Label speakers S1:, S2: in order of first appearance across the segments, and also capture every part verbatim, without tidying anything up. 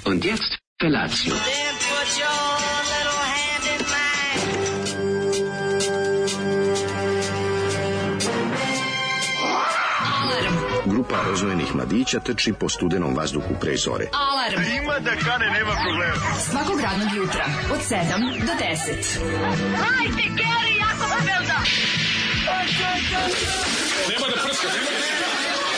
S1: Und jetzt Felatio.
S2: Then put your little hand in mine.
S3: Grupa rozvojenih mladića trči po studenom vazduhu pre zore.
S4: Alarm.
S5: Ima da kane, nema problema.
S4: Svakog radnog jutra od sedam do deset.
S2: Hajde, Geri, jako se velda.
S5: Nema da prska, nema da prska.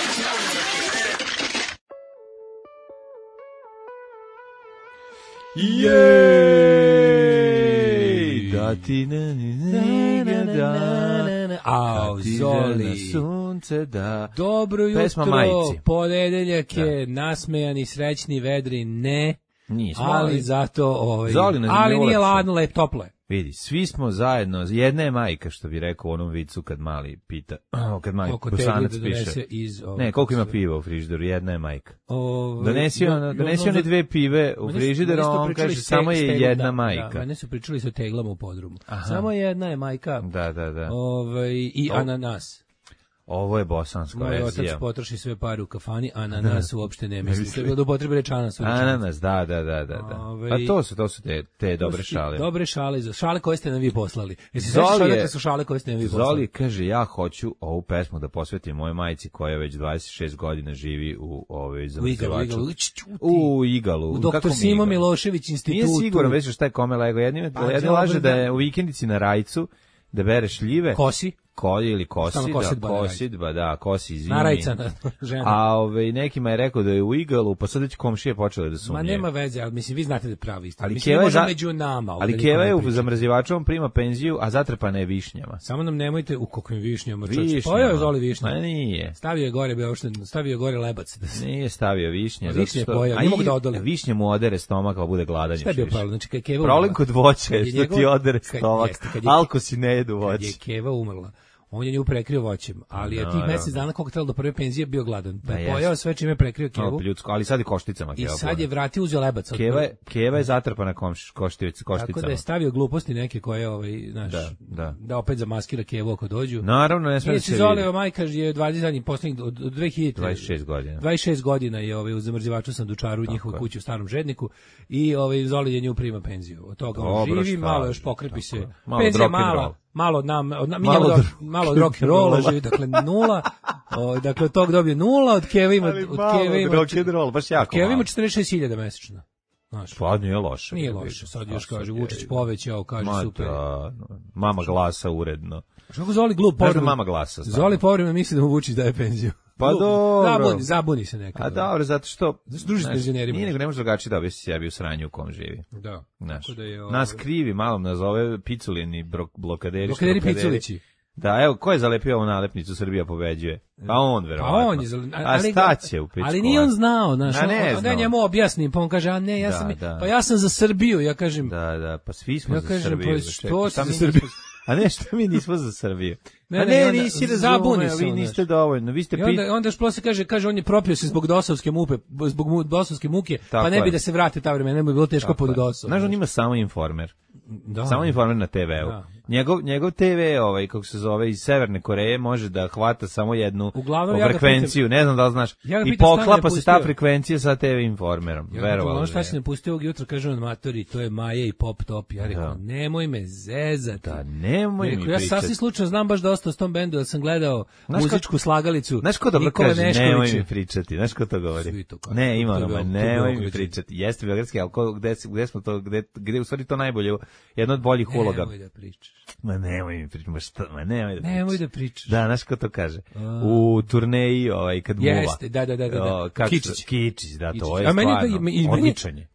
S6: Jej! Da ti ne ne da.
S7: Au, Zoli.
S6: Sunce da.
S7: Dobro
S6: Pesma
S7: jutro,
S6: Majici.
S7: ponedeljak je, nasmejani, srećni, vedri, ne,
S6: Nismo,
S7: ali zato, ovaj,
S6: Zoli nas
S7: ali
S6: ne
S7: nije
S6: ulepša.
S7: ladno, lep, toplo je.
S6: Vidi, svi smo zajedno, jedna je majka, što bi rekao u onom vicu kad mali pita, kad mali
S7: Oko tegli
S6: bosanac
S7: da donese
S6: piše.
S7: iz... Ovog,
S6: Ne, koliko ima piva u frižideru, jedna je majka.
S7: Ovaj,
S6: Donesi,
S7: jo-
S6: ona,
S7: jo-
S6: donesi
S7: ono
S6: one
S7: za-
S6: dve pive u
S7: Meni su-
S6: frižider,
S7: meni su to
S6: on
S7: pričali
S6: kaže
S7: s te-
S6: samo
S7: s
S6: je
S7: teglom,
S6: jedna
S7: da,
S6: majka.
S7: Da, mene su pričali sa teglama u podrumu.
S6: Aha.
S7: Samo jedna je majka.
S6: Da, da, da.
S7: Ovaj, i
S6: O-
S7: ananas.
S6: Ovo je bosanska
S7: Moj otac
S6: verzija.
S7: potroši sve pare u kafani, a na nas uopšte ne misli. To je bilo da upotrebe reč ananas. u rečenici.
S6: Ananas, da, da, da, da. da.
S7: Ovaj-
S6: Pa to su, to su te, te
S7: To
S6: dobre
S7: su ti
S6: šale.
S7: Dobre šale, za šale koje ste nam vi poslali. Jesi
S6: Zoli
S7: sećaš
S6: je-
S7: odakle su šale koje ste nam vi poslali?
S6: Zoli kaže, ja hoću ovu pesmu da posvetim mojoj majici koja već dvadeset šest godina živi u ovoj
S7: U Igalu,
S6: zamrzivaču.
S7: Igalu. Ćuti.
S6: U Igalu.
S7: U
S6: Kako
S7: doktor
S6: mi
S7: Simo
S6: Igalu?
S7: Milošević institutu.
S6: Nije siguran već šta je kome lego. Jedni,
S7: Pa,
S6: jedni
S7: dobro,
S6: laže da
S7: da.
S6: je u vikendici na Rajcu, da bere šljive.
S7: Kosi.
S6: Kolje ili kosi,
S7: Samo
S6: da,
S7: kosidba na
S6: kosidba, da, kosi zimi.
S7: Narajca na žena.
S6: A ove, nekima je rekao da je u Igalu, pa sad već komšije počele da
S7: Ma
S6: sumnje.
S7: nema veze, ali mislim, vi znate da je pravi istina.
S6: Ali
S7: Mislim,
S6: Keva
S7: ne
S6: je
S7: može
S6: za-
S7: među nama. ovde
S6: Ali
S7: niko
S6: Keva
S7: ne
S6: je u
S7: priča.
S6: zamrzivačom prima penziju, a zatrpana je višnjama.
S7: Samo nam nemojte u kokvim višnjama. čoveče.
S6: Višnjama.
S7: Pojeo je Zoli višnje.
S6: Ma nije.
S7: Stavio je gore, bio uopšte, stavio je gore lebac. Da se...
S6: Nije stavio višnje.
S7: Višnje
S6: zato
S7: je
S6: što-
S7: pojeo,
S6: a
S7: nije mogu
S6: i-
S7: da odoli.
S6: Višnje mu odere stomak, pa bude gladan.
S7: Šta je bio
S6: još više.
S7: problem? Znači, kad je Keva
S6: Problem
S7: umrla-
S6: kod voća je
S7: kad je
S6: što ti
S7: njegov-
S6: odere
S7: kad-
S6: stomak.
S7: jeste, kad je-
S6: Alko si ne jedu
S7: Kad je
S6: voće.
S7: Keva umrla, on je nju prekrio voćem, ali je tih
S6: Naravno.
S7: mesec dana koliko je trebalo do prve penzije bio gladan. Pa
S6: Da,
S7: je
S6: jeste.
S7: pojeo sve čime je prekrio Kevu
S6: No, ljudsko, ali sad je košticama.
S7: i
S6: Keva
S7: sad
S6: pojela.
S7: je vratio uzeo lebac. od
S6: Keva
S7: prve.
S6: je, Keva je zatrpana komš, koštic,
S7: Tako da
S6: košticama.
S7: je stavio gluposti neke koje, ovaj, znaš,
S6: Da, da.
S7: da opet zamaskira Kevu ako dođu.
S6: Naravno, ne sme da
S7: Nije
S6: se
S7: se Zoleva
S6: vidi.
S7: majka je dvadeset zadnjih poslednjih od od dve hiljade
S6: dvadeset šest godina.
S7: dvadeset šest godina je ovaj u zamrzivaču sandučaru u njihovoj
S6: je.
S7: kući u Starom Žedniku i ovaj Zoli je nju prima penziju. Od toga on
S6: Dobro,
S7: živi,
S6: šta
S7: malo
S6: je,
S7: još pokrepi
S6: tako
S7: se.
S6: je. Malo
S7: Penzija
S6: rock and roll.
S7: mala, malo od nam, od nam, mi
S6: Malo
S7: malo,
S6: od
S7: od, malo od rock and rolla živi, dakle nula. O, dakle od tog dobije nula, od Keve ima
S6: Ali
S7: od
S6: malo
S7: Keve ima
S6: rock and roll, baš jako
S7: Keve ima
S6: malo.
S7: četrdeset šest hiljada mesečno. Znaš,
S6: Pa nije loše.
S7: nije
S6: da
S7: loše.
S6: vidim.
S7: Sad
S6: Pa
S7: još
S6: sad
S7: kaže
S6: je-
S7: Vučić povećao, kaže
S6: Ma
S7: super.
S6: da, mama glasa uredno.
S7: Kako Zoli glup
S6: Znaš da
S7: povremeno-
S6: mama glasa stalno?
S7: Zoli povremeno misli da mu Vučić daje penziju.
S6: Pa
S7: Glup.
S6: dobro.
S7: Zabuni, zabuni se nekad.
S6: A dobro, zato što...
S7: Zato što druži s
S6: znaš,
S7: penzionerima.
S6: Nije nego ne može drugačije da objasni sebi u sranju u kom živi.
S7: Da.
S6: Znaš,
S7: Tako da je, ovaj-
S6: nas krivi, malo nas zove piculini bro- blokaderi. što
S7: Blokaderi Piculići.
S6: Da, evo, ko je zalepio ovu nalepnicu Srbija pobeđuje? Pa on,
S7: Pa
S6: verovatno.
S7: on je, zali-
S6: A
S7: ali,
S6: staće u pičku.
S7: ali nije on znao, znaš,
S6: A ne
S7: on- onda ja
S6: znao.
S7: njemu objasnim, pa on kaže, a ne, ja
S6: Da,
S7: sam,
S6: da.
S7: pa ja sam za Srbiju, ja kažem,
S6: Da, da, pa svi smo
S7: Ja
S6: za
S7: kažem,
S6: Srbiju.
S7: pa
S6: za
S7: što
S6: čekaj,
S7: si
S6: šta
S7: za
S6: mi
S7: Srbiju?
S6: nismo- A ne, što mi nismo za Srbiju?
S7: Ne,
S6: A
S7: ne,
S6: ne,
S7: onda
S6: nisi
S7: zabuni
S6: razumeo,
S7: se
S6: vi
S7: on,
S6: niste
S7: znaš.
S6: dovoljno, vi ste
S7: i
S6: pit...
S7: onda, onda još posle kaže, kaže, on je propio se zbog dosovske muke, zbog mu- dosovske muke,
S6: Tako
S7: pa ne bi
S6: je.
S7: da se vrate ta vremena, ne bi bilo teško pod dosom.
S6: Znaš, on ima samo informer.
S7: Da.
S6: Samo informer na te veu.
S7: Da.
S6: Njegov, njegov te ve, ovaj, kako se zove, iz Severne Koreje, može da hvata samo jednu
S7: Uglavnom, ja ga
S6: frekvenciju, ne znam da li znaš,
S7: Ja ga
S6: i
S7: pitam šta mi je
S6: poklapa se ta
S7: pustio.
S6: frekvencija sa te ve informerom.
S7: Ja
S6: Verovalo.
S7: ono šta si napustio ovog jutra, kaže on matori, to je Maja i Pop Top. Ja rekao,
S6: Da.
S7: nemoj me zezati.
S6: Da, nemoj mi
S7: Rekao, ja
S6: pričati.
S7: sasvim slučajno znam baš dosta o tom bendu, jer sam gledao
S6: Znaš
S7: muzičku slagalicu.
S6: Znaš ko dobro
S7: Nikola
S6: kaže,
S7: Neškovića.
S6: nemoj mi pričati, znaš ko to govori?
S7: Svi to kažu.
S6: Ne, ima
S7: To je
S6: ono, ma
S7: Beograd, to je
S6: nemoj mi
S7: Beogradski.
S6: pričati. Jeste beogradski, ali ko, gde, gde smo to, gde, gde je u stvari to najbolje, jedno od boljih uloga.
S7: Nemoj da pričaš.
S6: Ma nemoj mi pričati, ma šta, ma nemoj da pričaš.
S7: Nemoj da pričaš.
S6: Da, znaš ko to kaže? U turneji, ovaj, kad muva.
S7: Jeste, da, da, da, da, da.
S6: O, kako se-
S7: Kičić.
S6: Kičić, da, to
S7: Kičić.
S6: je
S7: A meni je to-
S6: stvarno,
S7: i- i meni je-
S6: odličan je.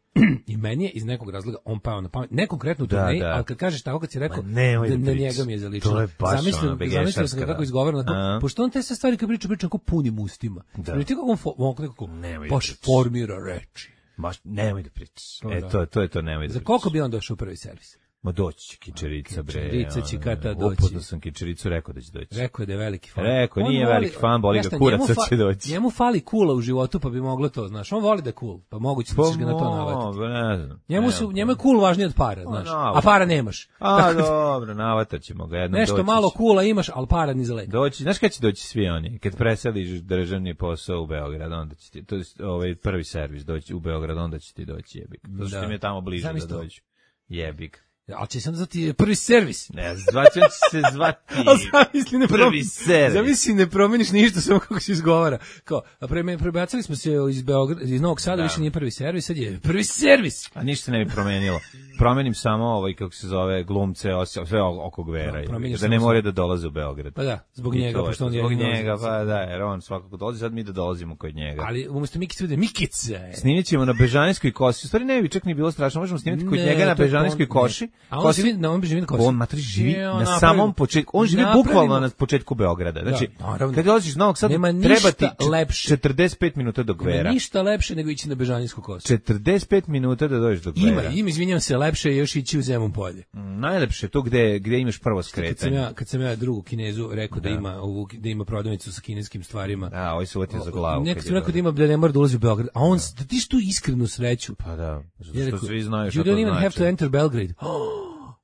S7: I meni je iz nekog razloga on pao na pamet. Ne konkretno u
S6: Da,
S7: turneji,
S6: da.
S7: ali kad kažeš tako, kad si rekao,
S6: Ma nemoj
S7: da,
S6: da
S7: na
S6: pričaš.
S7: njega mi je zaličilo.
S6: To je baš
S7: Zamislio-
S6: ono, begešarska,
S7: Zamislio sam ga kako
S6: da.
S7: izgovara,
S6: A.
S7: pošto on te sve stvari kad priča, priča kako punim ustima.
S6: Da.
S7: Da. Ti kako on, fo, on nekako
S6: Nemoj da
S7: baš
S6: pričaš.
S7: formira reči.
S6: Baš, nemoj da pričaš.
S7: To
S6: E,
S7: da.
S6: to, to je to, nemoj da
S7: Za
S6: pričaš.
S7: koliko bi on došao u prvi servis?
S6: Ma doći će Kičerica, bre.
S7: Kičerica će kada doći.
S6: Upoznao sam Kičericu, rekao da će doći.
S7: Rekao je da je veliki fan.
S6: Rekao, nije
S7: voli,
S6: veliki fan, boli ga kurac, sad će doći.
S7: Njemu fali kula u životu, pa bi moglo to, znaš. On voli da je cool, pa moguće da ćeš ga na to navatiti.
S6: Ne znam.
S7: Njemu, su, njemu je cool važnije od para, znaš. A para nemaš.
S6: A, dobro, navatat ćemo ga jednom.
S7: Nešto malo coola imaš, ali para ni za lek.
S6: Doći, znaš kada će doći svi oni? Kad preseliš državni posao u Beograd, onda će ti, to je ovaj prvi servis doći u Beograd, onda će ti doći jebik. Zato što ti je tamo bliže da dođu. Jebik.
S7: Ali će sam zvati prvi servis.
S6: Ne, zvaću će se zvati
S7: zamisli, ne
S6: prvi servis.
S7: Zamisli, ne promeniš ništa, samo kako se izgovara. Kao, a pre, prebacili smo se iz, Beograd, iz Novog Sada, da. Više nije prvi servis, sad je prvi servis.
S6: A ništa se ne bi promenilo. Promenim samo ovaj, kako se zove, glumce, sve oko Gvera. Da, da ne moraju da dolaze u Beograd.
S7: Pa da, zbog njega.
S6: To,
S7: pošto on
S6: zbog
S7: je
S6: njega, pa da, jer on svakako dolazi, sad mi da dolazimo kod njega.
S7: Ali umjesto Mikice bude Mikice.
S6: Snimit ćemo na Bežanijskoj koši. U stvari ne bi čak ni bilo strašno, možemo snimiti kod njega na Bežanijskoj koši.
S7: A on živi na, on živi na koši.
S6: On matri živi na samom početku. On živi bukvalno na početku Beograda. Znači, kad dolaziš iz Novog Sada, treba ti četrdeset pet minuta do Gvera.
S7: Nema ništa lepše nego ići na Bežanijsku kosu.
S6: četrdeset pet minuta da dođeš do Gvera.
S7: Ima, ima, izvinjavam se, lepše je još ići u Zemun polje.
S6: Mm, najlepše to gde gde imaš prvo skretanje.
S7: Kad sam ja, kad sam ja drugu Kinezu rekao da, da ima ovu, da ima prodavnicu sa kineskim stvarima.
S6: Da, ovaj se uvatio za glavu.
S7: Nekad sam rekao da ima da ne mora da ulazi u Beograd, a on da ti što iskrenu sreću.
S6: Pa da, zato što svi znaju šta
S7: to
S6: znači.
S7: You don't even have to enter Belgrade.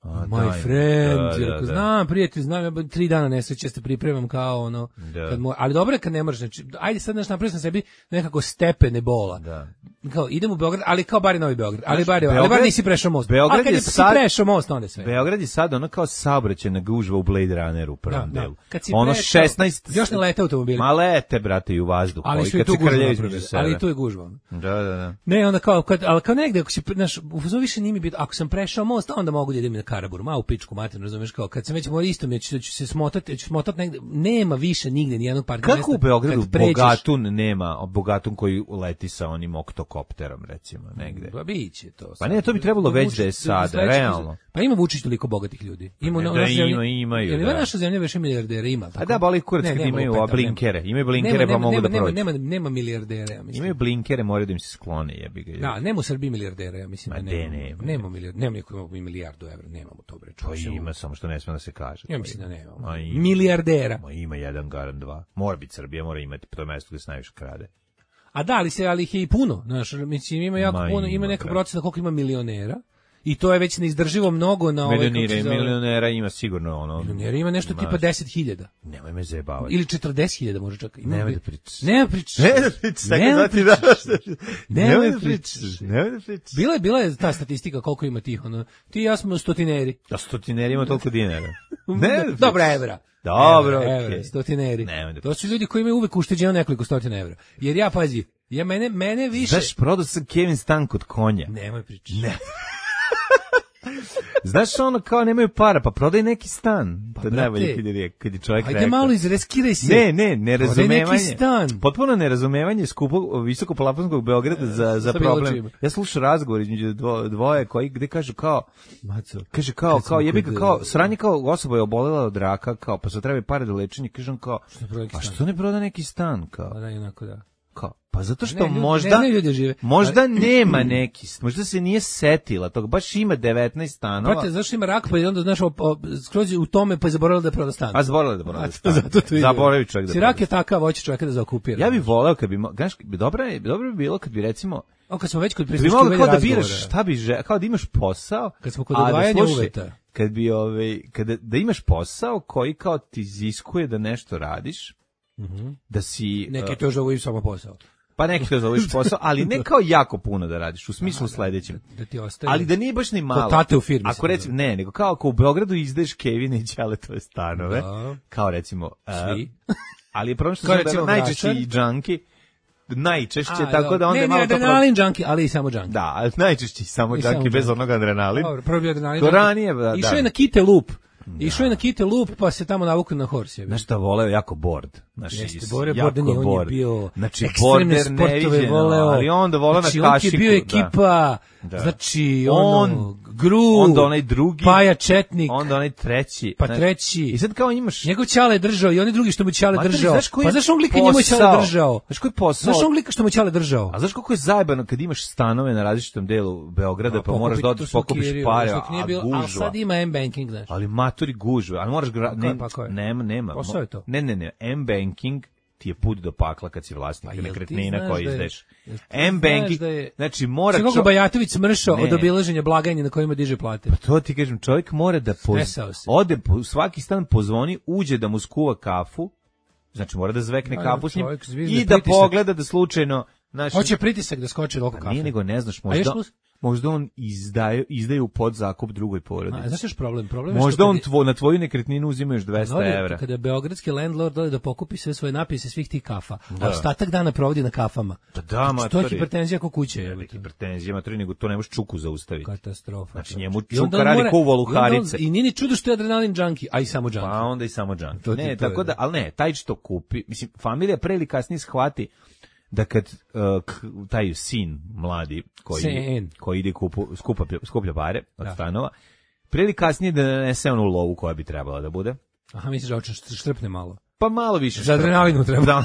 S7: A, my daj, friend, da, da, da. Znam, prijatelj, znam, ja tri dana nesreće se pripremam kao ono, kad mo, ali dobro je kad ne možeš, znači, ajde sad naš napravio sam sebi nekako stepene bola,
S6: da.
S7: Kao, idem u Beograd, ali kao bar je Novi Beograd, ali bar je, ali bar nisi prešao most,
S6: Beograd
S7: a kad je si
S6: sad,
S7: prešao most, onda je sve.
S6: Beograd je sad ono kao saobraćajna gužva u Blade Runneru u prvom
S7: da,
S6: delu.
S7: Da.
S6: Ono
S7: prešao,
S6: šesnaest
S7: još ne lete automobili.
S6: Ma lete, brate, i u vazduh.
S7: Ali su i tu gužva, ali i tu je gužva.
S6: Da, da, da.
S7: Ne, onda kao, kad, ali kao negde, ako si, znaš, u više nije mi biti, ako sam prešao most, onda mogu da idem na Karaburmu, ma u pičku materinu, razumeš, kao kad sam već mora isto mi ću, ću se smotati, ću smotati negde, nema više nigde ni jednog parka mesta.
S6: Kako u Beogradu Bogatun nema, Bogatun koji leti sa onim oktokopterom, recimo, negde?
S7: Pa biće to.
S6: Pa ne, to bi trebalo već da je sada, realno.
S7: Pa ima Vučić toliko bogatih ljudi. Ima
S6: da, ima, imaju,
S7: da. Ima naša zemlja više milijardera, ima.
S6: A da, boli kurac kad imaju blinkere. Imaju blinkere pa mogu da prođu.
S7: Nema, nema milijardera, ja mislim.
S6: Imaju blinkere, moraju da im se sklone, jebi ga.
S7: Da, nema u Srbiji milijardera, ja mislim da nema. Nema milijardu, nema niko ima milijardu evra, nemamo to bre.
S6: Pa ima, samo što ne sme da se kaže.
S7: Ja mislim da nema. Milijardera.
S6: Ma ima jedan garan dva. Mora biti Srbija, mora imati to mesto gde se najviše krade.
S7: A da, ali se ali ih je i puno, znaš, mislim ima jako Ma puno, ima, ima neka procena koliko ima milionera. I to je već neizdrživo mnogo na ovaj
S6: milionere, milionera ima sigurno ono.
S7: Milionera ima nešto ima, tipa deset hiljada.
S6: Nemoj me zajebavati.
S7: Ili četrdeset hiljada može čak. Ima.
S6: Nemoj da pričaš.
S7: Nemoj da pričaš.
S6: Nemoj da pričaš. Nemoj da pričaš. Nemoj da pričaš. Nemoj da pričaš.
S7: Bila je bila je ta statistika koliko ima tih ono. Ti i ja smo stotineri.
S6: Da stotineri ima toliko dinara. Ne.
S7: Dobro, evra.
S6: Dobro,
S7: evra, stotineri. To su ljudi koji imaju uvek ušteđeno nekoliko stotina evra. Jer ja pazi, ja mene mene više.
S6: Znaš, prodao sam Kevin stan kod konja.
S7: Nemoj pričaš.
S6: Ne. Znaš ono kao nemaju para, pa prodaj neki stan.
S7: Pa
S6: to najbolje kad je, kad je čovjek
S7: ajde
S6: rekao.
S7: malo izreskiraj se.
S6: Ne, ne, nerazumevanje.
S7: Prodaj neki stan.
S6: Potpuno nerazumevanje skupog, visokoplafonskog Beograda za, za problem. Ja slušam razgovor između dvo, dvoje koji gde kažu kao,
S7: Maco,
S6: kaže kao, kao jebi ga kao, sranje kao osoba je obolela od raka, kao, pa se treba pare da lečenje, kažem kao, a što ne proda neki stan, kao?
S7: Pa da, jednako da.
S6: Kao, pa zato što
S7: ne, ljudi,
S6: možda
S7: ne, ne žive.
S6: možda nema neki, možda se nije setila tog, baš ima devetnaest stanova.
S7: Brate, zašto ima rak, pa je onda znaš, skroz u tome, pa je zaboravila da proda stan.
S6: A zaboravila da proda stan.
S7: Zato to ide.
S6: Zaboravi čovjek da.
S7: Si rak je takav, hoće čovjeka da zaokupira.
S6: Ja bih voleo kad bi, znaš, dobro je, dobro bi bilo kad bi recimo,
S7: o, kad smo već kod
S6: prisluškivanja razgovora. Kao da biraš šta bi želeo, kao da imaš posao.
S7: Kad smo kod odvajanja uveta.
S6: Kad bi, ovaj, kada, da imaš posao koji kao ti iziskuje da nešto radiš,
S7: mm-hmm.
S6: da si...
S7: Neki to zove samo posao.
S6: Pa neki to zoveš posao, ali ne kao jako puno da radiš, u smislu da, sledećem.
S7: Da, da ti ostaje.
S6: Ali da nije baš ni malo.
S7: Tate u firmi.
S6: Ako recimo, ne, nego kao ako u Beogradu izdaješ Kevine i Ćaletove stanove,
S7: da.
S6: Kao recimo...
S7: Svi.
S6: Uh, ali je problem što su najčešće i džanki, najčešće, a, tako
S7: do.
S6: da onda
S7: ne,
S6: je malo...
S7: Ne, adrenalin džanki, ali i samo džanki.
S6: Da, ali najčešće samo džanki, bez onog adrenalin.
S7: Dobro, prvo bi adrenalin.
S6: To ranije, da.
S7: Išao je na Kite Loop. Da. Išao je na Kite Loop, pa se tamo navukao na Horsije.
S6: Znaš šta voleo? Jako board.
S7: Znaš, Jeste, Bore, jako board. On je bio
S6: znači,
S7: ekstremne sportove voleo.
S6: Ali onda voleo
S7: znači,
S6: na kašiku.
S7: Znači, on je bio ekipa, Da. Znači, on, ono, Gru,
S6: onda onaj drugi,
S7: Paja Četnik,
S6: onda onaj treći,
S7: pa treći.
S6: I sad kao imaš...
S7: Njegov Ćale držao i oni drugi što mu Ćale
S6: Materi,
S7: držao.
S6: Znaš
S7: pa znaš on glika njemu Ćale držao?
S6: Znaš koji posao?
S7: Znaš on glika što mu Ćale držao?
S6: A znaš koliko je zajebano kad imaš stanove na različitom delu Beograda, no, pa moraš da odeš pokupiš pare, a gužva.
S7: Ali sad ima M-banking, znaš.
S6: Ali maturi gužve, ali moraš... Gra...
S7: Ne, pa
S6: nema, nema.
S7: Posao je to.
S6: Ne, ne, ne, M-banking ti je put do pakla kad si vlasnik pa, nekretnina koji izdeš. M-banking, je... znači mora...
S7: Kako čo... Bajatović smršao od obilaženja blagajne na kojima diže plate.
S6: Pa to ti kažem, čovjek mora da poz... ode, po, svaki stan pozvoni, uđe da mu skuva kafu, znači mora da zvekne ja, kafu s njim i da pritisak. Pogleda da slučajno... Znači,
S7: hoće pritisak da skoči oko kafe.
S6: Nije nego ne znaš, možda... Možda on izdaje, izdaje u podzakup drugoj porodici.
S7: A znaš još problem? Problem je
S6: možda
S7: što
S6: on tvo, na tvoju nekretninu uzima još dvesta evra.
S7: Kada beogradski landlord dole da pokupi sve svoje napise svih tih kafa, da. A ostatak dana provodi na kafama.
S6: Da, da, matori.
S7: To je hipertenzija ko kuće.
S6: Je hipertenzija, matori, nego to ne možeš čuku zaustaviti.
S7: Katastrofa.
S6: Znači njemu čuka radi ko voluharice.
S7: I, i nije ni čudo što je adrenalin džanki, a i samo džanki.
S6: Pa onda i samo džanki. Ne, tako da, ali ne, taj što kupi, mislim, familija pre ili kasnije shvati da kad uh, k, taj sin mladi koji, koji ide kupu, skupa, skuplja pare od da. Stanova, prije ili kasnije da nanese onu lovu koja bi trebala da bude.
S7: Aha, misliš da oče štrpne malo?
S6: Pa malo više.
S7: Za adrenalinu treba.
S6: Da,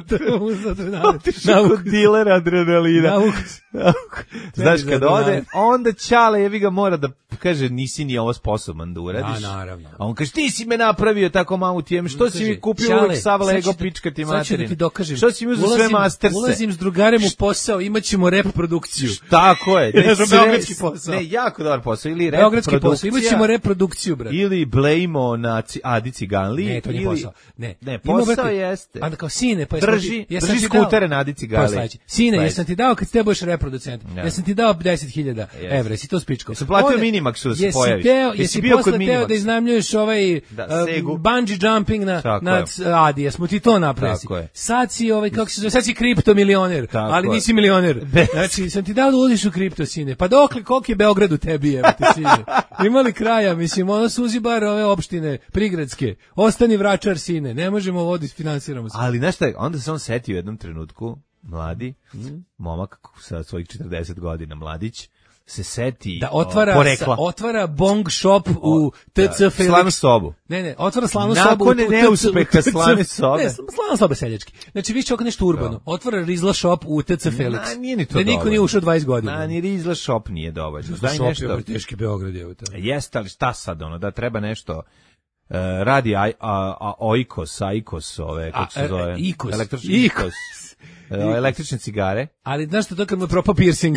S6: treba.
S7: Za adrenalinu.
S6: Otišao kod dilera adrenalina. Znaš, kad ode, onda Ćale jebi ga mora da kaže nisi ni ovo sposoban da uradiš.
S7: Da, naravno.
S6: A on kaže ti si me napravio tako mamu tijem, što kaže, si mi kupio uvek sav Lego pička ti materina.
S7: Sad ću da ti dokažem.
S6: Što si mi uzeo sve masterse?
S7: Ulazim s drugarem u posao, imaćemo rep produkciju.
S6: Tako je.
S7: Ne, beogradski posao.
S6: Ne, jako dobar posao. Ili rep
S7: beogradski
S6: produkcija.
S7: Posao, imaćemo reprodukciju, brate.
S6: Ili blejmo na Adi Ciganli.
S7: Ne, to nije
S6: ili...
S7: posao. Ne,
S6: ne posao jeste.
S7: A da kao sine, pa
S6: drži, ti, drži skutere na Adi Ciganli.
S7: Sine, jesam ti dao kad ste budeš reproducent. Jesam ti dao deset hiljada evra, si to spičko.
S6: Jesam platio Minimaxu da se pojaviš.
S7: Teo, jesi bio posle teo da iznajmljuješ ovaj
S6: da,
S7: uh, bungee jumping na, na Adi, jesmo ti to napravili. Sad si, ovaj, kako se zove, sad si kriptomilioner, ali je. Nisi milioner. Znači, sam ti dao da uđeš u kripto, sine. Pa dokle, koliko je Beograd u tebi, evo te, sine. Imali kraja, mislim, ono suzi bar ove opštine, prigradske. Ostani vračar, sine, ne možemo voditi, finansiramo se.
S6: Ali, znaš šta, onda se on setio u jednom trenutku, mladi, mm. momak sa svojih četrdeset godina, mladić, se seti
S7: da otvara sa, otvara bong shop u T C Felix.
S6: Slanu sobu.
S7: Ne, ne, otvara slanu
S6: Nakon
S7: sobu u
S6: Nakon neuspeha slane sobe.
S7: Ne, slana soba seljački. Znači više oko nešto urbano. Da. Otvara Rizla shop u T C Felix.
S6: Na, nije ni to.
S7: Da niko nije ušao dvadeset godina.
S6: Na, ni Rizla shop nije dovoljno.
S7: Daj nešto. Je teški Beograd je to.
S6: Jeste, ali šta sad ono, da treba nešto uh, radi a, a, a Oikos, Aikos, ove kako se zove?
S7: Ikos.
S6: Električni Ikos. Električne cigare.
S7: Ali znaš što to kad mu propao piercing?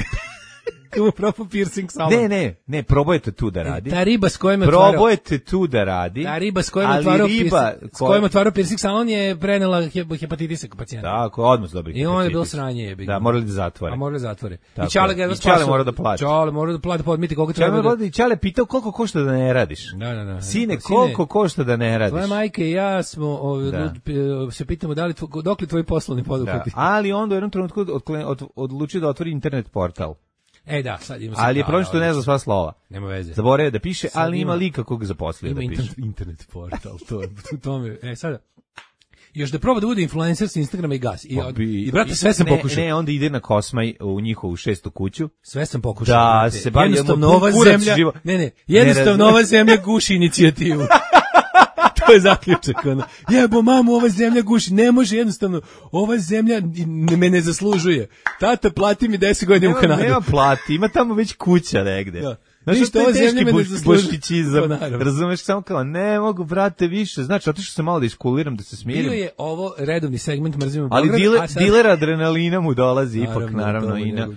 S7: Kako propao piercing salon.
S6: Ne, ne, ne, probajte tu da radi.
S7: Ta riba s kojom je otvarao.
S6: Probajte tu da radi.
S7: Ta riba s kojom je otvarao piercing, s kojom je otvarao piercing salon je prenela hepatitisa kod pacijenta.
S6: Tako, odmah dobri hepatitis.
S7: I on je bilo sranje jebi.
S6: Da, morali da zatvore.
S7: A morali da zatvore.
S6: Tako.
S7: I Ćale ga je spasao.
S6: Ćale mora da plati.
S7: Ćale mora da plati, podmiti koliko treba.
S6: Ćale da... Ćale pitao koliko košta da ne radiš.
S7: Da, da, da.
S6: Sine, koliko košta da ne radiš.
S7: Tvoja majka i ja smo ovaj, se pitamo da li tvo, dokle tvoji poslovni poduhvati.
S6: Da. Ali onda u jednom trenutku od, od, odlučio da otvori internet portal.
S7: E da, sad ima.
S6: Ali je problem što ne zna sva slova.
S7: Nema veze.
S6: Zaboravio da piše, sad ali ima lika kog zaposlio da piše.
S7: Ima internet portal, to je u tome. E sada još da proba da bude influencer sa Instagrama i gas. I, od, i brate, sve sam
S6: ne,
S7: pokušao.
S6: Ne, onda ide na Kosmaj u njihovu šestu kuću.
S7: Sve sam pokušao.
S6: Da,
S7: brate.
S6: se bavi
S7: jednostavno ova zemlja. Živo. Ne, ne, jednostavno ova zemlja guši inicijativu. To je zaključak, ono. Jebo mamu, ova zemlja guši, ne može jednostavno, ova zemlja me ne zaslužuje. Tata, plati mi deset godina u Kanadu.
S6: Nema plati, ima tamo već kuća negde.
S7: Da.
S6: Znaš,
S7: ništa, ova zemlja me ne zaslužuje.
S6: Pa, razumeš, samo kao, ne mogu, brate, više. Znači, otišao sam malo da iskuliram, da se smirim.
S7: Bio je ovo redovni segment Mrzimo
S6: Ali
S7: Beograd.
S6: dile, sad... diler adrenalina mu dolazi, naravno, ipak, naravno, i na...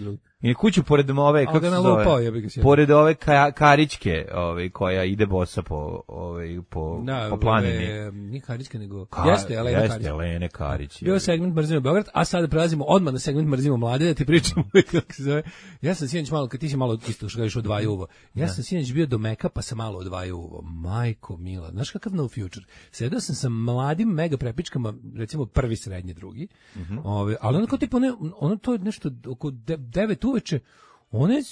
S6: I kuću pored ove, kako se zove,
S7: ja
S6: pored ove ka, karičke, ove, koja ide bosa po, ove, po,
S7: da,
S6: po planini.
S7: Ove, nije karička, nego, Ka, jeste, Elena
S6: jeste,
S7: Karić.
S6: Jeste, Elene Karić.
S7: Bio segment Mrzimo Beograd, a sada prelazimo odmah na segment Mrzimo mlade, da ti pričamo kako se zove. Ja sam sinoć malo, kad ti si malo isto što kažeš odvajao uvo, ja sam sinoć bio do Meka, pa sam malo odvajao uvo. Majko mila, znaš kakav no future. Sedao sam sa mladim mega prepičkama, recimo prvi, srednji, drugi, mm -hmm. ove, ali ono kao tipa, ono, ono to je nešto oko devet uveče. One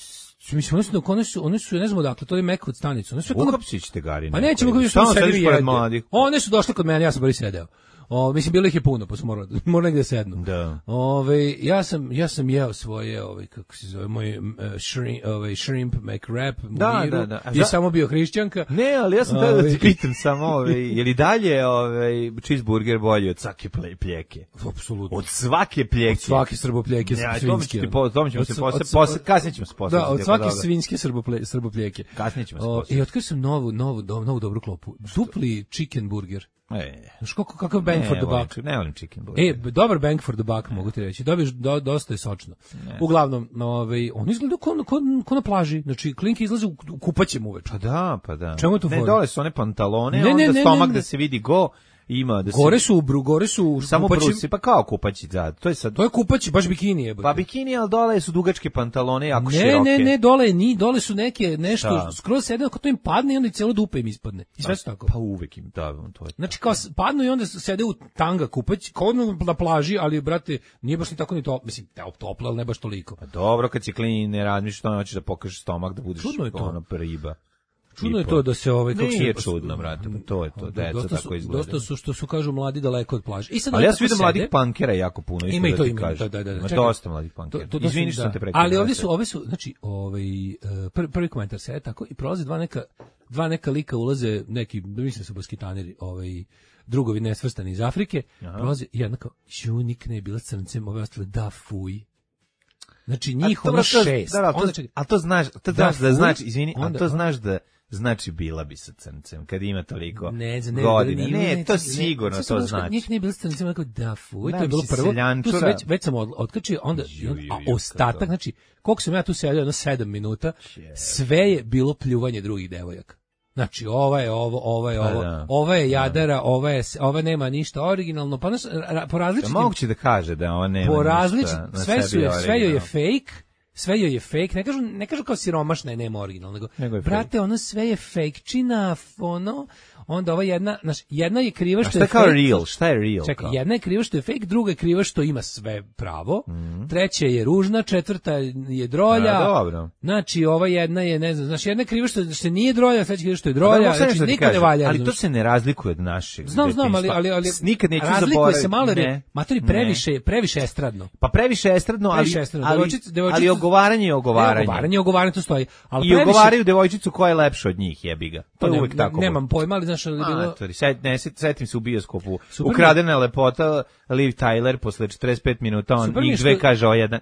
S7: mislim, one su, one su, one su, ne znam odakle, to je Mek od stanicu. One su
S6: Uhapsić te gari.
S7: Pa nećemo kako što sediš pored mladih. One su došle kod mene, ja sam boli sedeo. O, mislim bilo ih je puno, pa su morali morali negde sednu.
S6: Da.
S7: Ove, ja sam ja sam jeo svoje, ovaj kako se zove, moj uh, shrimp, ovaj shrimp McWrap,
S6: da, da, da.
S7: I samo bio hrišćanka.
S6: Ne, ali ja sam tada da ti pitam samo, ovaj, je li dalje ovaj cheeseburger bolji od svake pljeke?
S7: Apsolutno.
S6: Od svake pljeke.
S7: Od svake srbopljeke
S6: ja,
S7: svinjske.
S6: To ćemo se posle, posle, posle, kasnije ćemo se posle.
S7: Da, od svake svinjske srbople, srbopljeke.
S6: Kasnije ćemo se posle.
S7: I otkrio sam novu, novu, novu dobru klopu. Dupli chicken burger.
S6: E,
S7: znaš kako, kakav bang
S6: ne,
S7: for the
S6: volim,
S7: buck.
S6: Ne volim chicken burger.
S7: E, dobar bang for the buck, mogu ti reći. Dobiješ, do, dosta je sočno. Ne. Uglavnom, ovaj, on izgleda ko, ko, ko na plaži. Znači, klinke izlaze u, u kupaćem uveče.
S6: Pa da, pa da.
S7: Čemu to
S6: ne,
S7: fora?
S6: dole su one pantalone,
S7: ne,
S6: onda
S7: ne, ne,
S6: stomak
S7: ne, ne.
S6: da se vidi go. Ima da se
S7: gore su u bru, gore su u
S6: samo brusi, pa kao kupaći, da. To je sad
S7: to je kupaći, baš bikini je.
S6: Pa bikini, al dole su dugačke pantalone, jako
S7: ne,
S6: široke.
S7: Ne, ne, ne, dole ni, dole su neke nešto
S6: da.
S7: Skroz sede, ako to im padne i onda i celo dupe im ispadne. I sve su tako.
S6: Pa uvek im, da, to je.
S7: Znači kao padnu i onda sede u tanga kupać, kao na plaži, ali brate, nije baš ni tako ni to, mislim, toplo, al ne baš toliko.
S6: Pa dobro, kad si klin, ne razmišljaš što hoćeš da pokažeš stomak, da budeš ono riba.
S7: Čudno je to da se ovaj kako
S6: nije čudno, brate, pa to je to, deca tako izgleda.
S7: Dosta su što su kažu mladi daleko od plaže.
S6: I sad ali ja sam vidio mladih pankera jako puno,
S7: ima i to ima,
S6: da,
S7: da, da,
S6: da. Dosta mladih pankera. Izvini što sam te prekidao.
S7: Ali ovdje su, ove su, znači, ovaj prvi, prvi komentar se tako i prolaze dva neka dva neka lika ulaze, neki, mislim su basketaneri, ovaj drugovi nesvrstani iz Afrike, prolaze i jedna kao Junik ne je bila crncem, ove ostale da fuj. Znači njih ono šest.
S6: Da, to, a to znaš, to znaš da znači, izvini, a to znaš da znači bila bi sa crncem, kad ima toliko
S7: ne, ne,
S6: godina. Ne,
S7: ne,
S6: ne, to sigurno to znači.
S7: Njih nije bilo sa crncem, neko da fuj, to je bilo prvo. Tu se već, već sam otkačio, onda, a ostatak, znači, koliko sam ja tu sedio, jedno sedam minuta, sve je bilo pljuvanje drugih devojaka. Znači, ova je ovo, ova je ovo, da, ova je jadara, ova je, ova nema ništa originalno, pa nas, po različitim...
S6: Da moguće da kaže da ona nema
S7: po različit,
S6: ništa na
S7: sve
S6: sebi originalno.
S7: Sve joj je fake, sve joj je fake, ne kažu, ne kažu kao siromašna je, nema originalno, nego, nego brate, fake. Ono sve je fake-čina, ono, onda ova jedna, znaš, jedna je kriva što je fake.
S6: A šta je kao real, šta je real?
S7: Čekaj, jedna je kriva što je fake, druga je kriva što ima sve pravo, mm. treća je ružna, četvrta je drolja,
S6: a, dobro.
S7: Znači, ova jedna je, ne znam, znači, jedna je kriva što se nije drolja, treća je kriva što je drolja, da, znači, nikad ne valja.
S6: Ali to se ne razlikuje od našeg.
S7: Znam, znam, ali, ali, ali
S6: nikad neću
S7: razlikuje
S6: zaboraviti.
S7: se malo, jer matori previše, previše estradno.
S6: Pa previše estradno, ali, previše estradno. ali, devojčice, devojčice, ali ogovaranje je ogovaranje.
S7: Ogovaranje, ogovaranje, to stoji. Ali
S6: i previše... ogovaraju devojčicu koja je lepša od njih, jebi ga. To je ne, uvek tako.
S7: Nemam pojma, ali znaš, ali bilo...
S6: Set, ne, setim se u bioskopu. Super Ukradena je lepota, Liv Tyler, posle četrdeset pet minuta, on njih dve što... kaže o jedan...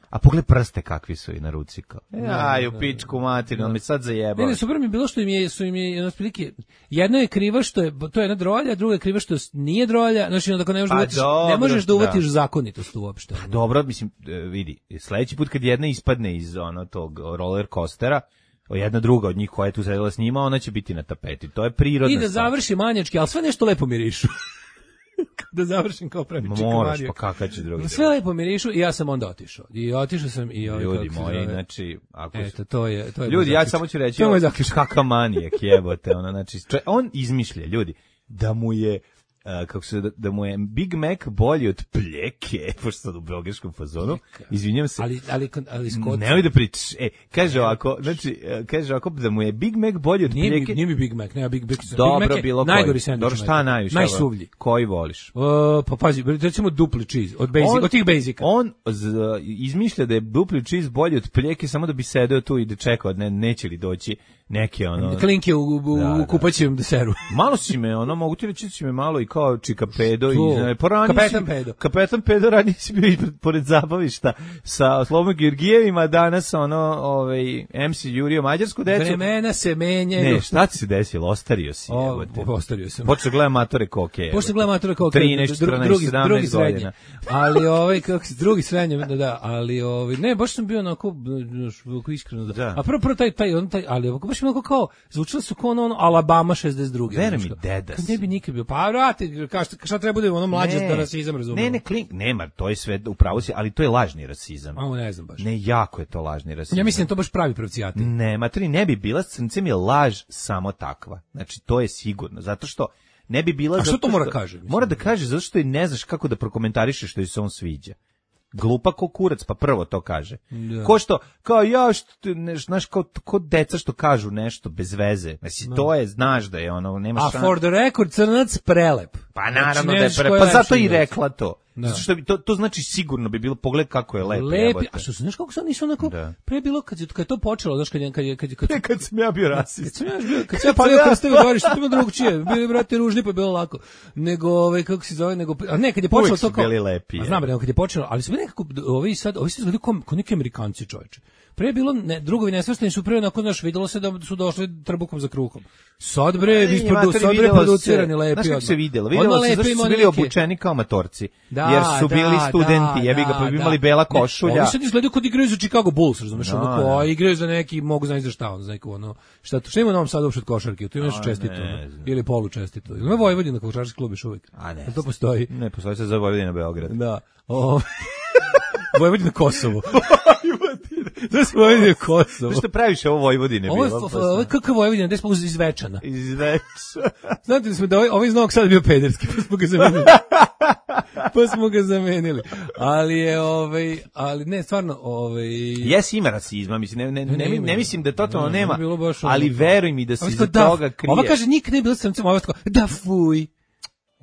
S6: A pogled prste kakvi su i na ruci kao. Aj, u pičku materinu, mi sad zajebao.
S7: Ne, ne, super mi je bilo što im je, su im je, prilike, jedna je kriva što je, to je jedna drolja, druga je kriva što nije drolja, znači onda ne možeš, pa, da, uvatiš, dobro, ne možeš da uvatiš da. zakonitost uopšte.
S6: Pa, dobro, mislim, vidi, sledeći put kad jedna ispadne iz ono tog roller coastera, jedna druga od njih koja je tu sedela s njima, ona će biti na tapeti. To je prirodna
S7: I da završi manjački, ali sve nešto lepo mirišu. Da završim kao pravi čika Mario.
S6: Moraš, pa kakav će drugi.
S7: Sve lepo mirišu i ja sam onda otišao. I otišao sam i ovaj
S6: ljudi moji, znači, ako
S7: eto, to je, to je
S6: ljudi, ja samo ću reći, kakav manijak jebote, ona, znači, on izmišlja, ljudi, da mu je Uh, kako se da, da mu je Big Mac bolji od pljeke, pošto sad u belgijskom fazonu. Izvinjavam se.
S7: Ali ali ali Scott.
S6: Ne da pričaš. E, kaže ovako, znači kaže ovako da mu je Big Mac bolji od
S7: nije
S6: pljeke.
S7: Mi, nije mi Big Mac, ne, Big Mac.
S6: Dobro,
S7: Big Mac
S6: bilo
S7: najgori sendvič.
S6: Dobro, šta najviše?
S7: Najsuvlji.
S6: Koji voliš?
S7: Uh, pa pazi, recimo dupli cheese od basic, on, od tih basica.
S6: On z, izmišlja da je dupli cheese bolji od pljeke samo da bi sedeo tu i da čekao, ne, neće li doći neke ono
S7: klinke u, u, da, u kupaćem deseru.
S6: Malo si me, ono mogu ti reći si me malo i kao čika pedo i ne,
S7: kapetan pedo.
S6: Kapetan pedo radi si bio pored zabavišta sa Slobom Georgijevima, danas ono ovaj em ce Jurio mađarsku decu.
S7: Vremena se menjaju.
S6: Ne, šta ti se desilo? Ostario si,
S7: o, ostario sam.
S6: Počeo gledam matore koke.
S7: Počeo gledam matore koke.
S6: trinaest, četrnaest, sedamnaest godina.
S7: Ali ovaj kako se drugi srednje, da, da, ali ovaj ne, baš sam bio onako iskreno da. da. A prvo prvo taj taj on taj, ali baš mi onako kao zvučalo su kao ono Alabama šezdeset druge.
S6: Veri mi, deda.
S7: Kad ne bi nikad bio. Pa vrati, kao šta treba bude ono mlađe da rasizam, razumem.
S6: Ne, ne, klink, nema, to je sve upravo si, ali to je lažni rasizam.
S7: A ne znam baš.
S6: Ne, jako je to lažni rasizam.
S7: Ja mislim to baš pravi pravcijati.
S6: Ne, materi ne bi bila s crncem je laž samo takva. Znači to je sigurno, zato što ne bi bila.
S7: A što to mora kaže?
S6: Mora da kaže zato što i ne znaš kako da prokomentarišeš što joj se on sviđa. glupa ko kurac, pa prvo to kaže.
S7: Da.
S6: Ko što, kao ja, što, ne, znaš, kao, ko deca što kažu nešto bez veze. Mislim,
S7: da.
S6: to je, znaš da je ono, nema
S7: A
S6: šan...
S7: for the record, crnac prelep.
S6: Pa naravno
S7: znači,
S6: da je pre... Pa zato i rekla to. Da. Zato što bi, to, to znači sigurno bi bilo, pogled kako je lep.
S7: Lepi, a što znaš kako sad nisu onako, da. Pre bilo, kad je, kad je to počelo, znaš, kad je, kad je, kad je, kad,
S6: kad, kad sam ja bio rasist.
S7: Kad sam ja bio, kad sam ja palio krsteve gori, što ima drugčije, bili brate ružni, pa je bilo lako. Nego, ovaj, kako se zove, nego, a ne, kad je počelo to kao...
S6: Uvijek su bili lepi.
S7: A znam, nego kad je počelo, ali su bili nekako, ovi sad, ovi se izgledaju kao, kao neki Amerikanci, čoveče. Pre je bilo, ne, drugovi nesvrstani su pre, onako, znaš, videlo se da su došli trbukom za kruhom. Sad bre, isprodu, sad bre producirani lepi.
S6: Znaš kako se videlo? Videlo se zašto su bili obučeni kao matorci. Da, jer su bili da, studenti, da, jebi ga, pa bi imali bela košulja.
S7: Oni sad izgledaju kod igraju za Chicago Bulls, razumeš, da, ono, a igraju za neki, mogu znati za šta, ono, za neko, ono, šta, šta ima u Novom Sadu uopšte od košarke, tu ima nešto čestito, ne, ili polu čestito. Ima Vojvodina košarkaški klub još uvijek. A ne, to postoji.
S6: Ne, postoji se za Vojvodina Beograd.
S7: Da. O, Vojvodina Kosovo. To se Vojvodina Kosovo.
S6: Zašto praviš ovo Vojvodine bilo?
S7: Ovo, ovo je kakav Vojvodina, gde smo iz Večana.
S6: Iz Večana.
S7: Znate da smo da ovaj, ovaj iz Novog Sada bio pederski, pa smo ga zamenili. Pa smo ga zamenili. Ali je, ovaj, ali ne, stvarno, ovaj...
S6: Jes, ima rasizma, mislim, ne, ne, ne, ne, ne mislim da totalno ne, nema, ali veruj mi da se iza toga krije.
S7: Ova kaže, nikad ne bilo srcem, ova tako, da fuj.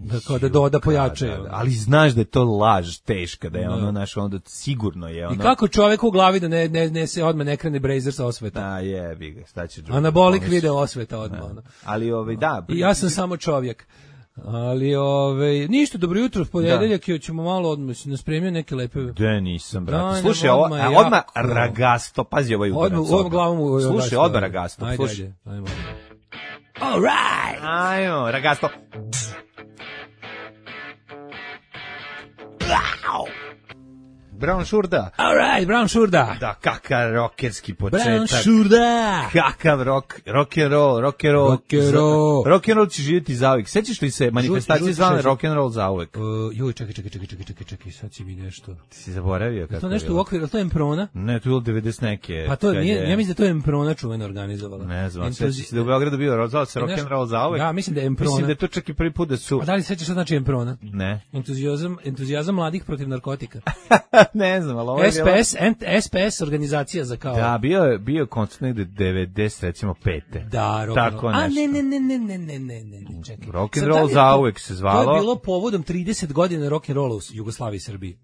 S7: Da, kao da doda pojačaju.
S6: Da, da, ali znaš da je to laž teška, da je da. ono, naš, onda sigurno je ono...
S7: I kako čovek u glavi da ne, ne, ne se odmah ne krene Brazer sa osveta.
S6: Da, je, bi ga, šta će...
S7: Anabolik video osveta odmah. Ono.
S6: Ali, ovaj, da...
S7: I ja sam samo čovjek. Ali, ovaj, ništa, dobro jutro, ponedeljak, da. Ćemo malo odmah, si nas spremio neke lepe...
S6: Da, nisam, brate. Slušaj, ovo, odmah, a, odmah ragasto, pazi ovaj udarac.
S7: Odmah, ovom glavom u
S6: Slušaj, odmah ragasto,
S7: ajde,
S6: slušaj.
S7: Ajde, ajmo. All right!
S6: Ajmo, ragasto. Wow. Brown Šurda.
S7: All right, Brown Šurda.
S6: Da, kakav rokerski početak.
S7: Brown Šurda.
S6: Kakav rock, rock and roll, rock and roll.
S7: Rock and roll.
S6: Rock and roll će živjeti zauvijek. Sećaš li se manifestacije zvane rock and roll zauvijek?
S7: Uh, joj, čekaj, čekaj, čekaj, čekaj, čekaj, čekaj, sad si mi nešto.
S6: Ti si zaboravio kako je.
S7: To nešto u okviru, to je Emprona?
S6: Ne, to je bilo devedeset neke.
S7: Pa to nije, ja mislim da to je Emprona čuveno organizovala.
S6: Ne znam, sećaš se da u Beogradu bio rozvao se rock and roll zauvijek.
S7: Ja, mislim da je Emprona.
S6: Mislim da je to čak i prvi put da su.
S7: A da li sećaš šta znači Emprona?
S6: Ne.
S7: Entuzijazam, entuzijazam mladih protiv narkotika.
S6: Ne znam, ali
S7: S P S, S P S organizacija za kao...
S6: Da, bio je bio koncert negde devedeset, recimo pete.
S7: Da, rock
S6: tako
S7: a
S6: nešto.
S7: ne, ne, ne, ne, ne, ne, ne, ne, ne, čekaj.
S6: Rock and roll zauvek se zvalo.
S7: To je bilo povodom trideset godina rock and rolla u Jugoslaviji i Srbiji.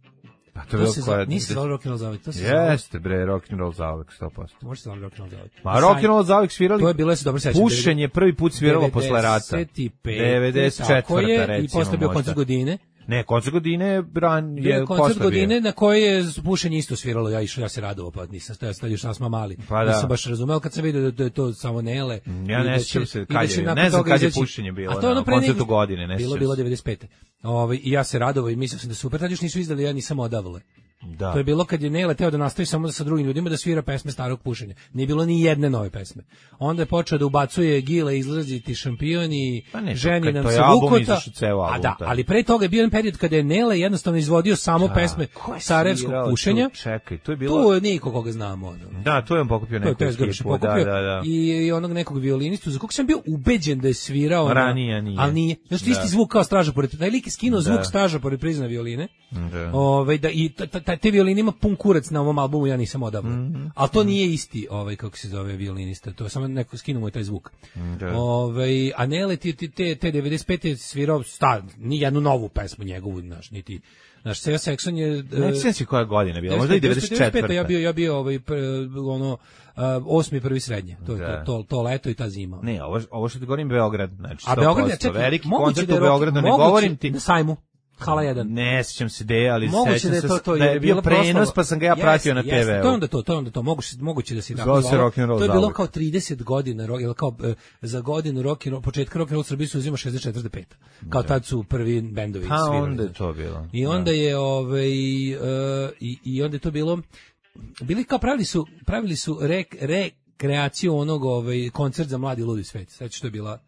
S6: Pa to je bilo koja...
S7: Nisi zvalo rock and roll zauvek, to se
S6: zvalo. Jeste, bre, rock and roll zauvek, sto posto.
S7: Može se zvalo rock and roll zauvek.
S6: Ma rock and roll zauvek svirali...
S7: To je bilo, ja se dobro sećam.
S6: Pušenje prvi put sviralo posle rata.
S7: devedeset četvrta recimo. I posle bio koncert godine.
S6: Ne, koncert godine bran je
S7: koncert godine na koji je pušenje isto sviralo, ja išao, ja se radovao, pa nisam stajao, stajao još nas mali.
S6: Pa da.
S7: Nisam baš razumeo kad sam vidio da je to samo Nele.
S6: Ja ne sjećam se kad je, ne znam kad je pušenje bilo a to na koncertu godine, ne
S7: bilo, bilo devedeset pete. Ovaj, i ja se radovao i mislio sam da super, tad još nisu izdali, ja nisam odavle.
S6: Da.
S7: To je bilo kad je Nele teo da nastavi samo sa drugim ljudima da svira pesme starog pušenja. Nije bilo ni jedne nove pesme. Onda je počeo da ubacuje Gile, izlaziti šampioni,
S6: pa ne,
S7: ženi nam
S6: to
S7: se Vukota. A da, ali pre toga je bio jedan period kada je Nele jednostavno izvodio samo da, pesme sarajevskog pušenja.
S6: Tu, čekaj, to je bilo...
S7: Tu je niko koga znamo. Ono.
S6: Da, to je on pokupio neku ekipu. Da, da, da.
S7: I, I onog nekog violinistu, za kog sam bio ubeđen da je svirao.
S6: Ranije nije.
S7: Ali nije. Znaš, da. Isti zvuk kao Straža pored... Taj lik je skinuo zvuk Straža pored prizna violine. Da. Ove, da, i te violine ima pun kurac na ovom albumu, ja nisam odabrao. Mm -hmm. Ali to nije isti, ovaj, kako se zove, violinista. To je samo neko skinuo mu taj zvuk. Da. Ove, a Nele ti te, te devedeset pete svirao sta, ni jednu novu pesmu njegovu, znaš, niti... Naš Seo Saxon je...
S6: Ne sjećam se koja godina bila, možda i devedeset četvrta.
S7: Ja bio, ja bio ovaj, ono, uh, osmi prvi srednje, to, to, to, to leto i ta zima.
S6: Ne, ovo, ovo što ti govorim Beograd, znači
S7: sto posto. A Beograd, ja, čekaj,
S6: veliki koncert u Beogradu, ne govorim ti...
S7: Na sajmu. Hala jedan.
S6: Ne sjećam se de, ali
S7: moguće
S6: sećam
S7: da je to, to,
S6: se da je bio prenos, pa sam ga ja pratio yes, na te ve.
S7: Yes, to je onda to, to je onda to, moguće, moguće da se
S6: tako zvalo. To
S7: je bilo kao trideset godina, ili kao e, za godinu rock and roll, početka rock and roll Srbije se uzima šezdeset četvrte pete. Kao da. Tad su prvi bendovi svirali.
S6: A onda je to bilo.
S7: I onda da. je ovaj uh, i, i onda je to bilo bili kao pravili su pravili su rek rekreaciju onog ovaj koncert za mladi ludi svet. Sećaš što je bila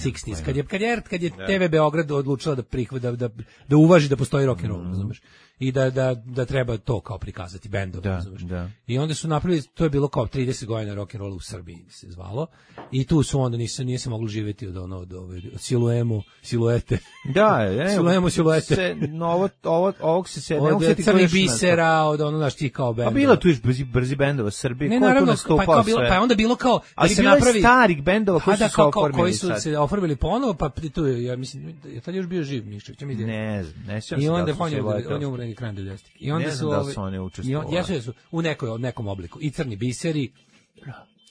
S7: šezdesetih kad je kad je kad je te ve Beograd odlučila da prihvata da, da da uvaži da postoji rock and roll, razumeš? I da da da treba to kao prikazati bendove, razumeš?
S6: Da.
S7: I onda su napravili, to je bilo kao trideset godina rock and rolla u Srbiji se zvalo. I tu su onda nisu nije se moglo živjeti od ono od ove od siluemu, siluete.
S6: Da, je.
S7: Siluemu, siluete.
S6: Se novo ovo ovog se se ne
S7: od crnih bisera, od ono naš ti kao bend.
S6: A bilo tu još brzi brzi bendova Srbije,
S7: ne,
S6: ko je tu
S7: nastupao, pa, bilo, pa onda bilo kao
S6: da se napravi starih bendova koji su se oformili,
S7: koji su se oformili ponovo, pa tu ja mislim je tad još bio živ Miščević, mi
S6: ne znam, ne sjećam se.
S7: I onda on je on je umro krajem devedesetih. I onda su
S6: da su oni učestvovali.
S7: I jesu u nekoj nekom obliku. I crni biseri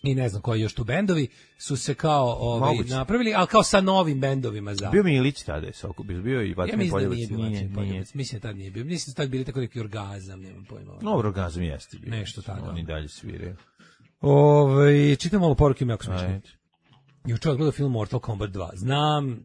S7: i ne znam koji još tu bendovi su se kao ovaj napravili, al kao sa novim bendovima za.
S6: Bio Milić tada je soko, bio i Vatni Poljevac.
S7: Ja mislim da nije, mislim tad nije bio. Mislim da tad bili tako neki orgazam, nemam pojma.
S6: No, orgazam jeste bio.
S7: Nešto tako.
S6: Oni dalje sviraju.
S7: Ovaj čitam malo poruke jako smešne. Juče gledao film Mortal Kombat dva. Znam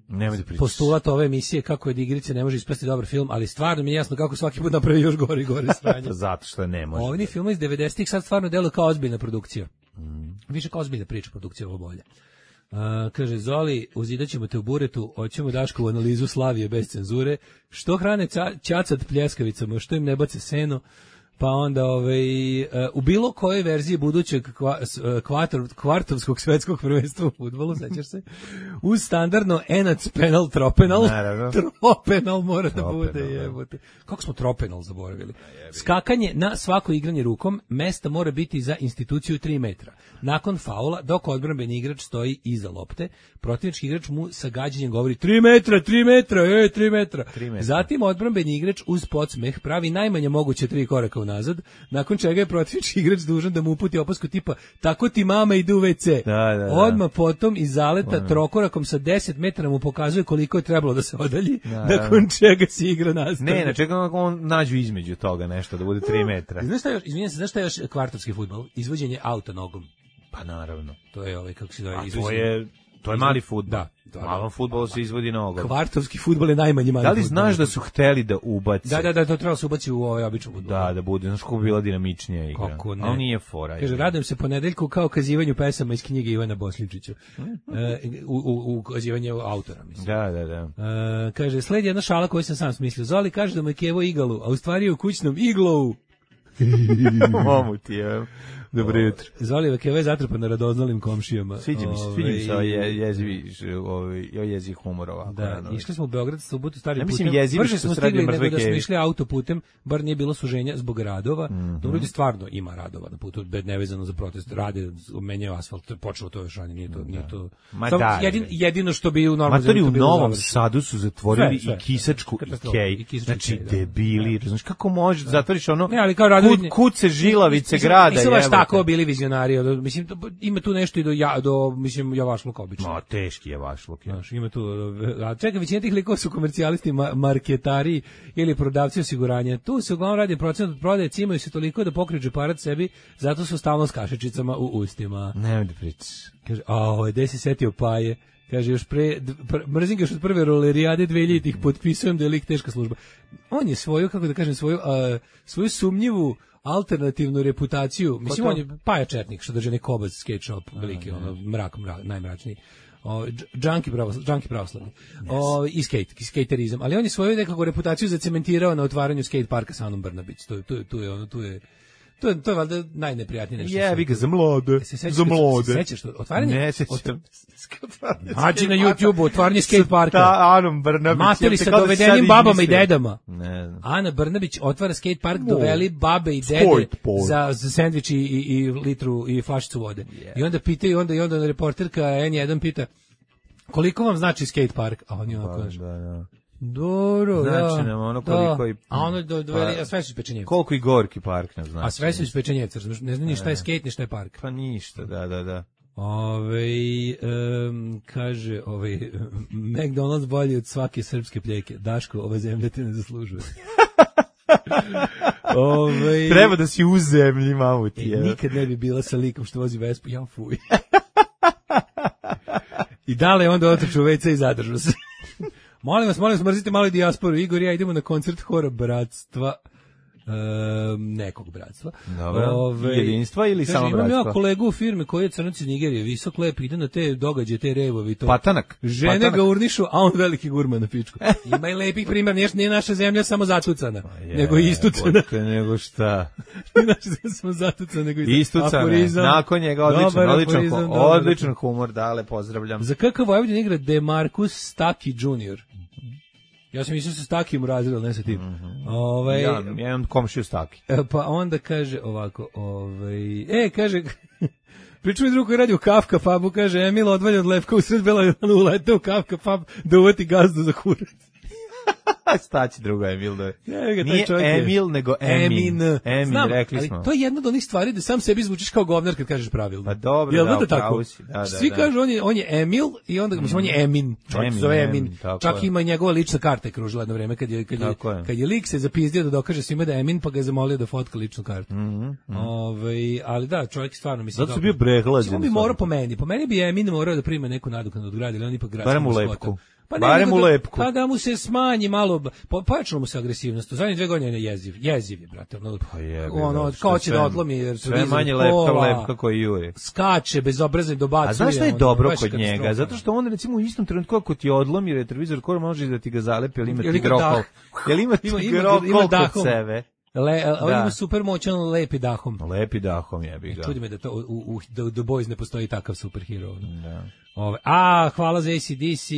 S7: postulat ove emisije kako je od igrice ne može ispasti dobar film, ali stvarno mi je jasno kako svaki put napravi još gore i gore sranje.
S6: Zato što ne može.
S7: Ovi filmovi iz devedesetih sad stvarno deluju kao ozbiljna produkcija. Mm. Više kao ozbiljna priča, produkcija ovo bolje. Uh, kaže Zoli, uzidaćemo te u buretu, hoćemo Daškovu analizu Slavije bez cenzure. Što hrane ca, ćacat pljeskavicama, što im ne bace seno? Pa onda ovaj, uh, u bilo kojoj verziji budućeg kva, kvator, kvartovskog svetskog prvenstva u fudbalu, sećaš se, uz standardno enac penal tropenal,
S6: naravno.
S7: tropenal mora da bude, jebote. Kako smo tropenal zaboravili? Skakanje na svako igranje rukom, mesta mora biti za instituciju tri metra. Nakon faula, dok odbrambeni igrač stoji iza lopte, protivnički igrač mu sa gađanjem govori tri metra, tri metra, ej, tri metra. Zatim odbrambeni igrač uz podsmeh pravi najmanje moguće tri koraka unazad, nakon čega je protivnički igrač dužan da mu uputi opasku tipa tako ti mama ide u ve ce.
S6: Da, da, da.
S7: Odmah potom iz zaleta da, trokorakom sa deset metara mu pokazuje koliko je trebalo da se odalji, da, nakon čega se igra nastavlja.
S6: Ne, na čega on nađu između toga nešto, da bude tri metra.
S7: Znaš šta još, izvinjam se, znaš šta još kvartovski fudbal? Izvođenje auta nogom.
S6: Pa naravno.
S7: To je ovaj, kako se zove,
S6: izvođenje. To je, to je mali fudbal.
S7: Da.
S6: Malom fudbalu se izvodi nogom.
S7: Kvartovski fudbal je najmanji mali.
S6: Da li znaš da su hteli da ubace?
S7: Da, da, da, to trebalo se ubaci u ovaj običan fudbal.
S6: Da, da bude, znaš kako bi bila dinamičnija igra.
S7: Kako ne?
S6: Ali nije fora.
S7: Kaže, radujem se ponedeljku kao kazivanju pesama iz knjige Ivana Bosličića. e, u, u, u kazivanju autora, mislim.
S6: Da, da, da.
S7: E, kaže, sledi jedna šala koju sam sam smislio. Zoli kaže da mu je Kevo igalu, a u stvari je u kućnom iglovu.
S6: Momu ti je. Dobro jutro.
S7: Zoli Kevo je zatrpan na radoznalim komšijama.
S6: Sviđa mi se, sviđa mi se ovaj jezivi, ovaj jezi humor ovako.
S7: Da, išli smo u Beograd, subotu stari
S6: ja
S7: putem.
S6: Mislim jezivi što
S7: smo
S6: se radi
S7: nego
S6: mrtve
S7: da smo išli autoputem, bar nije bilo suženja zbog radova. Mm -hmm. Dobro, ljudi stvarno ima radova na putu, nevezano za protest, rade, menjaju asfalt, počelo to još ranije, nije to, nije to.
S6: Ma da,
S7: jedin, jedino što bi u normalnom
S6: zemlji u Novom Sadu su zatvorili sve, sve, i Kisačku i Kej. Znači da. Debili, znaš kako možeš da zatvoriš ono?
S7: Ne, ali kao radovi,
S6: kud, kuce žilavice grada.
S7: Nisu baš tako bili vizionari. Mislim, ima tu nešto i do, ja, do mislim, javašluka obično.
S6: No, teški javašluk. Ja.
S7: Znaš, ima tu, a čekaj, većina tih likova su komercijalisti, ma, marketari ili prodavci osiguranja. Tu se uglavnom radi procent od prodaje, cimaju se toliko da pokriju džeparat sebi, zato su stalno s kašičicama u ustima.
S6: Ne da pričaš.
S7: Kaže, a ovo, gde si setio Paje? Kaže, još pre, pr, mrzim ga još od prve rolerijade dveljitih, potpisujem da je lik teška služba. On je svoju, kako da kažem, svoju, uh, svoju sumnjivu alternativnu reputaciju, mislim on je Paja Četnik što drži neki obaz skate shop, veliki ono mrak, mrak najmračniji. O junkie pravoslavni, junkie pravoslavni. O i skate, i skaterizam, ali on je svoju nekakvu reputaciju zacementirao na otvaranju skate parka sa Anom Brnabić. To tu tu je ono tu je To je, to je valjda najneprijatnije nešto.
S6: Jebi ga za mlade. Se za mlade.
S7: Se sećaš što? Otvaranje?
S6: Ne sećam.
S7: Nađi na YouTubeu otvaranje skate parka.
S6: Ta Anom Brnabić.
S7: Materi sa dovedenim babama i dedama.
S6: Ne znam.
S7: Ana Brnabić otvara skate park, doveli babe i dede za, za sendvič i, i litru i flašicu vode. Yeah. I onda pitaju, onda, i onda reporterka en jedan pita koliko vam znači skate park? A oni onako kažu. Da, da. Dobro,
S6: znači
S7: da.
S6: nam ono koliko i...
S7: A ono do, doveli, a sve su ispečenjevci.
S6: Koliko i Gorki park nam znači.
S7: A sve su ispečenjevci, ne znam ni šta je skate, ni šta je park.
S6: Pa ništa, da, da, da.
S7: Ove, um, kaže, ovaj, McDonald's bolji od svake srpske pljeke. Daško, ova zemlja te ne zaslužuje. Ove,
S6: treba da si u zemlji, mamu ti.
S7: E, nikad ne bi bila sa likom što vozi Vespu, ja fuj. I dale onda otrču u ve ce i zadržu se. Molim vas, molim vas, mrzite malo dijasporu. Igor i ja idemo na koncert Hora bratstva. Um, nekog bratstva.
S6: Dobro. Ove, jedinstva ili
S7: kaže,
S6: samo bratstva?
S7: Imam ja kolegu u firmi koji je crnac iz Nigerije, visok lep, ide na te događaje, te revovi. To.
S6: Patanak.
S7: Žene
S6: Patanak.
S7: ga urnišu, a on veliki gurman na pičku. Ima i lepih primjer, nije, nije naša zemlja samo zatucana, je, nego istucana.
S6: Nego šta?
S7: Nije naša zemlja samo zatucana, nego
S6: istucana. Aforizam. Nakon njega odličan, odličan, aforizam, odličan humor, dale, pozdravljam.
S7: Za kakav Vojvodin igra DeMarcus Staki junior Ja sam mislio sa Stakijem u razredu, ne sa tim. Mm -hmm. ovaj,
S6: ja, ja imam komšiju Staki.
S7: Pa onda kaže ovako, ovaj, e, kaže, priču mi drug koji radi u Kafka pubu, kaže, Emil odvalja od Levka u sred Bela Ilana, ulete u Kafka pub da uvati gazdu za kurac.
S6: Staći drugo Emil da je.
S7: Ja,
S6: nije Emil, nego Emin.
S7: Emin,
S6: Emin
S7: znam,
S6: rekli smo.
S7: Ali to je jedna od onih stvari da sam sebi zvučiš kao govnar kad kažeš pravilno.
S6: Pa dobro,
S7: Jel
S6: da,
S7: da, tako?
S6: Si, da, da,
S7: svi
S6: da.
S7: kažu on je, on je Emil i onda, mm. mislim, on je Emin. Čovjek se zove Emin. Čak
S6: je.
S7: ima i njegova lična karta je kružila jedno vreme kad je, kad je, je. Kad je lik se zapizdio da dokaže svima da je Emin, pa ga je zamolio da fotka ličnu kartu.
S6: Mm -hmm.
S7: Ove, ali da, čovjek stvarno mislim.
S6: Zato su bio prehlađen.
S7: On bi morao po meni. Po meni bi Emin morao da prima neku nadoknadu od grada, ali on ipak grad.
S6: Barem u Lepku.
S7: Pa
S6: barem u Lepku.
S7: Pa da mu se smanji malo, po, pojačalo mu se agresivnost. U zadnje dve godine je jeziv. Jeziv je, brate. Ono,
S6: pa je,
S7: ono kao će da odlomi. Jer
S6: sve manje lepka, lepka koji juri.
S7: Skače, bezobrazno dobacuje.
S6: A znaš šta je dobro kod njega? Zato što on recimo u istom trenutku ako ti odlomi retrovizor, ko može da ti ga zalepi, ali ima ti grokol. Jel ima ti grokol kod sebe?
S7: Le, on ima super moćan lepi dahom.
S6: Lepi dahom jebi ga.
S7: Čudi me da to u, u The, The Boys ne postoji takav superhero.
S6: Da.
S7: Ove, a, hvala za A C D C.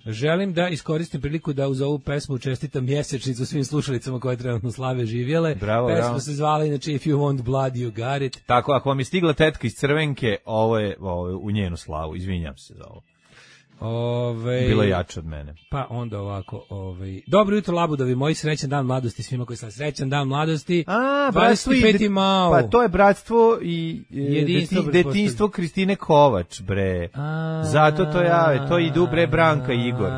S7: Želim da iskoristim priliku da uz ovu pesmu čestitam mjesečnicu svim slušalicama koje trenutno slave živjele.
S6: Bravo,
S7: Pesma
S6: bravo.
S7: se zvala inače If You Want Blood, You Got It.
S6: Tako, ako vam je stigla tetka iz Crvenke, ovo je, ovo je u njenu slavu. Izvinjam se za ovo.
S7: Ove,
S6: Bilo jače od mene.
S7: Pa onda ovako, ovaj dobro jutro Labudovi, moj srećan dan mladosti svima koji sam srećan dan mladosti.
S6: A, bratstvo i de, pa to je bratstvo i jedinstvo, deti, detinjstvo Kristine Kovač, bre. A, zato to jave, to idu bre Branka i Igor.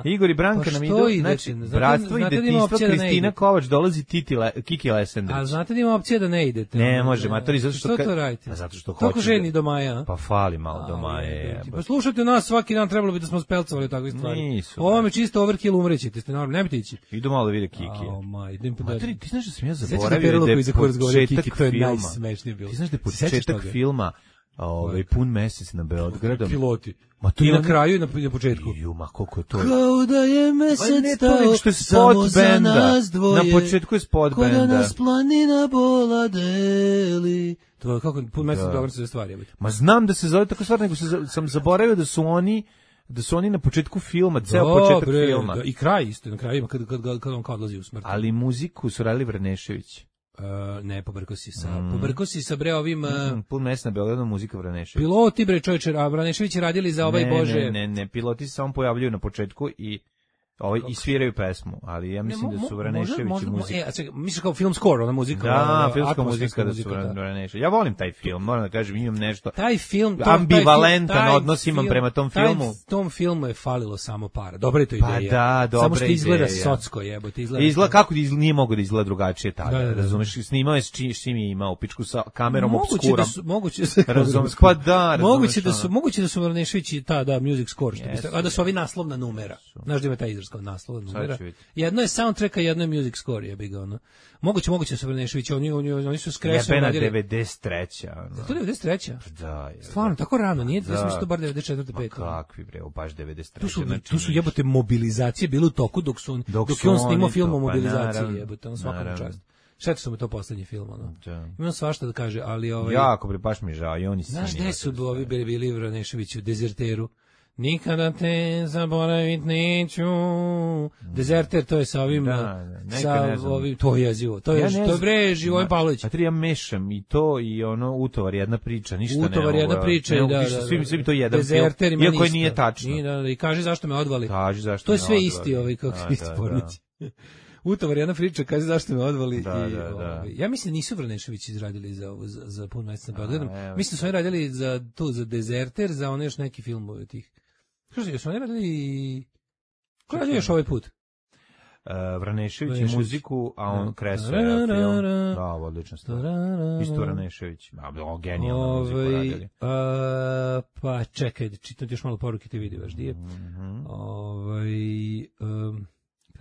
S6: Igor i Branka
S7: pa
S6: nam idu, znači, bratstvo i detinjstvo Kristina da Kovač dolazi Titi Le, Kiki Lesendrić.
S7: A znate da ima opcija da ne idete?
S6: Ne, može, matori, zato što...
S7: Što to radite?
S6: A zato što hoće...
S7: Toliko ženi do maja.
S6: Pa fali malo do maja.
S7: Pa slušajte nas, svaki dan trebalo bi da smo spelcovali takve stvari.
S6: Nisu.
S7: Ovo me čisto overkill, umrećete, ste normalno, ne biti ići.
S6: Idu malo da vide Kiki.
S7: O, ma, idem po
S6: Materi, ti znaš da sam ja zaboravio da je početak filma. Ti znaš da je početak filma ovaj pun mesec na Beogradom.
S7: Piloti.
S6: Ma to
S7: i
S6: je
S7: na kraju i na, na početku.
S6: Ju, ma koliko je to.
S7: Kao da je mesec
S6: stao, što je spot benda. Na početku je spot benda.
S7: Ko da nas planina bola deli. To je kako pun mesec dobro se stvari.
S6: Ma znam da se zove tako stvar, nego sam zaboravio da su oni da su oni na početku filma, ceo
S7: Dobre,
S6: početak filma.
S7: Da, i kraj isto, na kraju ima kad, kad, kad, kad on kao odlazi u smrt.
S6: Ali muziku su radili Vranešević.
S7: Uh, ne, pobrko si sa, mm. pobrko si sa bre ovim... Uh,
S6: mm, pun mesec na Beogradu muzika Vranešević.
S7: Piloti bre čovječe, a Vranešević radili za ovaj
S6: ne,
S7: Bože...
S6: Ne, ne, ne, piloti se samo pojavljuju na početku i ovaj i sviraju pesmu, ali ja mislim ne, mo, da su Vranešević i muzika.
S7: E, a čekaj, misliš kao film score, ona muzika?
S6: Da, ona, filmska muzika da su Vranešević. Ja volim taj film, moram da kažem, imam nešto.
S7: Taj film, to,
S6: ambivalentan
S7: taj
S6: odnos imam prema tom filmu.
S7: Taj, tom filmu je falilo samo para. Dobra je to ideja.
S6: Pa da, dobra
S7: samo što izgleda
S6: ideja.
S7: socsko, jebote, izgleda.
S6: Izgleda kako izgleda, nije mogao da izgleda drugačije tada.
S7: Da, da, da.
S6: Razumeš, snimao je s čim je imao pičku sa kamerom obskurom.
S7: Da su, moguće da su,
S6: razumeš, pa da,
S7: moguće da su, moguće da su Vranešević i ta da music score, što yes, a da su ovi naslovna numera. Znaš da ima taj izraz kao naslovna numera. Jedno je soundtrack, a jedno je music score, jebi ga ono. Moguće, moguće su Vranešević, oni oni oni su skresno
S6: radili. devedeset treća
S7: Ono. To je devedeset treća
S6: Da, je.
S7: Stvarno tako rano, nije, da smo što bar devedeset četvrte pete
S6: Kakvi bre, baš devedeset treće
S7: Tu su tu su jebote mobilizacije bile u toku dok su dok, dok on snimao film o mobilizaciji, pa, jebote, on svakom čast. Šta su mu to poslednji film, ono. Da. Imam svašta da kaže, ali ovaj
S6: jako bre, baš mi žao i oni su.
S7: Znaš gde su ovi bili Vranešević u Dezerteru? Nikada te zaboravit neću. Dezerter, to je sa ovim,
S6: da, da,
S7: sa ovim, to je jezivo. To je, ja to je bre, Živojin Pavlović.
S6: A tri ja mešam i to i ono utovar jedna priča, ništa ne.
S7: Utovar jedna priča,
S6: ne,
S7: da, da,
S6: da. Svi, svi to jedan
S7: Dezerter
S6: film, iako je nije tačno.
S7: I, da, da, i kaže zašto me odvali.
S6: Kaži zašto
S7: to je
S6: me
S7: sve
S6: odvali.
S7: isti, ovaj, kako da, isti pornici. Da. Utovar jedna priča, kaže zašto me odvali.
S6: Da,
S7: i,
S6: da, da.
S7: Ovaj, ja mislim nisu Vranešević izradili za ovo, za, za pun mesec na Beogradom. Mislim su oni radili za tu, za Dezerter, za one još neki film od tih. Što su oni radili... Ko radio još ovaj put?
S6: Uh, Vranešević i muziku, a on kreso je film. Da, odlična stvar. Isto Vranešević. A, genijalna muziku radili.
S7: Uh, pa čekaj, čitam još malo poruke, ti vidi baš, di je. Ovaj... Um,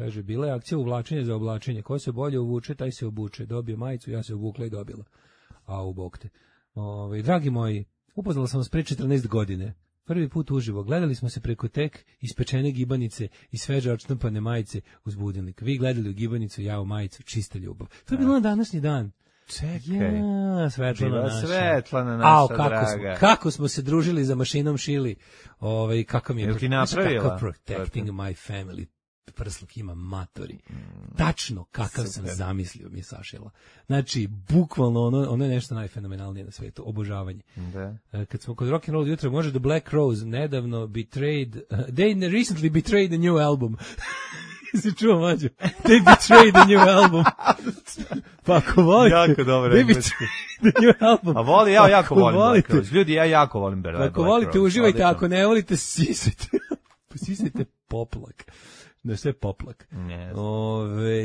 S7: Kaže, bila je akcija uvlačenja za oblačenje. Ko se bolje uvuče, taj se obuče. Dobije majicu, ja se obukla i dobila. A u bok te. Ove, dragi moji, upoznala sam vas pre četrnaest godine. Prvi put uživo. Gledali smo se preko tek ispečene gibanice i sveže odštampane majice uz budilnik. Vi gledali u gibanicu, ja u majicu, čista ljubav. To je bilo na današnji dan.
S6: Čekaj.
S7: Ja, Svetlana naša.
S6: Svetlana naša,
S7: Ao, kako
S6: draga.
S7: Smo, kako smo se družili za mašinom šili. Ovaj, kako mi je...
S6: Jel ti napravila?
S7: Kako protecting my family. Prsluk ima matori. Tačno kakav sam zamislio mi je sašila. Znači, bukvalno ono, ono je nešto najfenomenalnije na svetu. Obožavanje.
S6: Da.
S7: Kad smo kod rock'n'roll jutra, može da Black Rose nedavno betrayed, uh, they recently betrayed a new album. Si čuo, mlađo? They betrayed a new album. Pa ako volite...
S6: Jako dobro.
S7: They betrayed a new album.
S6: A voli, ja jako
S7: ako
S6: volim
S7: volite,
S6: Black Rose. Ljudi, ja jako volim Black Rose.
S7: Ako volite, uživajte, ako ne volite, sisajte. Sisajte poplak. Da sve poplak.
S6: Yes.
S7: Ove,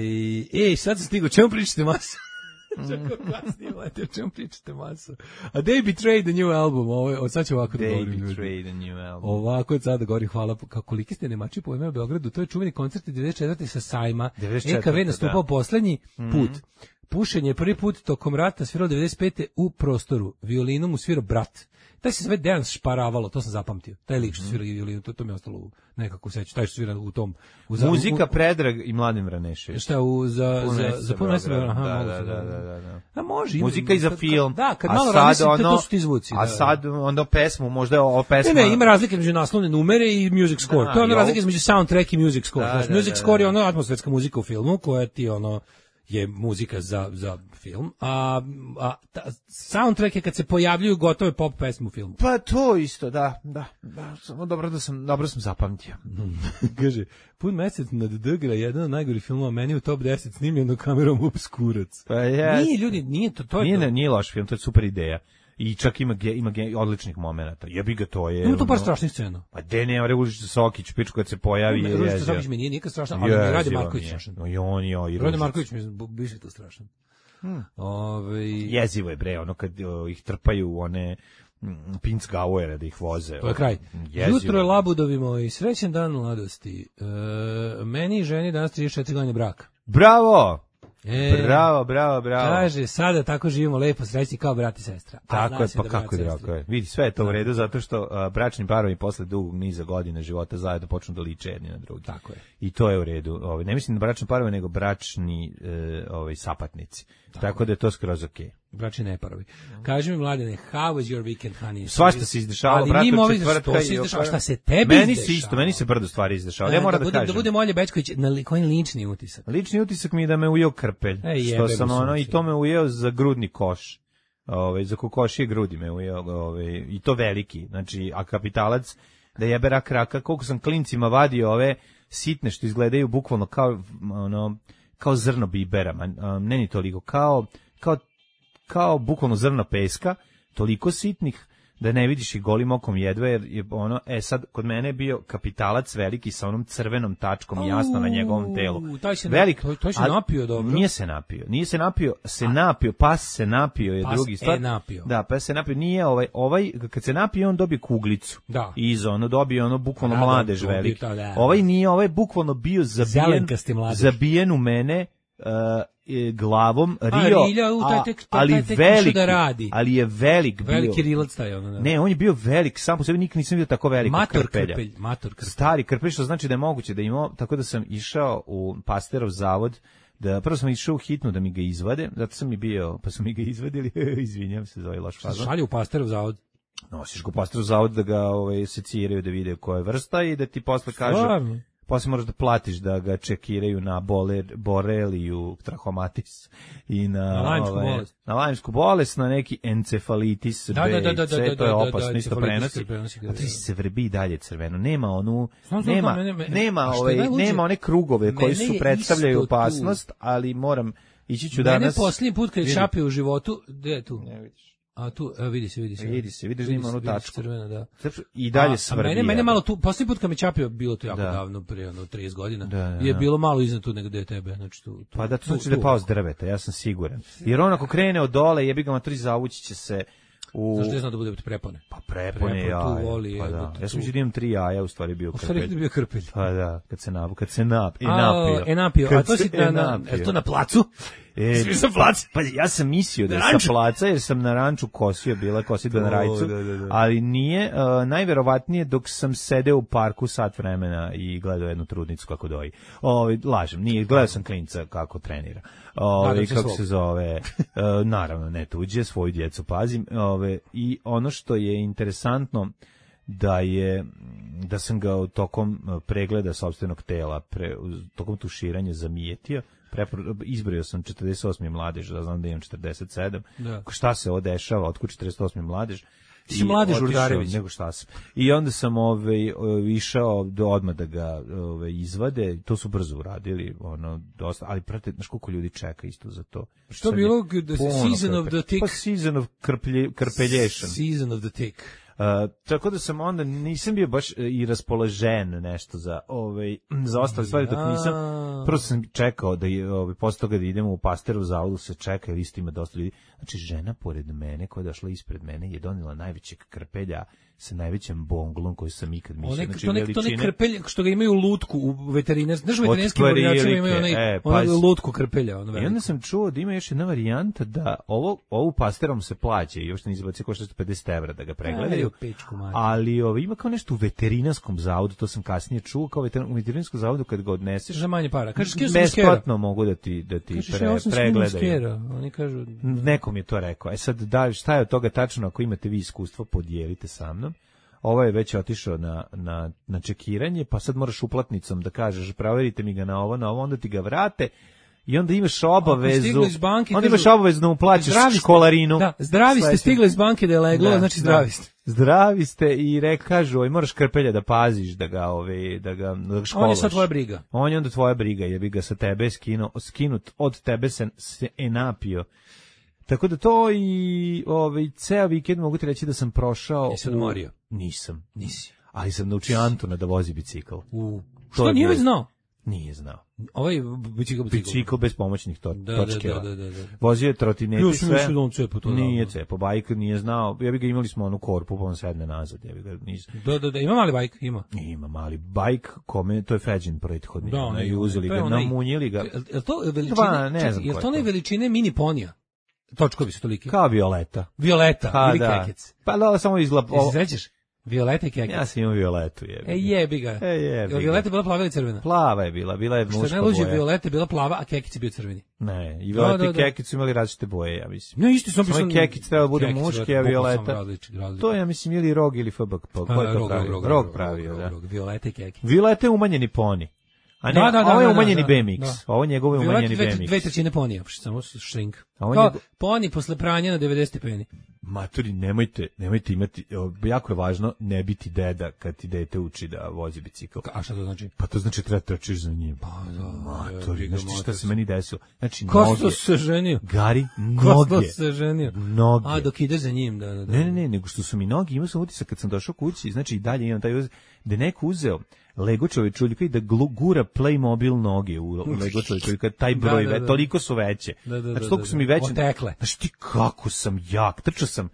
S7: ej, sad sam stigao, čemu pričate maso? Čako kasnije, lete, o čemu pričate maso? A They Betrayed the New Album, ovo, sad ću ovako da govorim.
S6: They Betrayed the New Album.
S7: Ovako je sad da govorim, hvala, kako koliki ste nemači po ime u Beogradu, to je čuveni koncert devedeset četvrte sa sajma, E K V nastupao da. poslednji put. Mm-hmm. Pušenje je prvi put tokom rata svirao devedeset pete u prostoru, violinom mu svirao brat. Taj se sve Dejan šparavalo, to sam zapamtio. Taj lik što svira violinu, to, to mi je ostalo nekako seća. Taj što svira u tom... U,
S6: Muzika
S7: u,
S6: Predrag i Mladen Vranešević.
S7: Šta, u, za, za, za puno mesta? Aha,
S6: da,
S7: mogu
S6: da,
S7: se,
S6: da, da, da, da.
S7: A može.
S6: Muzika i za
S7: kad,
S6: film.
S7: Da, kad malo razmislite, ono, to su ti zvuci.
S6: A
S7: da,
S6: sad onda pesmu, možda o pesma...
S7: Ne, ne, ima razlike među naslovne numere i music score. Da, to je ono razlike između soundtrack i music score.
S6: Da,
S7: Znaš,
S6: da,
S7: music
S6: da,
S7: score
S6: da.
S7: je ono atmosferska muzika u filmu, koja ti ono... je muzika za, za film, a, a ta, soundtrack je kad se pojavljuju gotove pop pesme u filmu.
S6: Pa to isto, da, da, da, samo dobro da sam, dobro sam zapamtio.
S7: Kaže, pun mesec nad Dgra, jedan od najgorih filmova, meni u top deset snimljeno kamerom Obskurac.
S6: Pa je.
S7: Nije, ljudi, nije to, to je
S6: nije,
S7: to.
S6: Nije loš film, to je super ideja. I čak ima ge, ima ge, odličnih momenata. Jebi ga, to je.
S7: Ima tu par
S6: ono,
S7: strašnih scena.
S6: Pa de ne, Ružica Sokić, pičku kad se pojavi je.
S7: Ružica Sokić mi nije nikad strašna, ali mi Rade Marković strašan.
S6: No i on jo i
S7: Rade Marković mi je više to strašan.
S6: Hmm.
S7: Ove...
S6: Jezivo je bre, ono kad o, ih trpaju one Pinc Gauere da ih voze.
S7: To je kraj.
S6: Jezivo.
S7: Jutro je labudovi moji, srećan dan mladosti. E, meni i ženi danas trideset četiri godine braka.
S6: Bravo!
S7: E,
S6: bravo, bravo, bravo.
S7: Kaže, sada tako živimo lepo, srećni kao brat i sestra.
S6: Tako je, pa da kako je drago je. Vidi, sve je to u redu, zato što uh, bračni parovi posle dugog niza godina života zajedno počnu da liče jedni na drugi.
S7: Tako je.
S6: I to je u redu. Ovaj, ne mislim na bračne parove, nego bračni uh, ovaj, sapatnici. Tako, tako da je to skroz okej. Okay.
S7: Bračni neparovi. Kaži mi, Mladene, how was your weekend, honey?
S6: Svašta se izdešavalo, brate, od četvrtka i
S7: oko... Šta se tebi
S6: meni
S7: izdešavalo?
S6: Se isto, meni se brdo stvari izdešavalo. Ja moram da,
S7: da,
S6: da kažem.
S7: Da bude Molje Bečković, na li, koji lični utisak?
S6: Lični utisak mi je da me ujeo krpelj.
S7: Ej,
S6: što sam ono, i to me ujeo za grudni koš. Ove, za kokošije grudi me ujeo, ove, i to veliki. Znači, a kapitalac, da jebe rak raka, koliko sam klincima vadio ove sitne što izgledaju bukvalno kao, ono, kao zrno bibera, ne ni toliko, kao, kao kao bukvalno zrno peska, toliko sitnih da ne vidiš i golim okom jedva, jer je ono, e sad, kod mene je bio kapitalac veliki sa onom crvenom tačkom Au, jasno na njegovom telu.
S7: Taj se,
S6: Velik,
S7: to, to se napio dobro.
S6: Nije se napio, nije se napio, se a, napio, pas se napio je
S7: pas
S6: drugi stvar.
S7: E napio.
S6: Da, pas se napio, nije ovaj, ovaj, kad se napio on dobije kuglicu.
S7: Da.
S6: Iza, ono dobije ono bukvalno
S7: da,
S6: mladež
S7: da,
S6: veliki.
S7: Da, da.
S6: Ovaj nije, ovaj bukvalno bio zabijen, zabijen u mene, uh, glavom Rio,
S7: a, Rilja, u, taj tek, taj,
S6: ali
S7: taj tek
S6: veliki,
S7: da radi.
S6: ali je velik bio.
S7: Veliki rilac taj ono. Da.
S6: Ne, on je bio velik, sam po sebi nikad nisam vidio tako velikog
S7: mator
S6: krpelja.
S7: Krpelj, mator krpelj.
S6: Stari krpelj, što znači da je moguće da imao, tako da sam išao u Pasterov zavod, da prvo sam išao u hitnu da mi ga izvade, zato sam i bio, pa su mi ga izvadili, izvinjam se za ovaj loš fazon.
S7: Šalje u Pasterov zavod.
S6: Nosiš ga u Pasterov zavod da ga ovaj, seciraju, da vide koja je vrsta i da ti posle kažu... Stvarno? Posle moraš da platiš da ga čekiraju na boler, boreliju, trahomatis i na,
S7: na lajmsku
S6: ove,
S7: bolest.
S6: Na lajmsku bolest, na neki encefalitis
S7: da,
S6: B
S7: da, da, da,
S6: i C,
S7: da, da,
S6: to je
S7: da,
S6: opasno,
S7: da,
S6: isto prenosi. prenosi a ti se vrbi i dalje crveno. Nema onu,
S7: znam,
S6: nema,
S7: znam, mene,
S6: nema, ovaj, nema one krugove koji su predstavljaju opasnost, tu. Ali moram, ići ću
S7: mene
S6: danas.
S7: Mene posljednji put kad je šapio u životu, gde je tu?
S6: Ne vidiš.
S7: A tu, evo vidi se, vidi se.
S6: Vidi se, vidiš da ima onu tačku.
S7: Crvena, da.
S6: I dalje svrbi.
S7: A mene, mene malo tu, posljednji put kad me čapio, bilo to jako
S6: da.
S7: davno, prije ono trideset godina,
S6: da, da,
S7: je bilo malo iznad tu nego gde je tebe. Znači, tu, tu,
S6: pa da to znači da je pao s drveta, ja sam siguran. Jer on ako krene od dole, jebi ga matri zavući će se U...
S7: Znaš da je znao da bude prepone?
S6: Pa prepone, ja.
S7: Prepon tu voli.
S6: Pa da.
S7: Tu...
S6: Ja sam mislio da imam tri jaja, u stvari bio krpelj.
S7: U stvari je bio krpelj.
S6: Pa da, kad se nap, kad se nap, e
S7: A,
S6: napio.
S7: E napio, a to si na, na,
S6: napio.
S7: to na placu?
S6: E,
S7: Svi sam plac.
S6: Pa ja sam mislio da je
S7: ranču.
S6: sa placa, jer sam na ranču kosio, bila kosidba na rajcu,
S7: da, da, da.
S6: ali nije, uh, najverovatnije dok sam sedeo u parku sat vremena i gledao jednu trudnicu kako doji. Ovi, lažem, nije, gledao sam klinca kako trenira. Ovi, kako svog. se zove, uh, naravno ne tuđe, svoju djecu pazim. Ove, I ono što je interesantno, da je da sam ga tokom pregleda sopstvenog tela, pre, tokom tuširanja zamijetio, prepro, izbrojio sam četrdeset osmi mladež, da znam da imam četrdeset sedam. Da. Šta se ovo dešava, otkud četrdeset osmi mladež?
S7: Ti si mladež Urdarević.
S6: Nego šta sam. I onda sam ovaj, išao do odmah da ga ovaj, izvade, to su brzo uradili, ono, dosta, ali prate, znaš koliko ljudi čeka isto za to.
S7: Što je bilo the season of the tick?
S6: Pa season of krplje, krpelješan.
S7: Season of the tick.
S6: Uh, tako da sam onda nisam bio baš i raspoložen nešto za ovaj za ostale stvari, dok nisam prvo sam čekao da je ovaj posle toga da idemo u Pasterov zavodu, se čeka jer isto ima dosta ljudi. Znači žena pored mene koja je došla ispred mene je donela najvećeg krpelja sa najvećim bonglom koji sam ikad mislio.
S7: Znači veličine. To ne krpelj što ga imaju u lutku u veterinarstvu. Znaš, veterinarski bornjaci imaju onaj,
S6: e,
S7: onaj lutku krpelja. Ono
S6: I onda sam čuo da ima još jedna varijanta da ovo, ovu Pasterom se plaća i još ne izbaci košta pedeset evra da ga pregledaju. Ali ovo, ima kao nešto u veterinarskom zavodu, to sam kasnije čuo, kao veterin, u veterinarskom zavodu kad ga odneseš.
S7: Za manje para. Kažeš,
S6: besplatno mogu da ti, da ti
S7: Kažeš,
S6: pre,
S7: ja
S6: pregledaju.
S7: Oni kažu...
S6: Nekom je to rekao. E sad, da, šta je od toga tačno, ako imate vi iskustvo, podijelite sa mnom. Ovo je već otišao na, na, na čekiranje, pa sad moraš uplatnicom da kažeš, proverite mi ga na ovo, na ovo, onda ti ga vrate i onda imaš obavezu, banke, onda imaš obavezu da mu plaćaš školarinu.
S7: Da, zdravi ste, stigli iz banke da je leglo, da, znači zdravi ste.
S6: Zdravi ste i re, kažu, oj, moraš krpelja da paziš, da ga, ove, da ga, da ga školaš.
S7: On je sad tvoja briga.
S6: On je onda tvoja briga, jer bi ga sa tebe skinu, skinut, od tebe se, se enapio. Tako da to i ovaj ceo vikend mogu ti reći da sam prošao.
S7: Jesi odmorio?
S6: Nisam.
S7: Nisi.
S6: Ali sam naučio Antona da vozi bicikl.
S7: U. Što nije već znao?
S6: Nije znao.
S7: Ovaj bicikl, bicikl.
S6: Bicikl bez pomoćnih to,
S7: da,
S6: točkeva.
S7: Da, da, da, da.
S6: Vozio je trotineti sve.
S7: Još mi cepo to.
S6: Nije cepo, bajk nije znao. Ja bi ga imali smo onu korpu, pa on sedne nazad. Ja bi ga nisam.
S7: Da, da, da, ima mali bajk, ima.
S6: Ima mali bajk, kome, to je Feđin prethodni.
S7: Da,
S6: ne, i uzeli ga, namunjili ga.
S7: Je to veličine, Dva, ne znam je to ne veličine mini ponija? Točkovi su toliki.
S6: Kao Violeta.
S7: Violeta
S6: pa,
S7: ili
S6: da.
S7: Kekec.
S6: Pa da, samo izgleda.
S7: Jesi sećaš? Violeta i Kekec.
S6: Ja sam imao Violetu, jebi ga.
S7: E jebi ga.
S6: E jebi ga.
S7: Violeta je bila plava ili crvena?
S6: Plava je bila, bila je muška boja.
S7: Što najluđe, Violeta je bila plava, a Kekec je bio crveni.
S6: Ne, i Violeta da, da, da. i Kekec su imali različite boje, ja mislim.
S7: Ne, isti sam
S6: pisao. Kekec treba da bude muški, a Violeta.
S7: Različit, različit.
S6: To je, ja mislim, ili Rog ili F B K. Ko je to pravio? Rog pravio, da.
S7: Violeta i Kekec.
S6: Violeta je umanjeni poni. A ne,
S7: da, da,
S6: ovo je
S7: da,
S6: umanjeni
S7: da,
S6: B M X.
S7: Da.
S6: Ovo njegov je umanjeni B M X.
S7: Dve trećine ponija, samo shrink.
S6: A on
S7: Kao
S6: njegov...
S7: poni posle pranja na devedeset stepeni.
S6: Maturi, nemojte, nemojte imati, jako je važno ne biti deda kad ti dete uči da vozi bicikl.
S7: A šta to znači?
S6: Pa to znači treba trčiš za njim.
S7: Pa da,
S6: Maturi, znači šta se meni desilo? Znači
S7: Ko
S6: noge.
S7: Ko se ženio?
S6: Gari, noge.
S7: Ko se ženio?
S6: Noge.
S7: A dok ideš za njim, da, da, da.
S6: Ne, ne, ne, nego što su mi noge, imao sam utisak kad sam došao kući, znači i dalje imam taj utisak, da neko uzeo Lego čovječuljka i da gura Playmobil noge u Lego čovječuljka, taj broj, da, da, da. Toliko su veće.
S7: Da, da,
S6: znači, toliko su mi veće.
S7: Otekle.
S6: Znači, ti kako sam jak, trčao sam.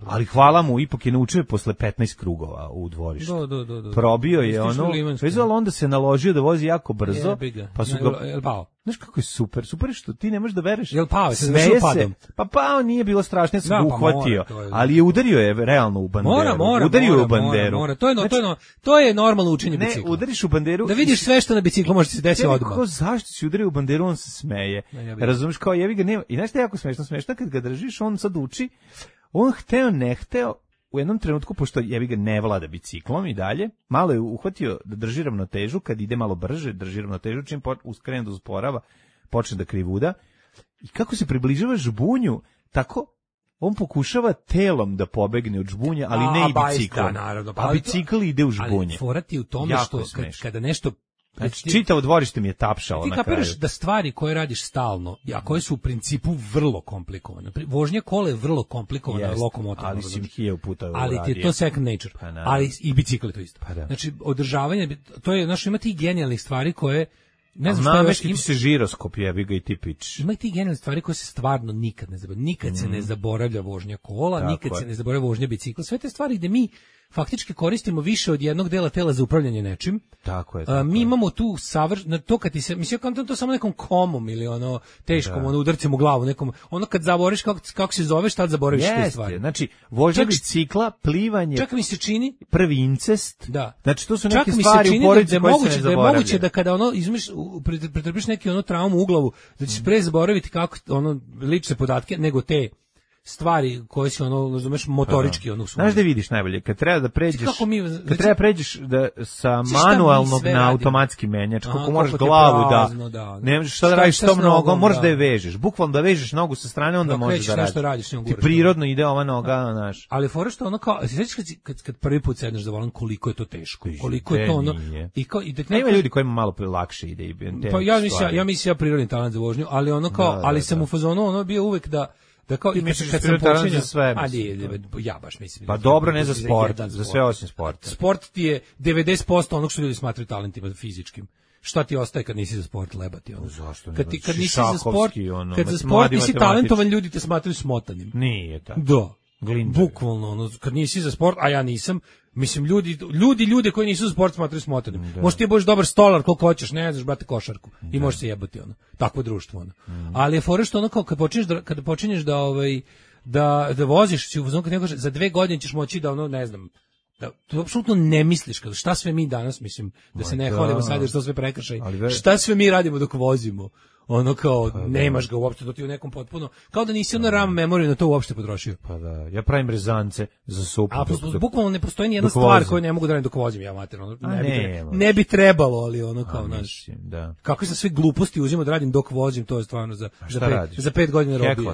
S6: Ali hvala mu, ipak je naučio posle petnaest krugova u dvorištu.
S7: Da, da, da, da.
S6: Probio je ono, vezalo onda se naložio da vozi jako brzo, pa su ga...
S7: Jel pao?
S6: Znaš kako je super, super je što ti ne možeš da vereš.
S7: Jel pao?
S6: Smeje se, pa pao nije bilo strašno, ja sam ga uhvatio, ali je udario je realno u banderu.
S7: Mora, mora,
S6: udario
S7: mora,
S6: u banderu.
S7: Mora, to je, no, to je, no, to je normalno učenje bicikla.
S6: Ne, udariš u banderu.
S7: Da vidiš sve što na biciklu može se desiti odmah.
S6: Kako, zašto si udario u banderu, on se smeje. Razumeš, kao jebi ga, nema. I znaš šta je jako smešno, smešno kad ga držiš, on sad uči, on hteo, ne hteo, u jednom trenutku, pošto jebi ga ne vlada biciklom i dalje, malo je uhvatio da drži ravnotežu, kad ide malo brže, drži ravnotežu, čim uskrene da usporava, počne da krivuda. I kako se približava žbunju, tako on pokušava telom da pobegne od žbunja, ali a, ne i biciklom.
S7: Da, naravno,
S6: pa a bicikl ide u žbunje.
S7: Ali forati u tome jako što kad, kada nešto...
S6: Znači, čitavo dvorište mi je tapšalo na kraju.
S7: Ti kapiraš da stvari koje radiš stalno, a koje su u principu vrlo komplikovane. Vožnja kola je vrlo komplikovana,
S6: Jest,
S7: lokomotorna.
S6: ali si hiljadu puta
S7: ali
S6: uradio.
S7: ti je to second nature.
S6: Pa,
S7: ali i bicikl je to isto.
S6: Pa,
S7: znači, održavanje, to je, znaš, ima tih genijalnih stvari koje ne znam šta još
S6: ima se žiroskop, jebi ga i ti pič.
S7: Ima i ti genijalne stvari koje se stvarno nikad ne zaboravlja. Nikad mm. se ne zaboravlja vožnja kola, tako nikad je. se ne zaboravlja vožnja bicikla. Sve te stvari gde mi faktički koristimo više od jednog dela tela za upravljanje nečim.
S6: Tako je. Tako
S7: A, mi
S6: je.
S7: imamo tu savr, na to kad ti se, mislim kao to samo nekom komom ili ono teškom, da. ono udarcem u glavu nekom, ono kad zaboraviš kako kako se zoveš, tad zaboraviš
S6: Jeste,
S7: te stvari.
S6: Znači, vožnja bicikla, plivanje.
S7: Čak mi se čini
S6: prvi incest.
S7: Da.
S6: Znači to su
S7: čak
S6: neke stvari u porodici
S7: da,
S6: koje
S7: moguće,
S6: se ne
S7: da je
S6: zaboravljaju.
S7: moguće da kada ono izmiš pretrpiš neki ono traumu u glavu, da ćeš pre zaboraviti kako ono lične podatke nego te stvari koje se ono razumeš motorički ono su.
S6: Znaš da vidiš najbolje kad treba da pređeš
S7: kako mi,
S6: kad
S7: znači,
S6: treba pređeš da sa manualnog na automatski menjač kako moraš glavu
S7: prazno,
S6: da,
S7: da
S6: ne možeš šta da radiš s tom nogom, možeš da je vežeš bukvalno da vežeš nogu sa strane onda
S7: da,
S6: možeš da radiš,
S7: radiš
S6: ti prirodno ide ova noga znaš.
S7: Ali fora što ono kao sećaš kad, kad kad prvi put sedneš za volan koliko je to teško koliko je to ono i kao i da
S6: nema ljudi kojima malo lakše ide i
S7: pa ja mislim ja mislim ja prirodni talent za vožnju ali ono kao ali sam u fazonu ono bio uvek da da kao i
S6: misliš
S7: kad
S6: sam počinio
S7: sve, ali ja baš mislim.
S6: Pa dobro, ne za sport, za sve osim sporta.
S7: Sport ti je devedeset posto onog što ljudi smatraju talentima fizičkim. Šta ti ostaje kad nisi za sport lebati ono?
S6: Zašto ne?
S7: Kad ti kad nisi za sport, ono, kad za sport nisi talentovan, ljudi te smatraju smotanim.
S6: Nije tako.
S7: Da.
S6: Glinda.
S7: Bukvalno, ono, kad nisi za sport, a ja nisam, mislim, ljudi, ljudi, ljude koji nisu za sport smatraju smotanim. Možeš ti budeš dobar stolar koliko hoćeš, ne znaš, brate, košarku. Da. I možeš se jebati, ono. Takvo društvo, ono. Mm. Ali je fora što ono, kao, kad počinješ da, kad počinješ da, ovaj, da, da voziš, si u fazonu kad neko kaže, za dve godine ćeš moći da, ono, ne znam, da, to apsolutno ne misliš, kada šta sve mi danas, mislim, da se ne hvalimo sad jer što sve prekršaj, šta sve mi radimo dok vozimo. Ono kao, pa nemaš ga uopšte, to ti u nekom potpuno, kao da nisi ono RAM memoriju na to uopšte potrošio.
S6: Pa da, ja pravim rezance za supu.
S7: A dok, bukvalno ne postoji ni jedna stvar koju ne mogu da radim dok vozim, ja mater, ono, ne, bi ne, ne bi trebalo, ali ono kao, naš,
S6: da.
S7: Kako se sve gluposti uzimo da radim dok vozim, to je stvarno za, za, pet, za pet godina robije.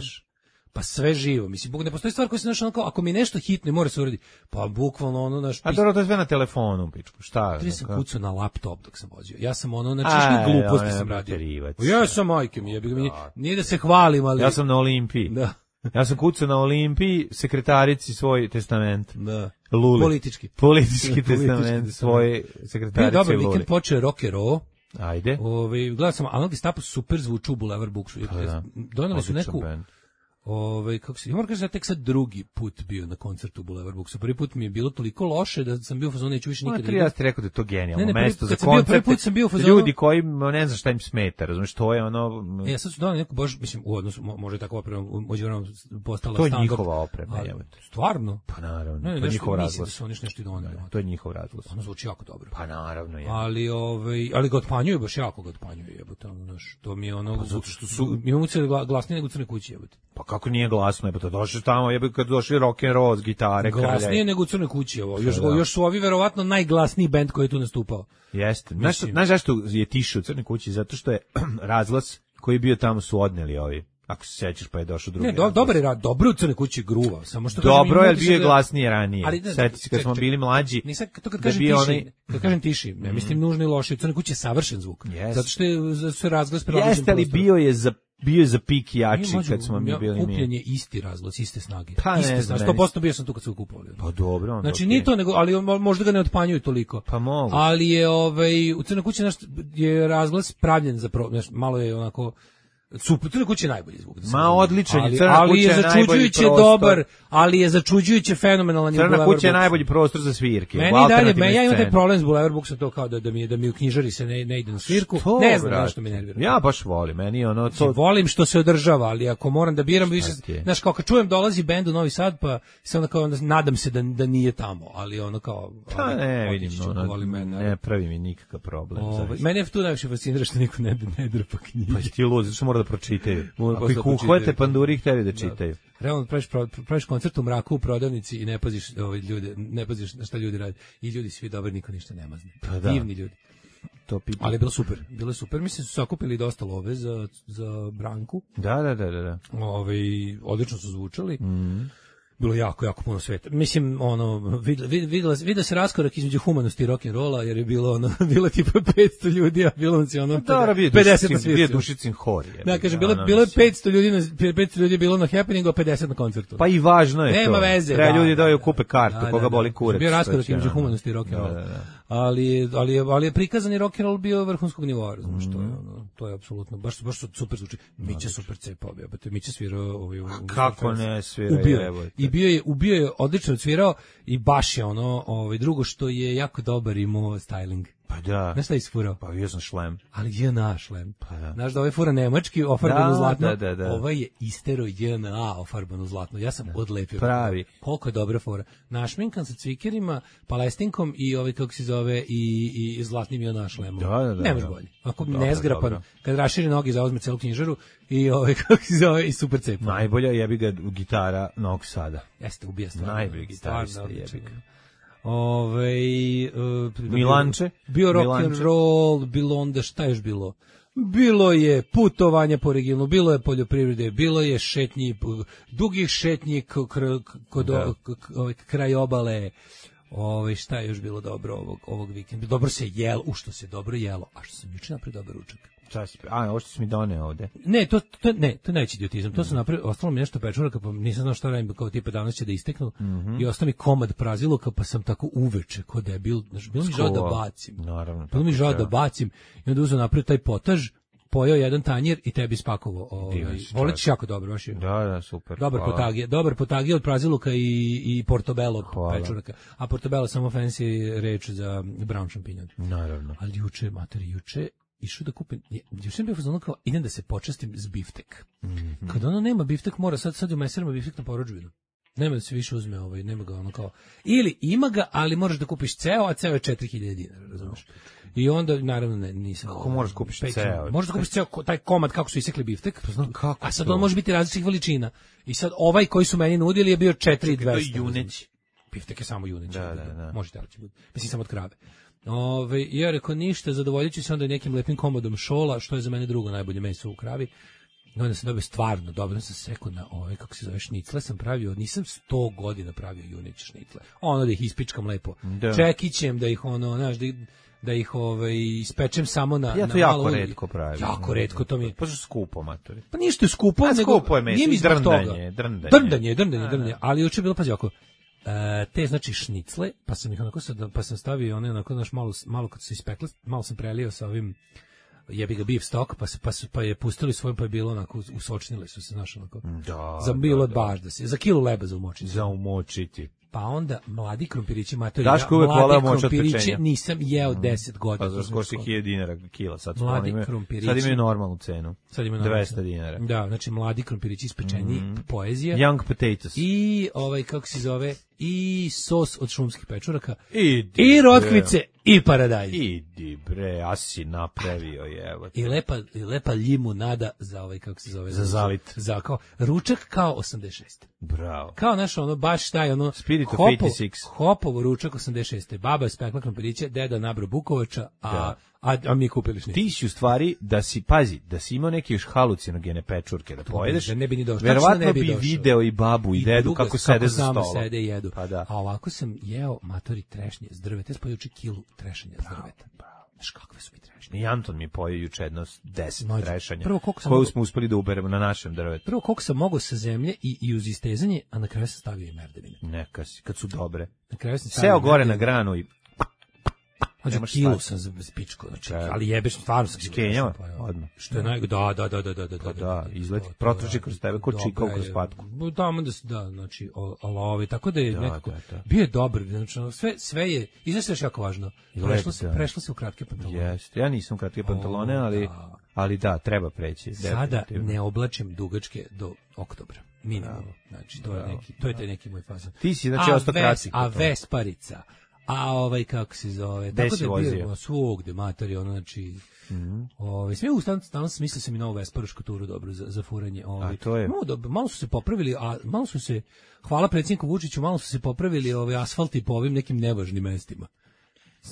S7: Pa sve živo, mislim, buk ne postoji stvar koja se našla kao ako mi nešto hitno mora se uraditi. Pa bukvalno ono naš.
S6: A dobro, to je sve na telefonu, pičku. Šta?
S7: Ja sam kucao na laptop dok sam vozio. Ja sam ono znači što gluposti sam radio. Ja sam majke mi, jebi ga mi. Nije da se hvalim, ali
S6: ja sam na Olimpiji.
S7: Da.
S6: Ja sam kucao na Olimpiji sekretarici svoj testament.
S7: Da.
S6: Luli.
S7: Politički.
S6: Politički testament svoj sekretarici.
S7: Dobro, vikend počeo rock and roll.
S6: Ajde.
S7: Ovaj gledao sam, a mnogi stapu super zvuči u Boulevard Booksu. Doneli su neku Ove, kako se, ja moram kažem da tek sad drugi put bio na koncertu u Boulevard Booksu. Prvi put mi je bilo toliko loše da sam bio u fazonu neću više nikad.
S6: Ma, ja ti rekao da je to genijalno
S7: ne, ne,
S6: mesto
S7: prvi,
S6: za koncerte.
S7: Prvi put sam bio u fazonu.
S6: Ljudi koji ne znam šta im smeta, razumiješ, to je ono.
S7: E, ja sad su doneli neku baš, mislim, u odnosu može tako oprema, možda postala
S6: to je
S7: standard.
S6: njihova oprema, je.
S7: Stvarno?
S6: Pa naravno, ne, to je njihov razglas.
S7: Su oni nešto doneli.
S6: To je njihov razglas.
S7: Ono zvuči jako dobro.
S6: Pa naravno je.
S7: Ali ovaj, ali ga otpanjuju baš jako ga otpanjuju, jebote, ono naš. To mi je ono,
S6: pa zato što su
S7: imamo se glasnije nego u Crnoj kući, jebote.
S6: Pa kako nije glasno, jebote, došli tamo, jebote, kad došli rock and roll, gitare,
S7: glasnije krljaj. Nego u Crnoj kući, ovo. Još da. Još su ovi verovatno najglasniji bend koji je tu nastupao.
S6: Jeste. Znaš, znaš zašto je tiše u Crnoj kući? Zato što je razglas koji je bio tamo su odneli ovi. Ako se sećaš pa je došao drugi.
S7: Ne, do, dobar je rad, dobro u Crnoj kući gruva, samo što
S6: dobro je bio je glasnije ranije. Sjeti se kad smo bili mlađi.
S7: Nisam to kad kažem tiši, onaj... kad kažem tiši, ne mislim nužno i loše, u Crnoj kući je savršen zvuk.
S6: Yes.
S7: Zato što je se razglas prilagođen.
S6: Jeste li bio je za bio je za pik jači kad smo mi bili mi.
S7: Kupljen je isti razglas, iste snage.
S6: Pa
S7: iste
S6: ne
S7: snage. sto posto bio sam tu kad su kupovali.
S6: Pa dobro, onda.
S7: Znači
S6: okay.
S7: ni to nego, ali možda ga ne otpanjuju toliko.
S6: Pa mogu.
S7: Ali je ovaj u Crnoj kući naš je razglas pravljen za pro, malo je onako super, Crna kuća je najbolji zvuk. Da
S6: Ma odličan je, Crna
S7: ali
S6: kuća
S7: je začuđujuće dobar, ali je začuđujuće fenomenalan.
S6: Crna kuća je najbolji prostor za svirke.
S7: Meni dalje, me, ja imam taj problem s Boulevard Booksom to kao da, da, mi, da mi u knjižari se ne, ne ide na svirku. To, ne znam nešto me nervira.
S6: Ja baš volim, meni ono to...
S7: Volim što se održava, ali ako moram da biram više... Znaš, kao kad čujem dolazi bend u Novi Sad, pa se onda kao onda nadam se da, da nije tamo, ali ono kao...
S6: Pa ne, vidim, ono, ne pravi mi nikakav problem.
S7: Mene je tu najviše fascinira što niko ne, ne drpa knjige.
S6: Pa ti lud, zato što mora da pročitaju. Ako ih uhvate panduri, hteli da čitaju.
S7: Realno praviš, praviš koncert u mraku u prodavnici i ne paziš ovaj ljude, ne paziš na šta ljudi rade. I ljudi svi dobri, niko ništa ne mazne.
S6: Pa da.
S7: Divni ljudi.
S6: To
S7: ali je bilo super. Bilo je super. Mislim su sakupili dosta love za, za Branku.
S6: Da, da, da, da.
S7: Ovaj odlično su zvučali.
S6: Mhm.
S7: Bilo jako, jako puno sveta. Mislim, ono, videla, videla, videla se raskorak između humanosti i rock'n'rolla, jer je bilo, ono, bilo tipa petsto ljudi, a bilo nas je ono, pedeset na svirci.
S6: Bio Dušicin hor.
S7: Da, kažem, bilo, bilo je petsto ljudi, na, petsto ljudi je bilo na happeningu, a pedeset na koncertu.
S6: Pa i važno je
S7: Nema
S6: to.
S7: veze.
S6: Treba
S7: da,
S6: ljudi daju kupe kartu,
S7: da,
S6: koga
S7: da,
S6: boli kurac.
S7: Bio raskorak između humanosti i rock'n'rolla.
S6: Da, da, da.
S7: ali ali je, ali je prikazani rock and roll bio vrhunskog nivoa, razumiješ, to je ono, to je apsolutno baš baš super zvuči. Mića super cepao, jebote, Mića svirao ovaj u,
S6: kako ne svira,
S7: ubio, i bio je ubio je odlično svirao i baš je ono, ovaj drugo što je jako dobar imao styling.
S6: Pa da.
S7: Znaš šta isfurao?
S6: Pa bio sam šlem.
S7: Ali je naš šlem.
S6: Pa da.
S7: Znaš da ovaj fura nemački, ofarbano
S6: da,
S7: zlatno.
S6: Da, da, da.
S7: Ovaj je istero J N A ofarbano zlatno. Ja sam da. odlepio.
S6: Pravi.
S7: Koliko je dobra fura. Našminkan sa cvikerima, palestinkom i ovaj, kako se zove, i, i zlatnim J N A šlemom.
S6: Da, da, da.
S7: Nemaš bolje. Ako nezgrapan, kad raširi noge, zauzme celu knjižaru i ovaj, kako se zove, i super cepa.
S6: Najbolja jebi ga gitara Novog Sada.
S7: Jeste, ubija stvarno.
S6: Najbolji gitarista jebi ga.
S7: Ove, uh,
S6: Milanče,
S7: bio rock Milanče. and roll, bilo onda šta je još bilo? Bilo je putovanja po regionu, bilo je poljoprivrede, bilo je šetnji, dugih šetnji kod kraj obale. Ove, šta je još bilo dobro ovog, ovog vikenda? Dobro se jelo, u što se dobro jelo, a što sam juče napravio dobar ručak.
S6: A, ovo što si mi doneo ovde.
S7: Ne, to, to, ne, to neće idiotizam. To sam napravio, ostalo mi nešto pečuraka, pa nisam znao šta radim, kao tipa danas će da isteknu. Mm -hmm. I ostao mi komad praziluka, pa sam tako uveče, ko debil. Znaš, bilo mi žao da bacim.
S6: Naravno.
S7: Bilo mi žao da bacim. I onda uzeo napravio taj potaž, pojeo jedan tanjir i tebi spakovao. Ovaj, Voletiš jako dobro, baš je.
S6: Da, da, super.
S7: Dobar potagije, dobar potagije od praziluka i, i portobello pečuraka. A portobello samo fancy reč za brown šampinjon.
S6: Naravno.
S7: Ali juče, materi, juče išao da kupim, juče sam bio fazon kao idem da se počastim s biftek. Mm -hmm. Kad ono nema biftek, mora sad sad u meserima biftek na porudžbinu. Nema da se više uzme ovaj, nema ga ono kao. Ili ima ga, ali moraš da kupiš ceo, a ceo je četiri hiljade dinara, razumeš? I onda naravno ne, nisam.
S6: Kako moraš da kupiš ceo?
S7: Možeš da kupiš ceo taj komad kako su isekli biftek. Pa znam kako. A sad on može biti različitih veličina. I sad ovaj koji su meni nudili je bio četiri hiljade dvesta.
S6: To je juneć.
S7: Biftek je samo juneć.
S6: Da, da, da.
S7: Možete ali će biti. Mislim samo od krave. Ove, ja rekao ništa, zadovoljit ću se onda nekim lepim komodom šola, što je za mene drugo najbolje meso u kravi. I onda sam dobio stvarno, dobro sam sekao na ove, kako se zove, šnicle sam pravio, nisam sto godina pravio junić šnicle. Ono da ih ispičkam lepo. Da. Čekićem da ih ono, znaš, da, da ih ovaj, ispečem samo na...
S6: Ja to
S7: na
S6: jako
S7: malo,
S6: retko pravim.
S7: Jako retko, to mi je...
S6: Pa što skupo, matori.
S7: Pa ništa je skupo,
S6: pa,
S7: nego...
S6: skupo je meso,
S7: nije mi zbog
S6: drndanje,
S7: toga.
S6: drndanje.
S7: Drndanje, drndanje, drndanje. Ali juče je bilo, pazi ovako, E, te znači šnicle, pa sam ih onako sad, pa sam stavio one onako, znaš, malo, malo kad su ispekle, malo sam prelio sa ovim jebi ga beef stock, pa, pa, pa je pustili svoj, pa je bilo onako, usočnili su se, znaš, onako,
S6: da,
S7: za bilo
S6: da,
S7: baš da se, za kilu leba za umočiti.
S6: Za umočiti.
S7: Pa onda mladi krompirići, matori,
S6: Daško uvek voleo moć od pečenja.
S7: Nisam jeo deset godina.
S6: Pa za skoro si hiljadu dinara kila, sad,
S7: mladi
S6: imaju,
S7: krompirići,
S6: sad imaju normalnu cenu.
S7: Sad imaju
S6: dvesta dinara.
S7: Da, znači mladi krompirići ispečeni, mm. poezija.
S6: Young potatoes.
S7: I ovaj, kako se zove, i sos od šumskih pečuraka.
S6: Idi,
S7: i rotkvice, i paradajz.
S6: Idi bre, a si napravio je, evo.
S7: I lepa, i lepa limunada za ovaj, kako se zove.
S6: Za zalit.
S7: Za kao, ručak kao osamdeset šest.
S6: Bravo.
S7: Kao naš ono, baš taj ono,
S6: Spirit of
S7: hopo,
S6: osamdeset šest.
S7: Hopovo ručak osamdeset šest. Baba je spekla krompiriće, deda nabro bukovača, a, da. a, a mi kupili šnicu.
S6: Ti si u stvari, da si, pazi, da si imao neke još halucinogene pečurke da pojedeš,
S7: da ne bi ni došao.
S6: Verovatno
S7: bi,
S6: bi video i babu i, i dedu kako sede za stolom.
S7: Sede i jedu.
S6: Pa da.
S7: A ovako sam jeo, matori, trešnje s drveta. Ja sam juče kilu trešanja s drveta. Znaš kakve su mi trešnje.
S6: I Anton mi pojeo juče jedno deset Nođe. trešanja,
S7: prvo, koju
S6: mogu... smo uspeli da uberemo na našem drvetu.
S7: Prvo koliko sam mogao sa zemlje i, i uz istezanje, a na kraju sam stavio i merdevine.
S6: Neka si, kad su dobre.
S7: Na kraju sam stavio
S6: seo gore na granu i...
S7: Znači, kilu sam za pičko, znači, ali jebeš, stvarno sam
S6: skenjava, odmah.
S7: Što je naj... Da, da, da, da, da, da.
S6: Pa da, izleti, protrči kroz tebe, ko čikao kroz patku.
S7: Da, da, da, znači, olovi, tako da je nekako, bio je dobar, znači, sve, sve je, i znaš još jako važno, prešlo se, prešlo se u kratke pantalone.
S6: Jeste, ja nisam kratke pantalone, ali, ali da, treba preći.
S7: Sada ne oblačim dugačke do oktobra. Minimalno, znači, to je neki, to je taj neki moj fazon.
S6: Ti si, znači, ostao kratki.
S7: A Vesparica, a ovaj kako se zove, tako da je bio svugde matori, ono, znači, mm-hmm. ovaj, sve u stan, stalno smislio sam i novu Vesparušku turu dobro za, za furanje. Ovaj.
S6: A to je?
S7: Malo, dobro, malo su se popravili, a malo su se, hvala predsjedniku Vučiću, malo su se popravili ovaj, asfalti po ovim nekim nevažnim mestima.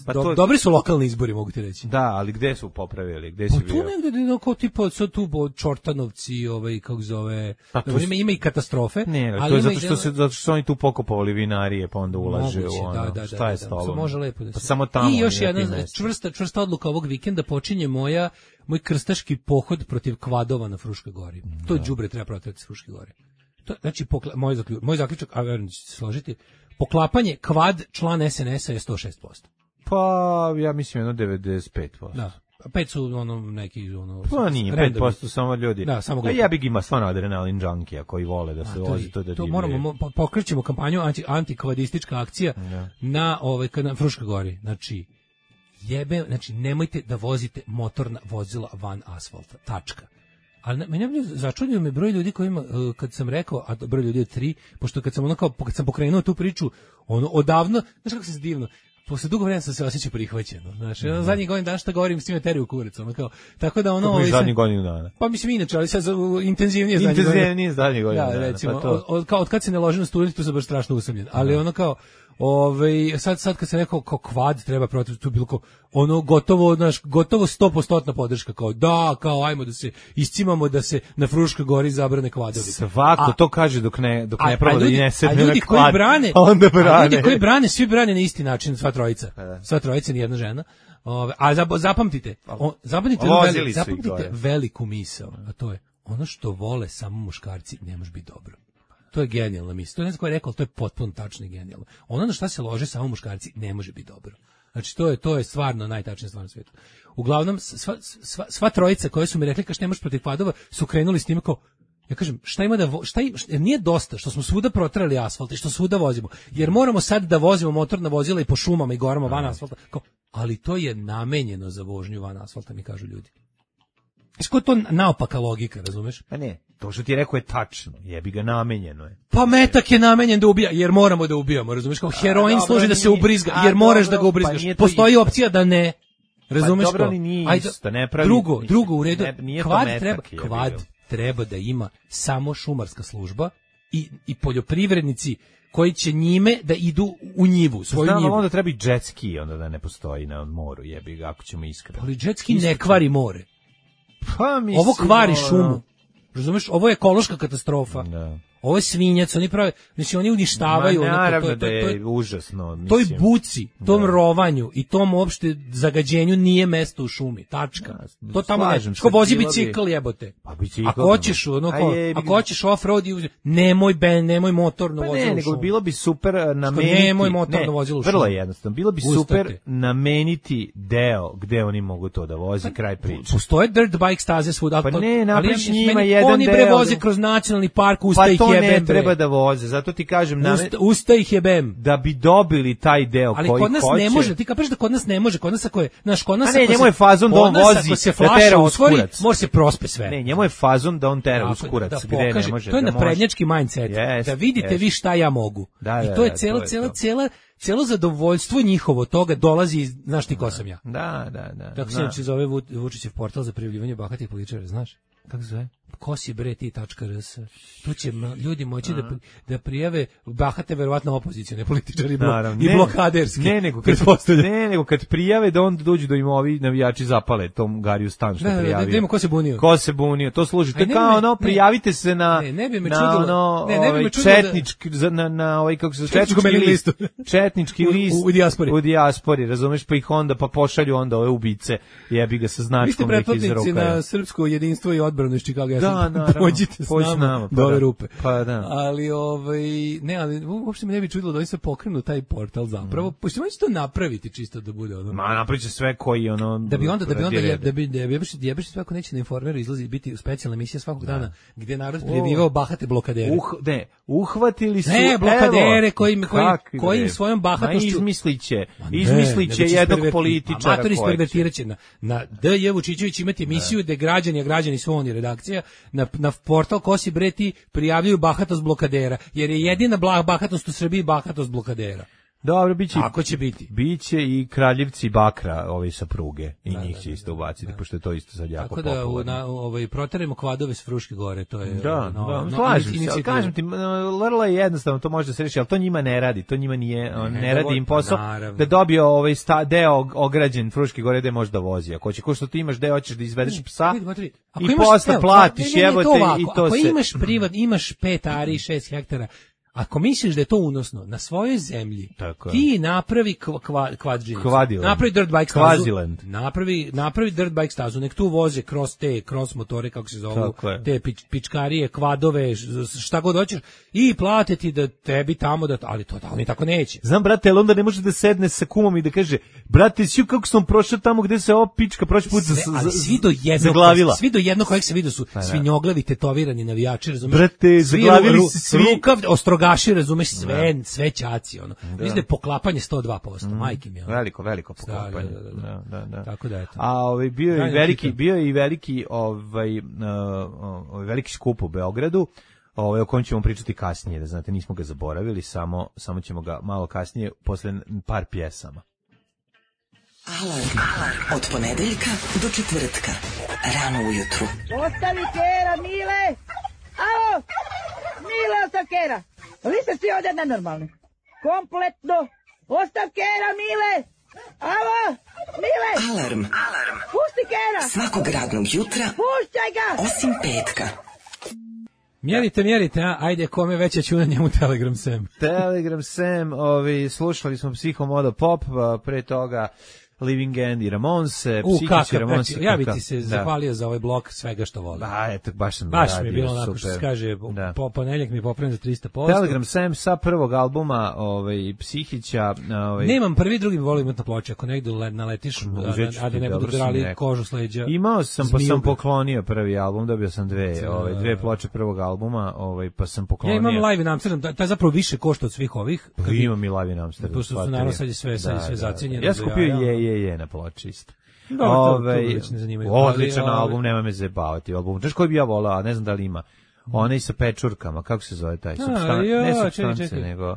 S7: Pa Do, to... Dobri su lokalni izbori, mogu ti reći.
S6: Da, ali gde su popravili? Gde si
S7: pa tu
S6: bio?
S7: negde, no, kao tipa, sad tu od Čortanovci, ovaj, kako zove, pa tu... ima, ima i katastrofe.
S6: Ne, ali to je zato što, se, zato što su oni tu pokopovali vinarije, pa onda ulaže moguće, u ono, da, da, šta je
S7: da,
S6: stalo?
S7: Da, može lepo da se...
S6: Pa samo tamo.
S7: I još jedna čvrsta, čvrsta odluka ovog vikenda počinje moja, moj krstaški pohod protiv kvadova na Fruškoj gori. Da. To đubre treba protiv Fruške gore. To, znači, pokla, moj, zaključ, moj zaključak, a verujem da ćete se složiti, poklapanje kvad član es en es a je sto šest posto.
S6: Pa, ja mislim jedno devedeset pet posto.
S7: Da. Pet su ono neki ono
S6: pa nije pet posto samo ljudi.
S7: Da, samo
S6: a ja bih ima stvarno adrenalin junkija koji vole da se a, vozi to da
S7: to moramo pokrećemo kampanju anti antikvadistička akcija ja. na ovaj na Fruškoj gori. Znači jebe, znači nemojte da vozite motorna vozila van asfalta. Tačka. Ali mene je začudio me broj ljudi kojima kad sam rekao, a broj ljudi je tri, pošto kad sam ono kao kad sam pokrenuo tu priču, ono odavno, znači kako se divno. Posle dugo vremena sam se osjećao prihvaćeno. Znači, mm-hmm. zadnji godin dana šta govorim s tim teriju kurac, ono kao. Tako da ono
S6: ovaj zadnji godinu dana.
S7: Pa mislim inače, ali sad intenzivnije zadnji godin.
S6: Intenzivnije zadnji godin.
S7: Da, recimo, pa to. Od, kao od kad se ne loži na studiju, tu sam baš strašno usamljen. Ali mm-hmm. ono kao ovaj sad sad kad se rekao kao kvad treba protiv tu bilo kao ono gotovo naš gotovo sto posto podrška kao da kao ajmo da se iscimamo da se na Fruškoj gori zabrane kvadovi.
S6: Svako a, to kaže dok ne dok ne proba da ne se
S7: ne ljudi koji brane, onda brane. Ljudi koji brane, svi brane na isti način, sva trojica. Sva trojica, ni jedna žena. Ove, a zapamtite, o, zapamtite, veli, zapamtite veliku misao, a to je ono što vole samo muškarci ne može biti dobro. To je genijalna misao. To je ne znam ko je rekao, to je potpuno tačno i genijalno. Ono na šta se lože samo muškarci ne može biti dobro. Znači to je to je stvarno najtačnija stvar na svijetu. Uglavnom sva, sva, sva trojica koje su mi rekli kao što ne možeš protiv kvadova su krenuli s tim kao ja kažem, šta ima da vo, šta jer nije dosta što smo svuda protrali asfalt i što svuda vozimo. Jer moramo sad da vozimo motorna vozila i po šumama i gorama van asfalta. Kao, ali to je namenjeno za vožnju van asfalta, mi kažu ljudi. Isko to naopaka logika, razumeš?
S6: Pa ne, to što ti je rekao je tačno, jebi ga namenjeno je.
S7: Pa metak je namenjen da ubija, jer moramo da ubijamo, razumeš? Kao heroin a, služi da se ubrizga, a, jer moraš dobro, da ga ubrizgaš. Pa postoji opcija da ne. Razumeš?
S6: Pa dobro, ni nije
S7: Ajde,
S6: isto, ne pravi.
S7: Drugo, drugo u redu.
S6: Ne,
S7: kvad treba, kvad treba da ima samo šumarska služba i i poljoprivrednici koji će njime da idu u njivu, svoju
S6: Znam,
S7: njivu.
S6: Onda treba i jet ski, onda da ne postoji na moru, jebi ga, ako ćemo iskreno.
S7: Ali jet ski ne kvari more.
S6: Pa mislim,
S7: ovo kvari šumu. Razumeš, ovo je ekološka katastrofa.
S6: Da.
S7: Ovo je svinjac, oni prave, znači oni uništavaju
S6: Ma, naravno
S7: ono, to, to,
S6: da
S7: to,
S6: je užasno, mislim.
S7: Toj buci, tom da. rovanju i tom uopšte zagađenju nije mesto u šumi. Tačka. Da, to tamo ne. Ko vozi bicikl jebote.
S6: Pa bicikl.
S7: Ako hoćeš, ono ko, ako hoćeš off-road, nemoj ben, nemoj motorno
S6: pa
S7: vozilo.
S6: Ne, nego bilo bi super nameniti.
S7: Nemoj motorno vozilo.
S6: Vrlo jednostavno. Bilo bi Ustate. super nameniti deo gde oni mogu to da vozi, pa, kraj priče.
S7: Postoje dirt bike staze svuda,
S6: pa ne, napriš njima jedan deo.
S7: Oni prevoze kroz nacionalni park, usta ih jebem.
S6: Ne treba da voze, zato ti kažem na
S7: usta, usta ih jebem
S6: da bi dobili taj deo
S7: ali
S6: koji hoće.
S7: Ali kod nas hoće. Ne može, ti kažeš da kod nas ne može, kod nas ako je, znaš, kod nas
S6: a ne, njemu je fazon da on vozi,
S7: da tera uskurac. Može se prospe sve.
S6: Ne, njemu je fazon da on tera uskurac, da, gde pokaže, ne može.
S7: To je
S6: da
S7: naprednjački mindset, yes, da vidite yes. vi šta ja mogu.
S6: Da, da,
S7: i to je
S6: da,
S7: celo,
S6: to je
S7: celo,
S6: to.
S7: celo, celo zadovoljstvo njihovo toga dolazi iz, znaš ti ko sam ja.
S6: Da, da, da.
S7: Tako se inače zove Vučićev portal za prijavljivanje bahatih političara, znaš?
S6: Kako se zove?
S7: kosibreti.rs. Tu će ljudi moći da, da prijave bahate verovatno opozicione političari i blokaderski.
S6: Ne, nego kad, ne, nego kad prijave da onda dođu do im ovi navijači zapale tom Gariju stan što
S7: da,
S6: prijavio.
S7: Da, da, ko se bunio.
S6: Ko se bunio, to služi. To je kao ono, prijavite se na,
S7: ne, ne bi me
S6: na
S7: čudilo,
S6: ono,
S7: ne, ne bi me
S6: čudilo četnički, da, na, na ovaj, kako se četnički list. Četnički list.
S7: U, u dijaspori.
S6: U dijaspori, razumeš, pa ih onda, pa pošalju onda ove ubice, jebi ga sa značkom neki iz ruka.
S7: Vi ste pretplatnici na srpsko jedinstvo i odbranu iz Chicago.
S6: Da, naravno.
S7: Pođite s nama, nama pa do ove rupe.
S6: Pa da.
S7: Ali, ovaj, ne, ali uopšte me ne bi čudilo da oni se pokrenu taj portal zapravo. Mm. Pošto će to napraviti čisto da bude ono.
S6: Ma, napraviće sve koji ono.
S7: Da bi onda, da bi onda, je, da bi, da bi jebeš sve ako neće na Informeru izlazi biti specijalna emisija svakog da. dana gdje narod prijavljivao bahate blokadere.
S6: Uh, ne, uhvatili su.
S7: Ne, blokadere koji koji koji svojom bahatošću
S6: izmisliće, izmisliće jednog političara.
S7: Amatori ispervertiraće na na D J Vučićević imati emisiju gde građani, a građani su oni redakcija na na portal Kosi Breti prijavljuju bahatost blokadera, jer je jedina bahatost u Srbiji bahatost blokadera.
S6: Dobro, biće.
S7: Ako će biti.
S6: Biće i kraljevci bakra, ovi sa pruge i da, njih će da, isto ubaciti, da. Pošto je to isto sad jako popularno.
S7: Tako da, na, ovaj, proteremo kvadove s Fruške gore, to je...
S6: Da,
S7: no,
S6: da,
S7: no,
S6: slažem se, ali kažem ti, vrlo je jednostavno, to može da se reši, ali to njima ne radi, to njima nije, ne, ne radi im posao, naravno. Da dobio ovaj sta, deo ograđen Fruške gore gde može da vozi. Ako će, ko što ti imaš deo, hoćeš da izvedeš psa i posle platiš, jebote, i to se...
S7: Ako imaš privat, imaš pet ari, šest hektara, Ako misliš da je to unosno, na svojoj zemlji,
S6: tako
S7: ti napravi kva, kva, kvadžinicu,
S6: Kvadiland.
S7: napravi dirt bike stazu,
S6: Kvaziland.
S7: napravi, napravi dirt bike stazu, nek tu voze kroz te, cross motore, kako se zovu, te pič, pičkarije, kvadove, šta god hoćeš, i plate ti da tebi tamo, da, ali to da oni tako neće.
S6: Znam, brate, ali onda ne može da sedne sa kumom i da kaže, brate, sju kako sam prošao tamo gde se ova pička prošli put za,
S7: ali svi do jednog,
S6: zaglavila.
S7: Svi do jednog kojeg se vidio su svinjoglavi, tetovirani navijači, razumiješ?
S6: Brate, zaglavili
S7: ru,
S6: se svi.
S7: Rukav, ostrogaši, razumeš, sve, da. sve ćaci, ono. Mislim da je poklapanje sto dva posto, mm. majke mi. Ono.
S6: Veliko, veliko poklapanje.
S7: Da, da, da, da.
S6: da, da, da.
S7: Tako da, eto.
S6: A ovaj, bio je i veliki, bio je i veliki, ovaj, uh, ovaj, veliki skup u Beogradu, ovaj, o kojem ćemo pričati kasnije, da znate, nismo ga zaboravili, samo, samo ćemo ga malo kasnije, posle par pjesama.
S1: Alarm, alarm, od ponedeljka do četvrtka, rano ujutru.
S8: Ostavi kera, Mile! Alo! Mile, ostav kera! Vi ste svi ovdje nenormalni. Kompletno! Ostav kera, Mile! Alo! Mile!
S1: Alarm, alarm.
S8: Pusti kera!
S1: Svakog radnog jutra,
S8: puštaj ga!
S1: Osim petka.
S7: Mjerite, mjerite, a? Ajde, kome veća čuna njemu Telegram Sam.
S6: Telegram Sam, ovi, slušali smo Psihomodo Pop, pre toga Living End i Ramonse, Psihići Ramonse.
S7: Ja bi ti se da. zahvalio za ovaj blok svega što volim.
S6: Ba, eto, baš sam
S7: baš
S6: radio,
S7: mi je bilo onako što se kaže, da. po ponedjeljak mi popravim za tristo posto.
S6: Telegram Sam sa prvog albuma ovaj, Psihića. Ovaj...
S7: Nemam prvi, drugi mi volim na ploče, ako negdje naletiš,
S6: Uzeću
S7: a, a da ne budu drali kožu s leđa.
S6: Imao sam, pa sam poklonio prvi album, dobio sam dve, ovaj, dve ploče prvog albuma, ovaj, pa sam poklonio.
S7: Ja imam Live in Amsterdam, taj zapravo više košta od svih ovih.
S6: Pa imam i Live in Amsterdam.
S7: Pošto su naravno sad je sve, sve, sve zacijenjeno.
S6: Ja skupio je, je, je na ploči.
S7: Da, Ove, to, to
S6: odličan ali, album, nema me zebavati album. Znaš koji bi ja volao, a ne znam da li ima. Onaj sa pečurkama, kako se zove taj? Substan...
S7: Ja,
S6: ne supstance, nego...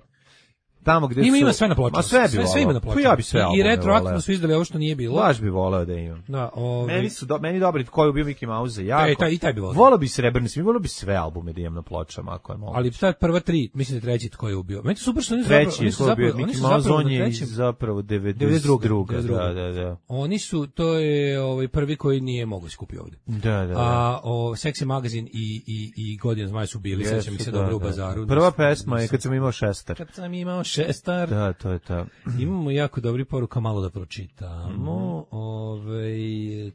S6: Tamo gde
S7: ima,
S6: su...
S7: ima sve na ploču.
S6: Ma sve bi
S7: sve,
S6: volao.
S7: sve ima na ploču.
S6: Ja bi sve
S7: I retroaktivno su izdali ovo što nije bilo.
S6: Baš bi volao da imam.
S7: Da, ovaj...
S6: Meni su do, meni dobri koji je bio Mickey Mouse jako.
S7: E, taj, i taj bi volao.
S6: Volao bi srebrni, mi volao bi sve albume da imam na pločama ako je moguće.
S7: Ali sad prva tri, mislim da treći tko je ubio. Meni su super što oni su
S6: treći,
S7: zapravo, oni su zapravo,
S6: Mickey
S7: oni su
S6: Mouse
S7: zapravo
S6: on je
S7: trećem,
S6: zapravo devedeset druga. Da, da, da.
S7: Oni su, to je ovaj prvi koji nije mogao skupiti ovde.
S6: Da, da, da.
S7: A o Sexy Magazine i i i Godin Zmaj su bili, sećam mi se dobro u bazaru.
S6: Prva pesma je kad sam imao šestar.
S7: Kad sam imao šestar.
S6: Da, to je to.
S7: Imamo jako dobri poruka, malo da pročitamo. Mm. Ovaj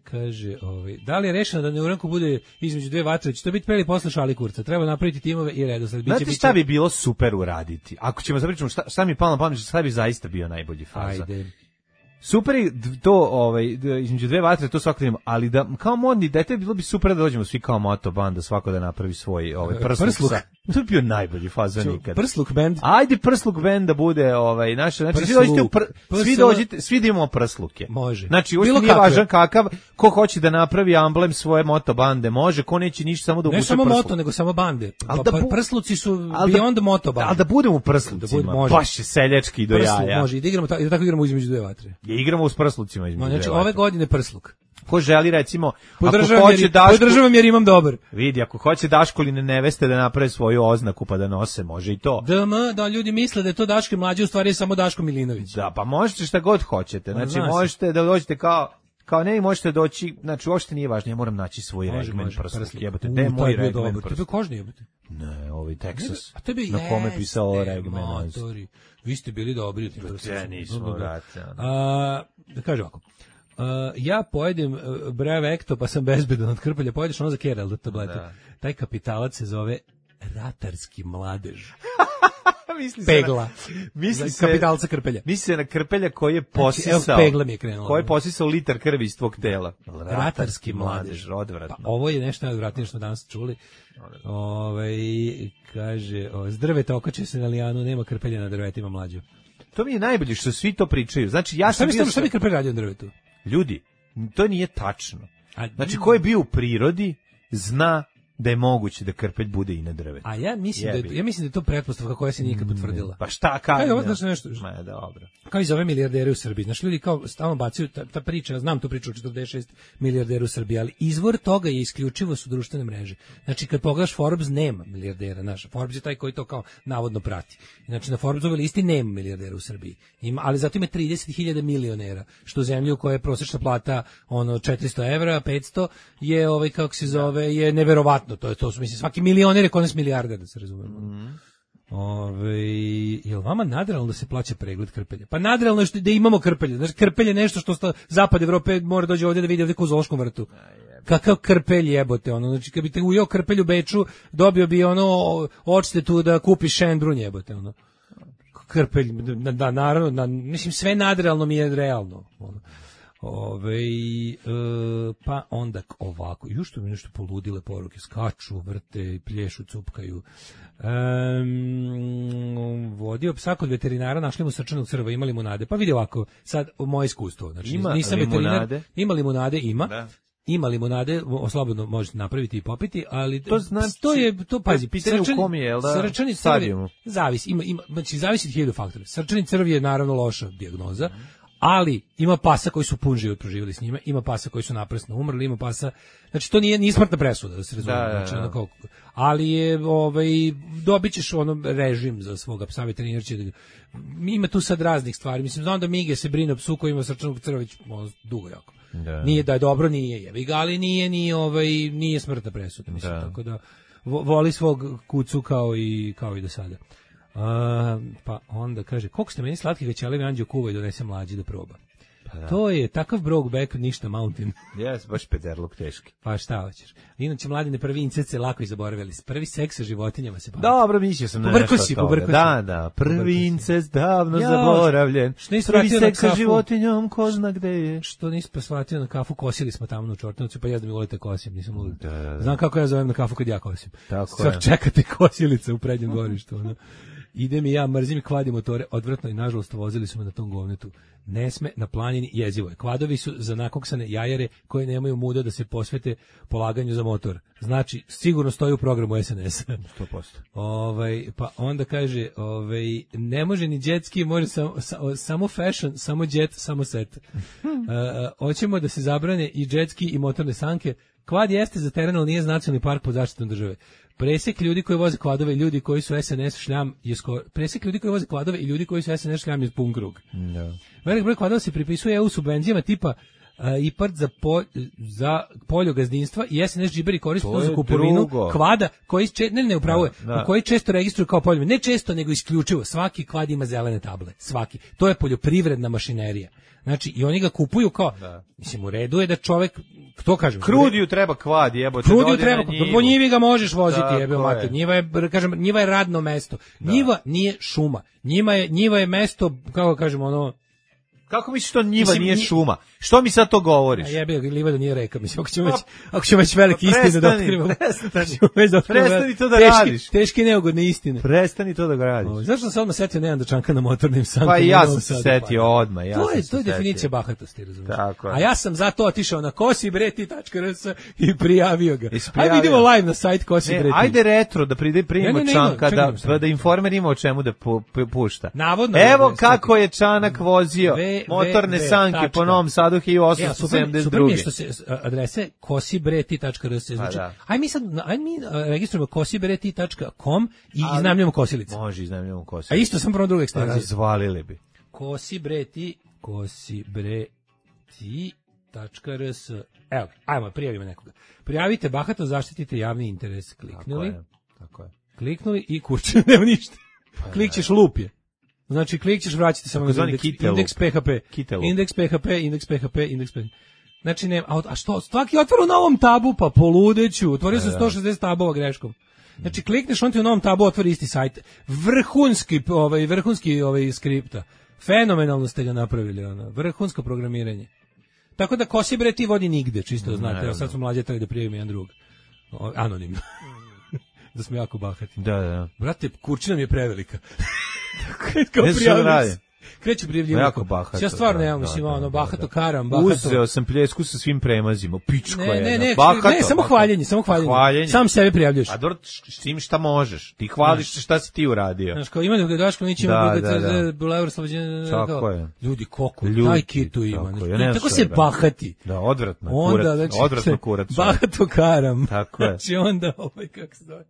S7: kaže, ovaj, da li je rešeno da Neuranku bude između dve vatre? Će to biti preli posle Šali Kurca. Treba napraviti timove i redosled.
S6: Znate biće, šta bi bilo super uraditi? Ako ćemo zapričamo šta, šta mi je palo na pamet, šta bi zaista bio najbolji faza?
S7: Ajde.
S6: Super je to, ovaj, između dve vatre, to svako imamo, ali da, kao modni dete, bilo bi super da dođemo svi kao moto banda, svako da napravi svoj ovaj, prsluk. prsluk. To bi bio najbolji faza nikad.
S7: Prsluk band.
S6: Ajde prsluk band da bude, ovaj, naše, znači, svi dođite, pr, svi dođite, svi da imamo prsluke.
S7: Može.
S6: Znači, uopšte nije važan kakav, ko hoće da napravi amblem svoje moto bande, može, ko neće ništa, samo da uvuče prsluk.
S7: Ne samo moto, nego samo bande. Pa, da bu, prsluci su beyond da, moto bande.
S6: Ali da budemo u prslucima, da baš je seljački do
S7: prsluk,
S6: jaja.
S7: Može, i da igramo, i da tako igramo između dve vatre.
S6: Ja igramo uz prslucima između
S7: znači,
S6: dve vatre.
S7: ove godine prsluk.
S6: Ko želi recimo,
S7: podržavam
S6: ako hoće
S7: jer,
S6: Daško,
S7: podržavam jer imam dobar.
S6: Vidi, ako hoće Daškoline neveste da naprave svoju oznaku pa da nose, može i to.
S7: D M, da ljudi misle da je to Daško mlađi, u stvari je samo Daško Milinović.
S6: Da, pa možete šta god hoćete. Znači, Zna možete se. da dođete kao kao ne, možete doći, znači uopšte nije važno, ja moram naći svoj može, regmen prsluk, jebote, gde je moj regmen prsluk?
S7: To je kožni, jebote.
S6: Ne, ovaj Texas,
S7: a tebi
S6: na kome pisao regmen.
S7: Vi ste bili dobri.
S6: Ja nismo, brate.
S7: Da kažem ovako. Uh, ja pojedem uh, Brevekto, pa sam bezbedan od krpelja. Pojedeš ono za Kerel tablete. Da. Taj kapitalac se zove ratarski mladež.
S6: misli
S7: Pegla.
S6: Se na, misli se,
S7: kapitalca krpelja.
S6: Misli se na krpelja koji je posisao.
S7: Znači, evo, pegla mi je krenula.
S6: Koji je posisao litar krvi iz tvog tela.
S7: Ratarski, ratarski mladež.
S6: Odvratno.
S7: Pa, ovo je nešto najodvratnije što danas čuli. Ove, kaže, o, s drveta okače se na lijanu, nema krpelja na drvetima mlađo.
S6: To mi je najbolje što svi to pričaju. Znači, ja sam
S7: bio... Šta bi krpelj radio na drvetu?
S6: Ljudi, to nije tačno. Znači, ko je bio u prirodi, zna da je moguće da krpelj bude i na drvetu.
S7: A ja mislim, da je, ja mislim da je to pretpostavka koja se nikad potvrdila.
S6: Pa šta, kao?
S7: Kaj, ovo znaš nešto?
S6: Ma, dobro.
S7: Kao i za ove milijardere u Srbiji. Znaš, ljudi kao stalno bacaju, ta, ta priča, znam tu priču o četrdeset šest milijardera u Srbiji, ali izvor toga je isključivo su društvene mreže. Znači, kad pogledaš Forbes, nema milijardera. Znaš, Forbes je taj koji to kao navodno prati. Znači, na Forbesove listi nema milijardera u Srbiji. Ima, ali zato ima trideset hiljada milionera, što zemlju koja je prosječna plata ono četiristo evra, petsto, je ovaj, kako se zove, je neverovatno. To je to su, mislim, svaki milioner je konac milijarder, da se razumemo. Mm. Ove, jel vama nadrealno da se plaća pregled krpelja? Pa nadrealno je što da imamo krpelje. Znači, krpelj je nešto što sta, zapad Evrope mora dođe ovdje da vidi ovdje u zoološkom vrtu. Kakav krpelj jebote, ono. Znači, kad bi te ujeo krpelj u Beču, dobio bi ono odštetu da kupiš šendrun jebote, ono. Krpelj, da, naravno, na, mislim, sve nadrealno mi je realno, ono. Ove, e, pa onda ovako, ju što mi nešto poludile poruke, skaču, vrte, plješu, cupkaju. Um, vodio psa kod veterinara, našli mu srčanog crva, imali mu nade. Pa vidi ovako, sad moje iskustvo, znači
S6: ima
S7: nisam
S6: limunade?
S7: veterinar, ima limunade, ima.
S6: Da.
S7: Ima limunade, slobodno možete napraviti i popiti, ali
S6: to znači
S7: to je to pazi,
S6: pitanje u kom je, jel da?
S7: Srčani crv zavisi, ima ima znači zavisi od hiljadu faktora. Srčani crv je naravno loša dijagnoza. Ali ima pasa koji su pun život proživjeli s njime, ima pasa koji su naprasno umrli, ima pasa, znači to nije ni smrtna presuda da se razume,
S6: da,
S7: znači
S6: da, da.
S7: Kao, ali je ovaj dobićeš ono režim za svoga psa, veterinar će da, ima tu sad raznih stvari, mislim znam da Mige se brine o psu koji ima srčanog crva već dugo jako. Da. Nije da je dobro, nije jebi ga, ali nije ni ovaj nije smrtna presuda, mislim, da. Tako da voli svog kucu kao i kao i do sada. Uh, pa onda kaže, koliko ste meni slatki većelevi anđeo kuva i donese mlađi da proba. Pa da. To je takav Brokeback, ništa Mountain.
S6: Jes, baš pederluk teški.
S7: Pa šta hoćeš? Inače, mladine, prvi incest se lako i zaboravili. Prvi seks sa životinjama se bavili.
S6: Dobro, mislio sam na nešto
S7: si,
S6: od toga. Da, da, prvi incest davno ja, zaboravljen.
S7: Što nisi
S6: prvi seks sa životinjom, ko zna gde je.
S7: Što nisi posvatio na kafu, kosili smo tamo u Čortanovcu, pa ja da mi volite kosim, nisam lud.
S6: Da, da, da.
S7: Znam kako ja zovem na kafu kad ja kosim.
S6: Tako
S7: Sad je. Čekate kosilice u prednjem dvorištu, ono. Idem i ja, mrzim i kvadi motore, odvratno i nažalost vozili su me na tom govnetu. Ne sme na planini, jezivo je. Kvadovi su za nakoksane jajare koje nemaju muda da se posvete polaganju za motor. Znači, sigurno stoji u programu S N S-a.
S6: sto posto.
S7: Ovaj, pa onda kaže, ovaj, ne može ni jetski, može samo, samo fashion, samo jet, samo set. Uh, hoćemo da se zabrane i jetski i motorne sanke. Kvad jeste za teren, ali nije nacionalni park pod zaštitom države. Presek ljudi koji voze kvadove i ljudi koji su S N S šljam je skoro, presek ljudi koji voze kvadove i ljudi koji su S N S šljam je pun krug. No. Velik broj kvadova se pripisuje E U subvencijama tipa uh, I P A R T za, po, za poljo gazdinstva i S N S džiberi koriste to za kupovinu kvada koji če, ne ne upravo je, da, da. koji često registruju kao poljoprivredni, ne često nego isključivo. Svaki kvad ima zelene table, svaki. To je poljoprivredna mašinerija. Znači, i oni ga kupuju kao, da. Mislim, u redu je da čovek, to kažem.
S6: Krudiju treba kvad, jebote.
S7: Krudiju treba, po njivi ga možeš voziti, jebe mater. Njiva je, kažem, njiva je radno mesto. Da. Njiva nije šuma. Njima je, njiva je mesto, kako kažemo, ono,
S6: kako misliš to njiva mislim, nije šuma? Što mi sad to govoriš?
S7: A jebe, livada nije reka, mislim, ako ćemo već, ako ćemo već velike istine da otkrivamo.
S6: Prestani, prestani to da
S7: teški,
S6: radiš.
S7: Teške neugodne istine.
S6: Prestani to da radiš.
S7: O, zašto sam se odmah setio Nejan Dačanka na motornim sankama?
S6: Pa i ja sam se setio odmah. Ja
S7: to je, to je
S6: setio.
S7: definicija bahatosti, razumiješ?
S6: Tako je.
S7: A ja sam zato otišao na kosibreti tačka r s i prijavio ga. Ajde vidimo live na sajt Kosibreti.
S6: Ajde retro, da pride primimo ne, ne, ne, Čanka, da, da, da informer ima o čemu da pu, pu, pušta.
S7: Navodno.
S6: Evo kako je Čanak vozio motorne sanke po Novom Sadu hiljadu osamsto sedamdeset druge.
S7: Ja, super mi je što se adrese kosibreti tačka r s znači. Aj mi sad, aj mi registrujemo kosibreti tačka com i iznajmljujemo kosilice.
S6: Može, iznajmljujemo kosilice.
S7: A isto sam prvo drugu ekstenziju.
S6: Razvalili bi.
S7: Kosibreti, kosibreti tačka r s. Evo, ajmo, prijavimo nekoga. Prijavite bahato, zaštitite javni interes. Kliknuli.
S6: Tako je, tako je.
S7: Kliknuli i kurče, nema ništa. Pa, klikćeš lup je. Znači, klik ćeš vraćati samo na indeks, indeks P H P. Indeks P H P, indeks P H P, indeks P H P. Znači, ne, a, a što, svaki otvor u novom tabu, pa poludeću. Otvorio sam sto šezdeset tabova greškom. Znači, klikneš, on ti u novom tabu otvori isti sajt. Vrhunski, ovaj, vrhunski ovaj, skripta. Fenomenalno ste ga napravili, ono. Vrhunsko programiranje. Tako da Kosibreti vodi nigde, čisto da znate. Evo sad smo mlađe trebali da prijavimo jedan drug. O, anonimno. Da smo jako bahati.
S6: Da, da.
S7: Brate, kurčina mi je prevelika. Kao prijavljaju. Kreću prijavljivati.
S6: Jako bahato.
S7: Ja stvarno nemam, mislim, ono, bahato karam, bahato.
S6: Uzeo sam pljesku sa svim premazima, pičko je.
S7: Ne, ne, bahato, ne, samo hvaljenje, samo hvaljenje. hvaljenje. Sam sebe prijavljaš.
S6: A dobro, s tim šta možeš? Ti hvališ šta si ti uradio.
S7: Znaš, kao ima da Daško Nić ima B G C, Bulevar Slobođenja.
S6: Tako je.
S7: Ljudi, koliko, taj kitu ima. Tako se bahati.
S6: Da, odvratno, kurac, odvratno kurac.
S7: Bahato karam.
S6: Tako je.
S7: Znači onda, ovaj, kako se zove.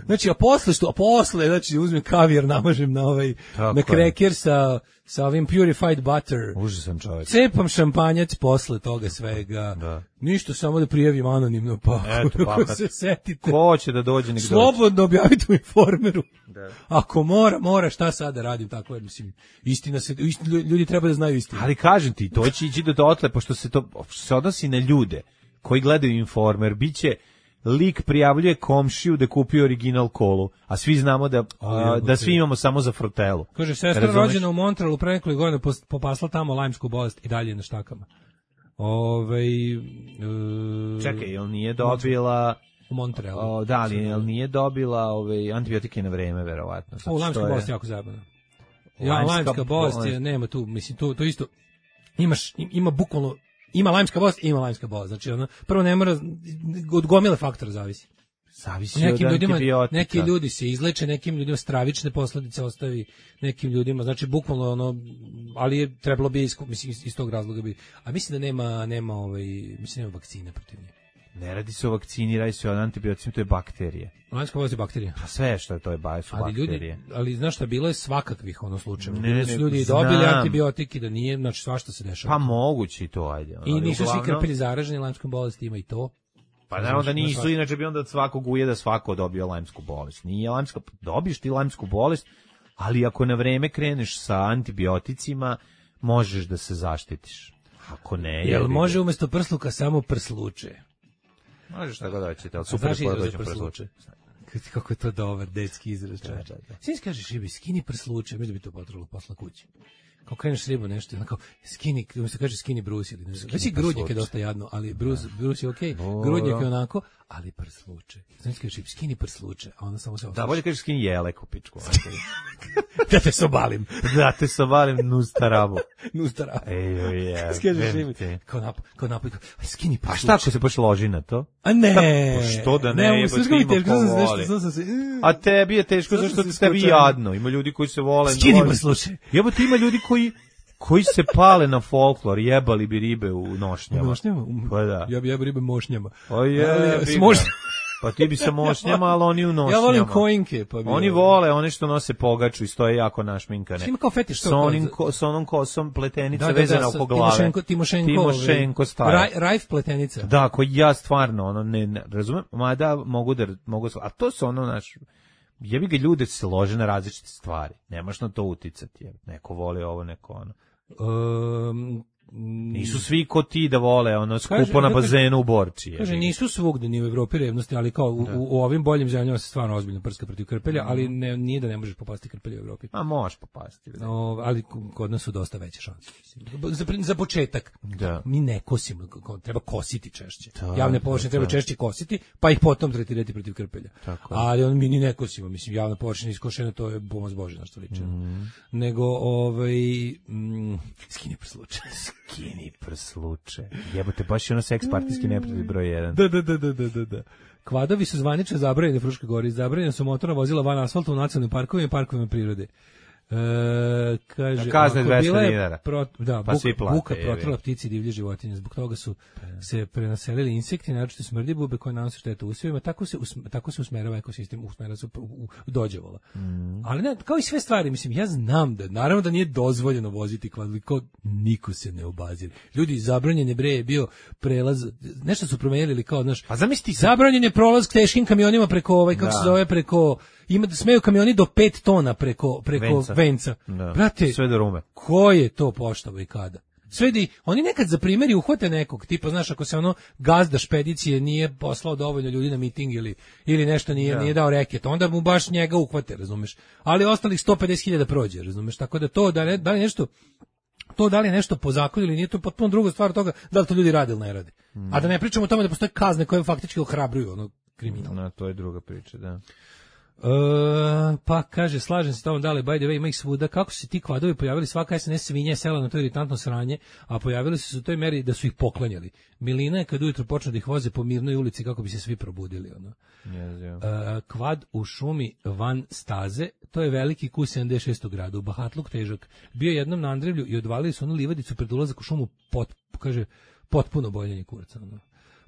S7: Znači, a posle što, a posle, znači, uzmem kavijer, namažem na ovaj, na kreker sa sa ovim purified butter.
S6: Užasan čovjek.
S7: Cepam šampanjac posle toga svega.
S6: Da.
S7: Ništa, samo da prijavim anonimno, pa
S6: Eto, pa,
S7: ako se setite.
S6: Ko će da dođe, nek dođe.
S7: Slobodno objavite u Informeru.
S6: Da.
S7: Ako mora, mora, šta sad da radim, tako je, mislim, istina se, istina, ljudi treba da znaju istinu.
S6: Ali kažem ti, to će ići do dotle, pošto se to što se odnosi na ljude koji gledaju Informer, biće lik prijavljuje komšiju da kupio original kolu, a svi znamo da, a, da svi imamo samo za frotelu.
S7: Kaže, sestra Razumeš? rođena u Montrealu pre nekoliko godina popasla tamo lajmsku bolest i dalje na štakama. Ovej, uh,
S6: Čekaj, jel nije dobila...
S7: U Montrealu.
S6: O, da, li, jel nije dobila ove antibiotike na vreme, verovatno.
S7: O, lajmska bolest je jako zabavna. Ja, lajmska bolest je, nema tu, mislim, to, to isto, imaš, ima bukvalno, ima lajmska bolest, ima lajmska bolest. Znači, ono, prvo ne mora, od gomile faktora zavisi.
S6: Zavisi
S7: nekim
S6: od
S7: ljudima,
S6: antibiotika.
S7: neki ljudi se izleče, nekim ljudima stravične posledice ostavi, nekim ljudima, znači bukvalno ono, ali je trebalo bi iz, mislim, iz tog razloga bi, a mislim da nema, nema ovaj, mislim nema vakcine protiv nje.
S6: Ne radi se o vakcini, radi se o antibioticima, to je bakterije.
S7: Lajmska bolest je bakterija.
S6: Pa sve što je to je ba, su
S7: ali
S6: bakterije.
S7: Ljudi, ali znaš šta, bilo je svakakvih ono slučajeva.
S6: Ne,
S7: Bili su ljudi
S6: znam.
S7: dobili antibiotike, da nije, znači svašta se dešava.
S6: Pa moguće i to, ajde.
S7: I nisu
S6: uglavnom...
S7: svi krpelji zaraženi lajmskom bolesti, ima i to.
S6: Pa naravno da nisu, inače bi onda od svakog ujeda svako dobio lajmsku bolest. Nije lajmska, dobiješ ti lajmsku bolest, ali ako na vreme kreneš sa antibioticima, možeš da se zaštitiš. Ako ne...
S7: Jel može umjesto prsluka samo prsluče?
S6: Možeš tako da ćete, ali super je dođem prsluče.
S7: Kako je to dobar detski izraz. Da, da, da. Svi kažeš ribi, skini prsluče, mislim da bi to potrebalo posla kući. Kao kreneš ribu nešto, onako, skini, umjesto kaže skini brus ili ne znam. Već i grudnjak je dosta jadno, ali brus, brus je okej, okay. Grudnjak je onako, ali prsluče. Znači kažeš, skini prsluče, a onda samo se osluče.
S6: Da, bolje kažeš skini jelek u pičku.
S7: Da te sobalim.
S6: Da te sobalim, nustarabu.
S7: Nustarabu.
S6: Ej, je.
S7: Skažeš ribi, kao nap, kao nap, skini prsluče.
S6: A šta ako se baš loži na to?
S7: A ne.
S6: Pa što da ne,
S7: ne
S6: jeba ti ima ko voli.
S7: Se...
S6: A tebi je teško, zašto ti tebi jadno. Ima ljudi koji se vole.
S7: Skini prsluče.
S6: Jebo ti ima ljudi koji koji se pale na folklor, jebali bi ribe u nošnjama.
S7: U nošnjama?
S6: Pa da.
S7: Ja bi jebali ribe mošnjama.
S6: O je, s mošnjama. Pa ti bi sa mošnjama, ali oni u nošnjama.
S7: Ja volim kojinke. Pa bi
S6: oni
S7: ja.
S6: vole, one što nose pogaču i stoje jako našminkane.
S7: Ima kao fetiš.
S6: S, onim ko, s onom kosom pletenica
S7: da, da,
S6: vezana
S7: da,
S6: oko glave.
S7: Timošenko, Timošenko,
S6: Timošenko stara.
S7: Raj, Rajf pletenica.
S6: Da, koji ja stvarno, ono, ne, ne razumem, mada mogu da, mogu, a to su ono, naš, jebi ga, ljude se lože na različite stvari. Nemaš na to uticati, jer neko voli ovo, neko ono.
S7: Um,
S6: nisu svi ko ti da vole ono skupo kaže, na bazenu u Borči.
S7: Kaže, nisu svugde ni u Evropi revnosti, ali kao u, u, u ovim boljim zemljama se stvarno ozbiljno prska protiv krpelja, ali ne, nije da ne možeš popasti krpelja u Evropi.
S6: A možeš popasti.
S7: No, ali kod nas su dosta veće šanse. Za, za početak,
S6: da.
S7: Mi ne kosimo, treba kositi češće. Da, javne površine treba češće kositi, pa ih potom tretirati protiv krpelja.
S6: Tako.
S7: Ali on mi ni ne kosimo, mislim, javna površina iskošena, to je pomoć Bože na što liči. Mm. Nego, ovaj, mm, skini prsluče.
S6: Skini prsluče. Jebote, baš je ono seks partijski neprijatelj broj jedan.
S7: Da, da, da, da, da, da. Kvadovi su zvanično zabranjeni u Fruškoj Gori. Zabranjena su motorna vozila van asfalta u nacionalnim parkovima i parkovima prirode. E, kaže,
S6: kazne dvesta dinara.
S7: Pro, da, pa buka, buka protrla ptici i divlje životinje. Zbog toga su se prenaselili insekti, naročito smrdibube koje nanose štetu usjevima. Tako se usme, tako se usmerava ekosistem, usmera se u, u, u dođevola. Mm. Ali ne, kao i sve stvari, mislim, ja znam da naravno da nije dozvoljeno voziti kvadliko, niko se ne obazira. Ljudi, zabranjen je bre je bio prelaz, nešto su promenili kao, znaš,
S6: a zamisli,
S7: zabranjen je prolaz teškim kamionima preko ovaj, kako da. se zove, preko, ima da smeju kamioni do pet tona preko, preko venca. venca.
S6: Da.
S7: Brate,
S6: sve do rume.
S7: Ko je to poštavo i kada? Sve di, oni nekad za primjer uhvate nekog, tipa, znaš, ako se ono gazda špedicije nije poslao dovoljno ljudi na miting ili, ili nešto nije, ja. nije dao reket, onda mu baš njega uhvate, razumeš? Ali ostalih sto pedeset hiljada prođe, razumeš? Tako da to, da, ne, da li nešto, to da li je nešto po zakonu ili nije, to je potpuno druga stvar od toga da li to ljudi rade ili ne rade. Mm. A da ne pričamo o tome da postoje kazne koje faktički ohrabruju ono kriminal.
S6: No, to je druga priča, da.
S7: Uh, pa kaže, slažem se tamo, da li by the way ima ih svuda, kako su se ti kvadovi pojavili, svaka S N S svinja sela na to iritantno sranje, a pojavili su se u toj meri da su ih poklanjali. Milina je kad ujutro počne da ih voze po mirnoj ulici kako bi se svi probudili. Ono.
S6: Yes,
S7: uh, kvad u šumi van staze, to je veliki Q sedamdeset šest grada, u Bahatluk težak. Bio jednom na Andrevlju i odvalili su onu livadicu pred ulazak u šumu, pot, kaže, potpuno boljenje kurca. Ono.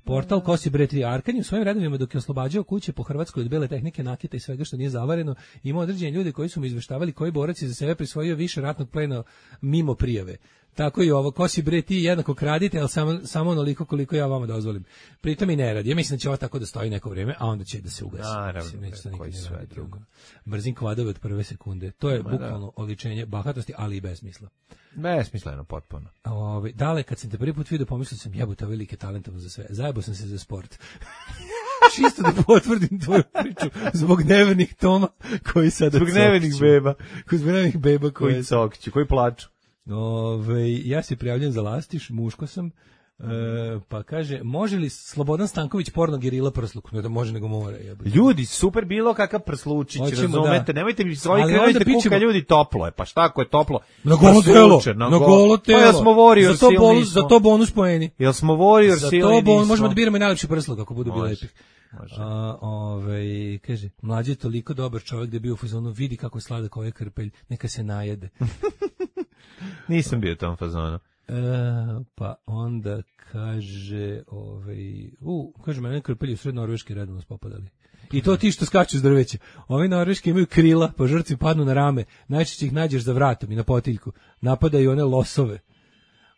S7: Portal Kosi bre tri Arkanj u svojim redovima dok je oslobađao kuće po Hrvatskoj od bele tehnike, nakita i svega što nije zavareno, ima određeni ljudi koji su mu izveštavali koji borac je za sebe prisvojio više ratnog plena mimo prijave. Tako i ovo, Kosi bre ti jednako kradite, ali samo, samo onoliko koliko ja vama dozvolim. Pritom i ne radi. Ja mislim da će ovo tako da stoji neko vrijeme, a onda će da se ugasi.
S6: Naravno,
S7: mislim,
S6: koji sve drugo.
S7: Mrzim kvadove od prve sekunde. To je bukvalno oličenje bahatosti, ali i besmisla.
S6: Besmisleno potpuno.
S7: Ove, dale, kad sam te prvi put vidio, pomislio sam, jebote, ovaj lik je talentovan za sve. Zajebo sam se za sport. Čisto da potvrdim tvoju priču zbog nevernih Toma koji sada
S6: zbog nevernih beba.
S7: Zbog nevernih beba koji,
S6: koji cokću, koji plaču.
S7: Ove, ja se prijavljam za Lastiš, muško sam. E, pa kaže, može li Slobodan Stanković porno gerila prsluk? Ne da može, nego mora. Jebate.
S6: Ljudi, super bilo kakav prslučić,
S7: Hoćemo,
S6: razumete,
S7: da.
S6: nemojte mi svoji krenujte kuka, ljudi, toplo je, pa šta ako je toplo?
S7: Na golo telo, na, na golo telo.
S6: Pa jel smo Warrior
S7: za to
S6: silni
S7: bonus,
S6: smo.
S7: Za to bonus poeni.
S6: Jel smo Warrior
S7: za
S6: silni
S7: to bon,
S6: nismo.
S7: Možemo da biramo i najlepši prsluk ako budu bili lepi.
S6: Može.
S7: A, ovaj, kaže, mlađi je toliko dobar čovjek da je bio u fazonu, vidi kako je sladak ovaj krpelj, neka se najede.
S6: Nisam bio u tom fazonu.
S7: E, pa onda kaže, ovaj, u, kaže, mene krpelji u sred Norveške redovno spopadali. I to ti što skaču s drveća. Ovi Norveški imaju krila, pa žrtvi padnu na rame, najčešće ih nađeš za vratom i na potiljku. Napadaju one losove.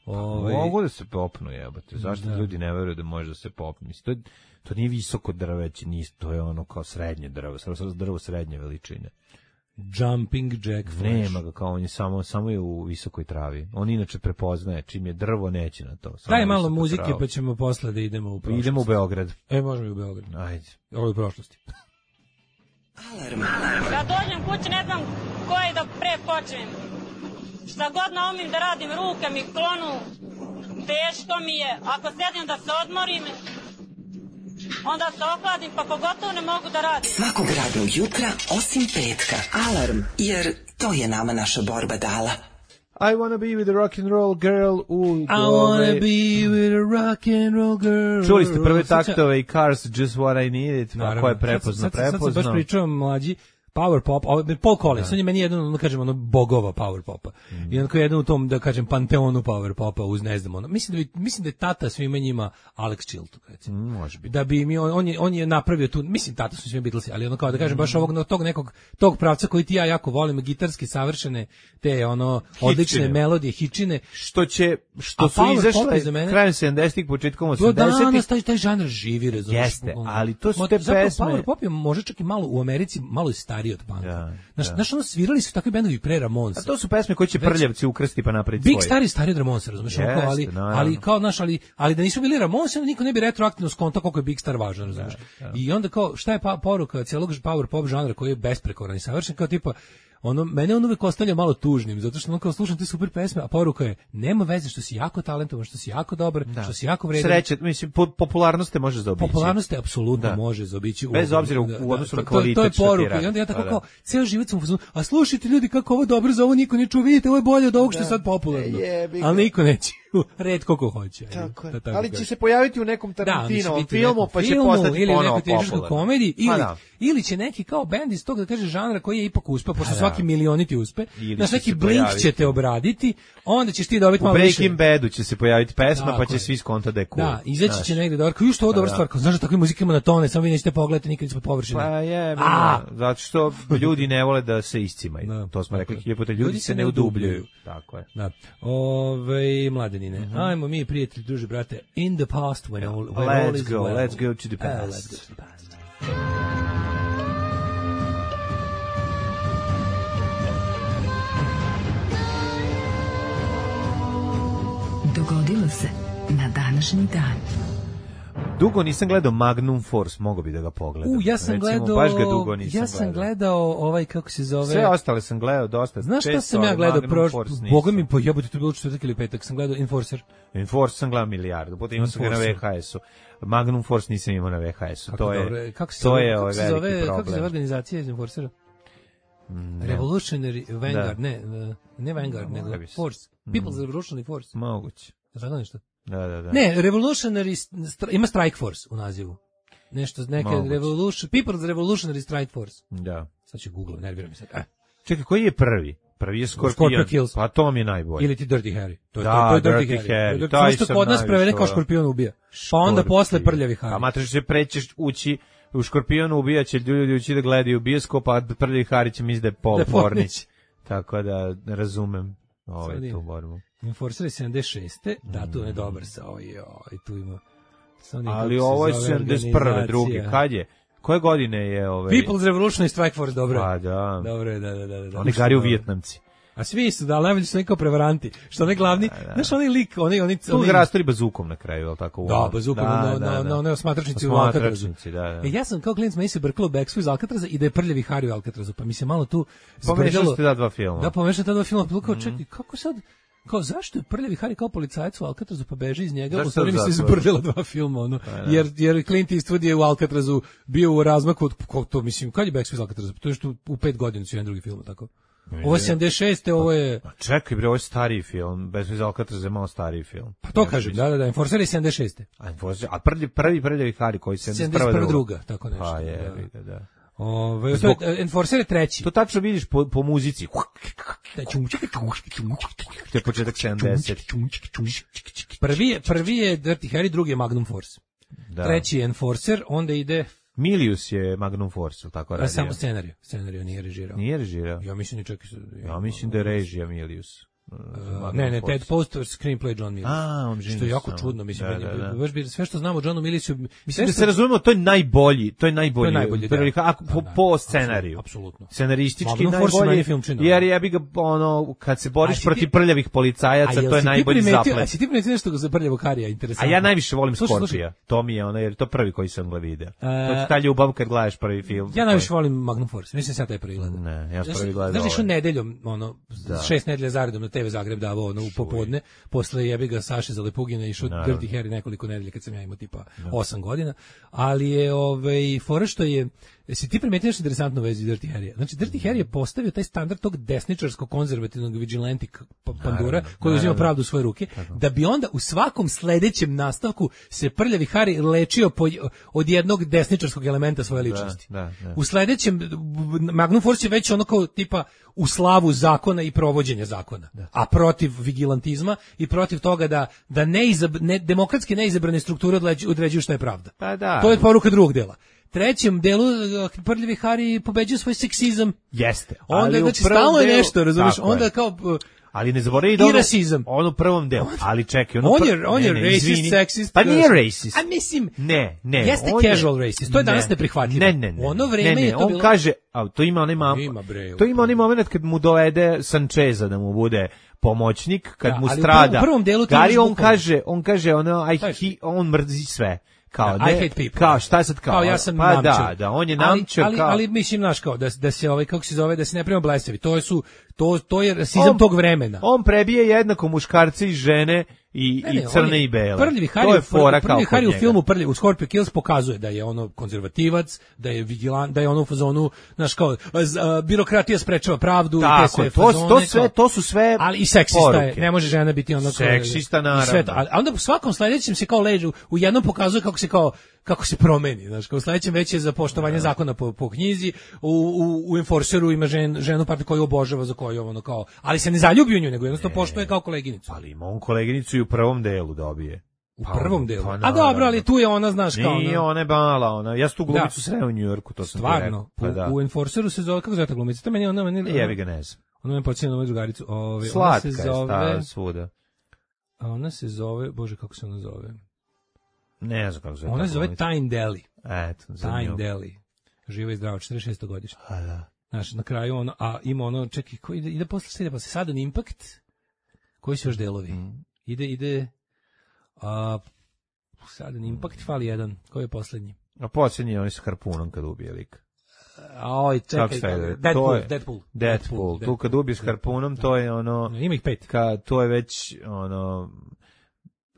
S6: Ove... Mogu da se popnu, jebate. Zašto da. Ljudi ne veruju da može da se popnu? Mislim, to, je, to nije visoko drveće, nije, to je ono kao srednje drvo, drvo srednje veličine.
S7: Jumping Jack Flash.
S6: Nema ga, kao on je samo, samo je u visokoj travi. On inače prepoznaje, čim je drvo neće na to.
S7: Daj malo muzike travu. Pa ćemo posle da idemo u prošlost.
S6: Idemo u Beograd.
S7: E, možemo i u Beograd.
S6: Ajde.
S7: Ovo je u prošlosti.
S1: Alarm. Alarm.
S2: Kad dođem kući ne znam koji da pre počnem. Šta god naumim da radim, ruke mi klonu, teško mi je. Ako sedim da se odmorim, onda se ohladim, pa pogotovo ne mogu da radim.
S1: Svakog radnog jutra, osim petka. Alarm, jer to je nama naša borba dala.
S6: I wanna be with a rock and roll girl. U,
S7: I wanna be with a rock and roll girl.
S6: Čuli ste prve taktove i Cars, Just What I Needed, pa ko je prepozno, prepozno.
S7: Sad sam baš pričao mlađi, Power pop, Paul Collins, on je meni jedan, ono kažem, ono, bogova Power popa. Mm. I onako jedan u tom, da kažem, panteonu Power popa, uz ne znam, ono. Mislim da, bi, mislim da je tata svima njima Alex Chilton, recimo.
S6: Mm, može biti.
S7: Da bi mi, on, on, je, on je napravio tu, mislim, tata su svima Beatlesi, ali ono kao da kažem, baš ovog, tog nekog, tog pravca koji ti ja jako volim, gitarski savršene, te, ono, odlične hičine. Melodije, hičine.
S6: Što će, što su izašle krajem sedamdesetih, početkom osamdesetih.
S7: Da, danas taj, taj žanr živi, razumiješ.
S6: Jeste, ali to su te pesme.
S7: Power pop je može čak i malo u Americi, malo i stariji od panka.
S6: Da,
S7: znaš, znaš, ono svirali su takvi bendovi pre Ramonsa.
S6: A to su pesme koje će prljavci ukrsti pa napraviti
S7: svoje.
S6: Big
S7: stari stari od Ramonsa, razumiješ, yes, ali, ali kao, znaš, ali, ali da nisu bili Ramonsa, niko ne bi retroaktivno skonto koliko je Big Star važan, razumiješ. I onda kao, šta je pa, poruka celog power pop žanra koji je besprekoran i savršen, kao tipa, ono, mene on uvek ostavlja malo tužnim, zato što on kao slušam te super pesme, a poruka je, nema veze što si jako talentovan, što si jako dobar, da. Što si jako vredan.
S6: Sreće, mislim, po, popularnost te može zaobići.
S7: Popularnost te apsolutno da. Može zaobići.
S6: Bez obzira u, u odnosu da, na kvalitet.
S7: To, to je poruka. I onda ja tako da, kao, ceo život sam u fazonu, a slušajte ljudi kako ovo dobro, za ovo niko ne čuo, vidite, ovo je bolje od ovog što je sad popularno. Je, ali niko neće. Retko ko hoće.
S6: Tako je. Ali će se pojaviti u nekom Tarantinovom da, filmu, pa će
S7: filmu,
S6: postati
S7: ili
S6: ponovo
S7: popularan. Komediji, ili, ili će neki kao bend iz tog, da kaže, žanra koji je ipak uspeo, pošto da. Svaki milioniti uspe, na svaki Blink će te obraditi, onda ćeš ti dobiti malo više.
S6: U Breaking Badu će se pojaviti pesma, da, pa će svi skonta da je cool.
S7: Da, izaći će negde dobro, kao što ovo dobra stvar, kao znaš da takve muzike ima na tone, samo vi nećete pogledati nikad ispod površine.
S6: Pa je, zato što ljudi ne vole da se iscimaju. To smo rekli hiljadu puta, ljudi se ne udubljuju. Tako je.
S7: Da. Ove, mladenine, ajmo mi prijatelji, druže, brate, in the past when all, when
S6: let's
S7: all is
S6: go,
S7: well.
S6: Let's go to the past.
S7: Uh, let's go to the past.
S4: Dogodilo se na današnji dan.
S6: Dugo nisam gledao Magnum Force, mogo bi da ga pogledam.
S7: U, ja sam
S6: Recimo,
S7: gledao,
S6: baš ga dugo nisam
S7: ja sam gledao ovaj, kako se zove...
S6: Sve ostale sam gledao dosta.
S7: Znaš šta sam ja gledao? Boga mi, po jebote, to je bilo četvrtak ili petak, sam gledao Enforcer.
S6: Enforcer sam gledao milijardu, potom imao sam ga na V H S-u. Magnum Force nisam imao na V H S-u. To je,
S7: kako se
S6: to
S7: zove,
S6: je
S7: kako
S6: ovaj
S7: se
S6: veliki
S7: zove,
S6: problem.
S7: kako se zove organizacija iz Enforcera? Mm, Revolutionary Vanguard, da. ne, ne Vanguard, no, nego Force. People's mm. Revolutionary Force.
S6: Moguće.
S7: Znaš nešto?
S6: Da, da, da.
S7: Ne, Revolutionary, ima Strike Force u nazivu. Nešto, neke Revolution, People's Revolutionary Strike Force.
S6: Da.
S7: Sad ću Google, nerviram se sad. Eh.
S6: Čekaj, koji je prvi? Prvi je Scorpion,
S7: Kills.
S6: Pa to mi je najbolje.
S7: Ili ti Dirty Harry. To je,
S6: da,
S7: to, to je
S6: Dirty,
S7: Dirty
S6: Harry.
S7: Harry.
S6: Harry.
S7: To je što kod nas prevede kao Škorpion ubija. Pa onda posle Prljavi Harry.
S6: A mater se prećeš ući u Škorpionu ubijaće ljudi ući da gledaju bioskop, a Prljavi Harry će misli da je Paul Pornić. Tako da ne razumem ovaj tu borbu.
S7: Enforcer sedamdeset šeste Da, tu je dobar sa ovaj, i tu ima...
S6: Ali ovo je sedamdeset prve drugi. Kad je? Koje godine je ovaj
S7: People's Revolution i Strike Force, dobro.
S6: Pa da.
S7: Dobro, da, da, da, da.
S6: Oni gari u Vijetnamci.
S7: A svi su, da, najbolji su neki prevaranti. Što onaj glavni, da, da. Znaš, onaj lik, onaj... onaj
S6: tu ga rastori bazukom na kraju, je li tako?
S7: Da, bazukom da, na, da, na, na onoj osmatračnici u Alcatrazu.
S6: Da, da.
S7: E, ja sam kao klinac meni se brkalo Beksu iz Alcatraza i da je Prljavi Harry u Alcatrazu, pa mi se malo tu
S6: zbrdalo. Pomešao ste da dva filma.
S7: Da, pomešao ta dva filma, pa kao, mm. čekaj, kako sad... Kao, zašto je Prljavi Harry kao policajac u Alcatrazu pa beže iz njega? U stvari mi se izbrdila dva filma, ono. Jer, jer Clint Eastwood je u Alcatrazu bio u razmaku, ko to mislim, kad je Backstreet iz Alcatraza? To je što u pet godina su jedan drugi film, tako? Ovo je sedamdeset šeste ovo je...
S6: A čekaj bre, ovo je stariji film, Backstreet iz Alcatraza je malo stariji film.
S7: Pa to kažem, da, da, da, Enforcer je sedamdeset šeste
S6: A Enforcer, a prvi, prvi Prljavi Harry koji se sedamdeset prve
S7: druga, tako nešto.
S6: Pa je, da, da.
S7: Ove, Zbog, to je, Enforcer je treći.
S6: To tačno vidiš po, po muzici. To je početak sedamdeset
S7: Prvi je, prvi je Dirty Harry, drugi je Magnum Force. Da. Treći je Enforcer, onda ide...
S6: Milius je Magnum Force, tako radio.
S7: A samo scenariju, scenariju nije režirao.
S6: Nije režirao?
S7: Ja mislim, čak,
S6: ja, ja mislim da je režija Milius.
S7: Uh, ne, ne, Ted Post, screenplay John Milius.
S6: A, on
S7: što je jako sam. čudno, mislim, da, da, da. Baš bi sve što znamo o Johnu Miliusu,
S6: mislim da se razumemo, to je najbolji, to je najbolji, to je najbolji prvi, da. A, po, da, po scenariju.
S7: Apsolutno.
S6: Scenaristički najbolji, jer ja bih ga ono kad se boriš protiv prljavih policajaca, to je najbolji zaplet.
S7: A si ti primetio nešto za Prljavog Harija, interesantno?
S6: A ja najviše volim Scorpija. To mi je ono, jer to prvi koji sam ga video. To je ta ljubav kad gledaš prvi film.
S7: Ja najviše volim Magnum Force. Mislim sad taj prvi gledam.
S6: Ne, ja prvi gledam.
S7: Znaš što nedeljom, ono, šest nedelja zaredom na te ve Zagreb davao u popodne, posle jebi ga Saše Zalepugina išao Dirty Harry nekoliko nedelja kad sam ja imao tipa osam godina, ali je ovaj fora što je, jesi ti primetio nešto interesantno u vezi Dirty Harry? Znači Dirty Harry je postavio taj standard tog desničarskog konzervativnog vigilantik pandura koji uzima pravdu u svoje ruke, da bi onda u svakom sledećem nastavku se Prljavi Harry lečio po, od jednog desničarskog elementa svoje ličnosti. Da, da, da. U sledećem Magnum Force je već ono kao tipa u slavu zakona i provođenja zakona, da. A protiv vigilantizma i protiv toga da da neizab, ne, demokratski neizabrane strukture određuju šta je pravda.
S6: Pa da.
S7: To je poruka drugog dela. Trećem delu Prljavi Harry pobeđuje svoj seksizam.
S6: Jeste.
S7: Onda znači stalno je nešto, razumiješ? Onda je. Kao
S6: ali ne zaboravi da ono, ono prvom delu. Ali čekaj, ono
S7: on je on je racist, sexist.
S6: Pa nije racist.
S7: A mislim,
S6: ne, ne.
S7: Jeste casual je, racist. To je danas ne, neprihvatljivo.
S6: Ne, ne, ne.
S7: Ono vreme
S6: ne, ne,
S7: je to
S6: on
S7: bilo.
S6: kaže, a to ima onaj mam.
S7: Ima bre,
S6: to ima onaj moment kad mu dovede Sancheza da mu bude pomoćnik, kad
S7: da,
S6: mu strada.
S7: U prvom delu
S6: Gari on kaže, on kaže ono I, he, on mrzi sve. Kao,
S7: da,
S6: ne,
S7: I hate people.
S6: Kao, šta je sad kao?
S7: Kao ja sam
S6: pa
S7: namčer.
S6: Da, da, on je namčer
S7: ali, ali,
S6: kao.
S7: ali mislim, znaš, kao, da, da se, ovaj, kako se zove, da se ne prema blesavi. To, su, to, to je rasizam tog vremena.
S6: On prebije jednako muškarce i žene i, ne, ne, i crne i bele.
S7: Prljavi Harry, to je fora kao kod njega. U filmu Prljavi, u Scorpio Kills pokazuje da je ono konzervativac, da je vigilant, da je ono u fazonu, znaš kao, z, a, birokratija sprečava pravdu.
S6: Tako,
S7: i te sve
S6: to,
S7: fazone,
S6: to, sve, to su sve
S7: ali i seksista je, ne može žena biti ono kao.
S6: Seksista, naravno.
S7: To, a onda u svakom sledećem se kao leđu, u jednom pokazuje kako se kao, kako se promeni, znaš, kao u sledećem već je za poštovanje zakona po, po knjizi, u, u, u Enforceru ima žen, ženu pa koju obožava, za koju ono kao, ali se ne zaljubi u nju, nego jednostavno poštuje kao koleginicu.
S6: Ali ima on koleginicu i u prvom delu dobije.
S7: U pa, prvom delu. Pa, a dobro, ali tu je ona, znaš, kao ona.
S6: Nije, ona je mala, ona. Ja sam tu glumicu sreo u Njujorku, to sam
S7: stvarno,
S6: pa, da.
S7: u, u Enforceru se zove, kako zove ta glumica? To meni je ona, meni...
S6: Jevi ga ne znam.
S7: Ona me počinje na moju drugaricu. Ove,
S6: Slatka
S7: ona se zove,
S6: je svuda.
S7: A ona se zove, bože, kako se ona zove?
S6: Ne znam kako zove.
S7: Ona se zove Tyne Daly.
S6: Eto,
S7: Tyne Daly. Živa i zdrava, četrdeset šesto godište.
S6: A da.
S7: Znaš, na kraju ono, a ima ono, čekaj, ko ide, ide posle slede, pa se Sudden Impact, koji su još delovi? Mm. Ide, ide, a, Sudden Impact, fali jedan, koji je poslednji?
S6: A poslednji je oni sa harpunom kad ubije lik.
S7: A oj, čekaj, Deadpool,
S6: Deadpool,
S7: Deadpool,
S6: Deadpool, tu kad ubiješ harpunom, to je ono,
S7: ima ih pet.
S6: Ka, to je već, ono,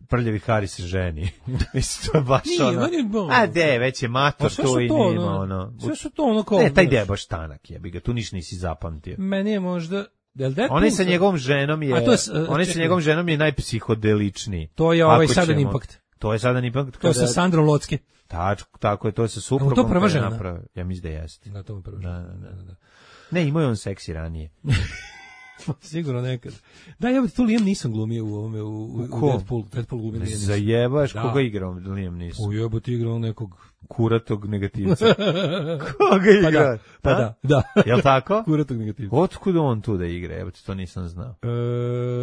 S6: Prljavi Harry se ženi. Mislim, to je baš
S7: Nije,
S6: ono...
S7: Nije, bon,
S6: a de, već je mator tu i
S7: to,
S6: nima, ono...
S7: Sve su to ono kao...
S6: Ne, taj de je baš tanak, jebi ga, tu niš nisi zapamtio.
S7: Meni je možda...
S6: Onaj sa njegovom ženom je...
S7: To je
S6: onaj sa njegovom ženom je najpsihodeličniji.
S7: To je ovaj Sudden Impact.
S6: To je Sudden Impact.
S7: To je sa Sandrom Locke.
S6: Tačko, tako je, to je sa suprugom.
S7: To prva žena?
S6: Napravi. Ja mislim da jeste.
S7: Da, to je prva žena. Da, da, da.
S6: Ne, imao je on seksi ranije.
S7: Sigurno nekad. Da, ja bih tu Liam Neeson glumio u ovome, u, u, u Deadpool, Deadpool glumio Liam Neeson.
S6: Zajebaš, da. Koga igrao Liam Neeson?
S7: U jebote igrao nekog
S6: kuratog negativca. Koga igra?
S7: Pa da, pa da, da.
S6: Jel tako?
S7: Kuratog negativca.
S6: Otkud on tu da igra? Evo to nisam znao.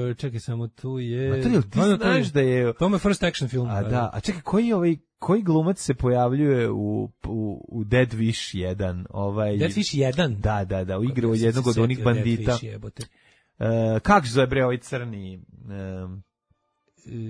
S7: E, čekaj, samo tu je...
S6: Ma to je, ti no, znaš da je...
S7: To je first action film.
S6: A da, a čekaj, koji ovaj... Koji glumac se pojavljuje u, u, u Dead Wish jedan? Ovaj...
S7: Dead Wish jedan?
S6: Da, da, da, u igru od jednog od onih bandita.
S7: Dead Wish jebote.
S6: Uh, kako se zove bre ovaj crni... Um,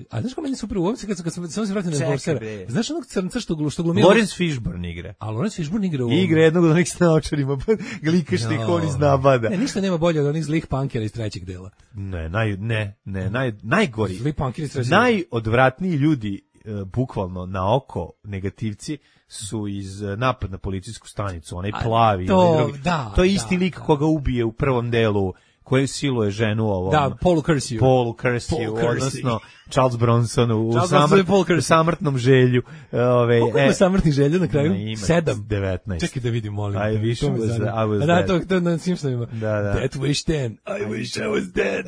S7: A znaš ko meni super u ovom se kad, kad sam samo se vratio na Enforcera. Znaš onog crnca što što glumi
S6: Lawrence Fishburne igra.
S7: A Lawrence Fishburne igra u ovom.
S6: Igra jednog od onih s naočarima, glikaš no. Ih on iz nabada.
S7: Ne, ništa nema bolje od onih zlih punkera iz trećeg dela.
S6: Ne, naj ne, ne, naj najgori.
S7: Zli punkeri iz trećeg.
S6: Najodvratniji ljudi uh, bukvalno na oko negativci su iz uh, napad na policijsku stanicu, onaj plavi,
S7: to,
S6: onaj drugi.
S7: Da,
S6: to je isti
S7: da,
S6: lik
S7: da.
S6: Koga ubije u prvom delu, koji siluje ženu ovom.
S7: Da, Paul Kersey.
S6: Paul Kersey, odnosno Charles Bronson u,
S7: Charles
S6: samrt, u samrtnom želju. Ove,
S7: Koliko ima samrtnih želja na kraju?
S6: Ima,
S7: Sedam.
S6: devetnaest.
S7: Čekaj da vidim, molim.
S6: I wish I was, I was
S7: da,
S6: dead.
S7: To, to na Simpsonovima.
S6: Da, da.
S7: That wish ten. I wish I was dead.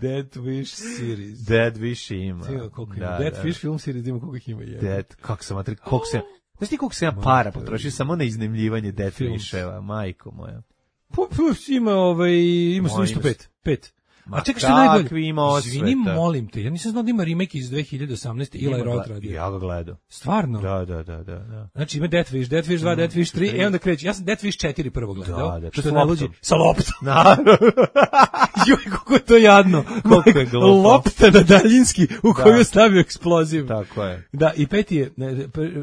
S7: Dead Wish series.
S6: Dead Wish ima.
S7: Tijelo, koliko ima. Da, Dead da. Wish film series ima koliko ih ima. Je.
S6: Dead, kako sam matri, koliko sam... Znaš ti koliko sam ja para potrošio samo na iznajmljivanje Dead Wisheva, majko moja.
S7: Pa, ima, ovaj, ima sto pet. Pet.
S6: Ma
S7: a čekaj što je najbolje?
S6: Ima osveta.
S7: Izvini, molim te, ja nisam znao da ima remake iz dve hiljade osamnaeste. Eli Roth radio.
S6: Ja ga gledao.
S7: Stvarno?
S6: Da, da, da, da, da.
S7: Znači ima Death Wish, Death Wish dva, mm, Death Wish tri, e onda kreće. Ja sam Death Wish četiri prvo gledao.
S6: Da, da,
S7: što je najluđi. Sa loptom.
S6: Naravno.
S7: Joj, kako je to jadno.
S6: Koliko je glupo.
S7: Lopta na daljinski u koju je stavio eksploziv.
S6: Tako je.
S7: Da, i peti je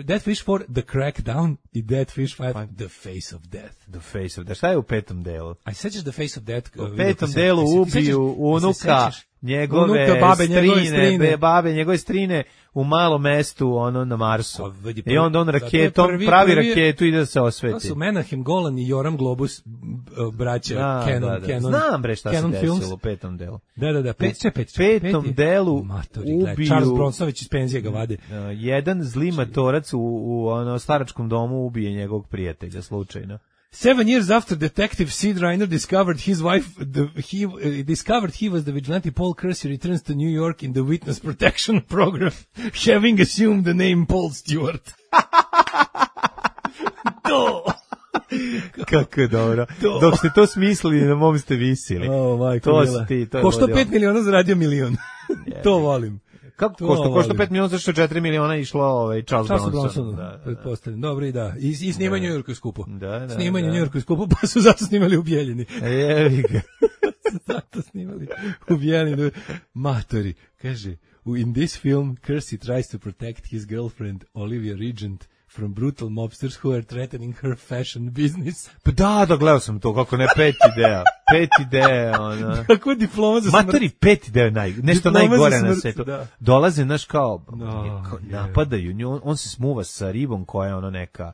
S7: Death Wish four, The Crackdown i Death Wish five, The Face of Death.
S6: The Face of Death. Šta je u petom delu?
S7: A sećaš The Face of Death?
S6: U petom delu ubiju unuka njegove
S7: unuka, babe,
S6: strine,
S7: njegove strine.
S6: babe, njegove strine u malom mestu, ono, na Marsu.
S7: Vidi,
S6: i onda on raketom,
S7: prvi,
S6: pravi
S7: prvi,
S6: raketu i da se osveti.
S7: To su Menahem Golan i Joram Globus, braća,
S6: da,
S7: Canon,
S6: da, da.
S7: Canon.
S6: Znam bre šta
S7: Canon
S6: se desilo
S7: Films.
S6: u petom delu.
S7: Da, da, da, pet, pet, pet,
S6: petom
S7: pet,
S6: delu
S7: Matori,
S6: ubiju...
S7: Charles Bronsović iz penzije ga vade.
S6: Uh, jedan zli matorac u, u ono, staračkom domu ubije njegovog prijatelja, slučajno.
S7: Seven years after Detective Sid Reiner discovered his wife, the, he uh, discovered he was the vigilante Paul Kersey returns to New York in the Witness Protection Program, having assumed the name Paul Stewart. To!
S6: Kako je dobro. To. Dok ste to smislili, na mom ste visili.
S7: Oh, majko,
S6: to si ti, to je
S7: Košto pet miliona, zaradio milion. To volim.
S6: Kako to košta? Košta pet miliona, zašto četiri miliona išlo ovaj Charles, Charles Bronson.
S7: Bronson, da, pretpostavljam. Dobro i da. I, i snimanje u New Yorku je skupo.
S6: Da, da,
S7: snimanje u
S6: da.
S7: New Yorku je skupo, pa su zato snimali u Bijeljini.
S6: Jevi ga.
S7: Zato snimali u Bijeljini. Matori, kaže, in this film, Kersey tries to protect his girlfriend, Olivia Regent, from brutal mobsters who are threatening her fashion business.
S6: Pa da, da, gledao sam to, kako ne, pet ideja. Pet ideja, ona.
S7: Kako je diploma za smrt?
S6: Matori, pet ideja, naj, nešto diploma najgore na svetu.
S7: Da.
S6: Dolaze, znaš, kao,
S7: no,
S6: kao napadaju nju, on, on se smuva sa ribom koja je ono neka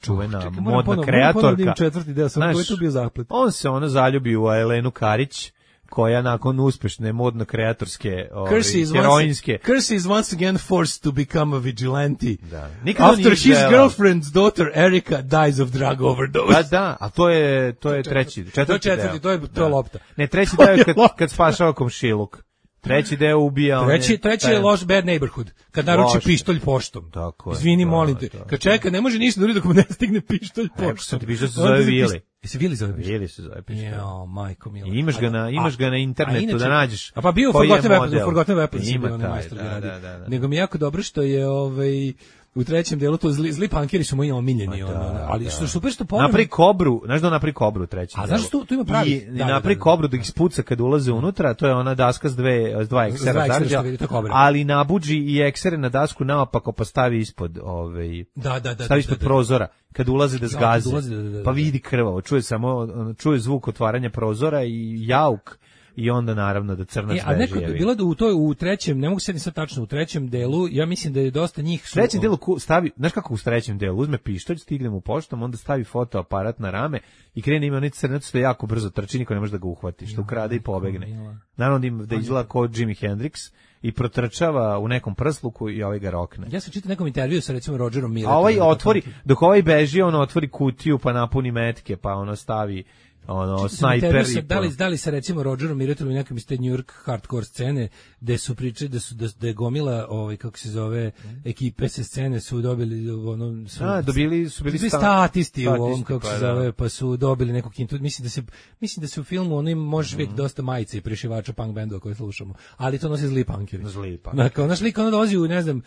S6: čuvena,
S7: oh, čekaj,
S6: modna
S7: ponovno,
S6: kreatorka.
S7: Četvrti deo, sam koji je tu bio zaplet.
S6: On se ono zaljubi u Elenu Karić, koja nakon uspešne modno kreatorske ovaj, heroinske
S7: Kersey is once again forced to become a vigilante.
S6: Da.
S7: After his žela. girlfriend's daughter Erica dies of drug overdose.
S6: Da, da, a to je to je treći, četvrti,
S7: to je četvrti, to je to je lopta.
S6: Ne, treći deo je kad kad spašava komšiluk. Treći deo ubija.
S7: Treći, treći je loš bad neighborhood. Kad naruči pištolj poštom.
S6: Tako je.
S7: Izvini, molim te. Kad čeka, ne može ništa da uradi dok mu ne stigne pištolj poštom.
S6: Što ti piše se zove Vili.
S7: Jesi Vili zove pištolj?
S6: Vili se zove pištolj.
S7: Jo, majko mila.
S6: I imaš ga na, imaš ga na internetu da nađeš.
S7: A pa bio Forgotten Weapons, Forgotten Weapons.
S6: Ima taj,
S7: majstor
S6: da, da, da, da.
S7: Nego mi je jako dobro što je ovaj u trećem delu to zli, zli pankeri su moji omiljeni,
S6: da,
S7: ono, ali
S6: da.
S7: što super što ponovno.
S6: Napri kobru, znaš da napri kobru treći.
S7: A znaš tu tu ima pravi.
S6: I da, napri da, da, kobru da ih spuca kad ulaze unutra, to je ona daska s dve s dva eksera zarđa. Ali nabuđi i eksere na dasku naopako pa stavi ispod, ovaj.
S7: Da, da, da.
S6: Stavi ispod
S7: da, da,
S6: prozora kad ulaze da zgaze.
S7: Da, da, da, da,
S6: pa vidi krvavo, čuje samo čuje zvuk otvaranja prozora i jauk. I onda naravno da crnac
S7: e, a
S6: beži.
S7: A bilo da u toj u trećem, ne mogu se ni sad tačno u trećem delu, ja mislim da je dosta njih su.
S6: U trećem delu stavi, znaš kako u trećem delu, uzme pištolj, stigne mu poštom, onda stavi fotoaparat na rame i krene ima onaj crnac što jako brzo trči, niko ne može da ga uhvati, što ukrade i pobegne. Naravno da izgleda kao Jimi Hendrix i protrčava u nekom prsluku i ovaj ga rokne.
S7: Ja sam čitao nekom intervju sa recimo Rogerom Milletom.
S6: A ovaj otvori, dok ovaj beži, on otvori kutiju pa napuni metke, pa ono stavi ono, snajper i
S7: da li, da li se recimo Rogerom Miratelom i nekom iz te New York hardcore scene gde su pričali da su da, da je gomila ovaj kako se zove ekipe se scene su dobili ono su
S6: A, dobili su bili
S7: sta, statisti u ovom kako pa, se zove pa su dobili neku kintu mislim da se mislim da se u filmu ono im može vidjeti mm. dosta majice i prešivača punk bendova koje slušamo ali to nosi zli punkeri
S6: zli punk
S7: dakle naš lik ono dolazi u ne znam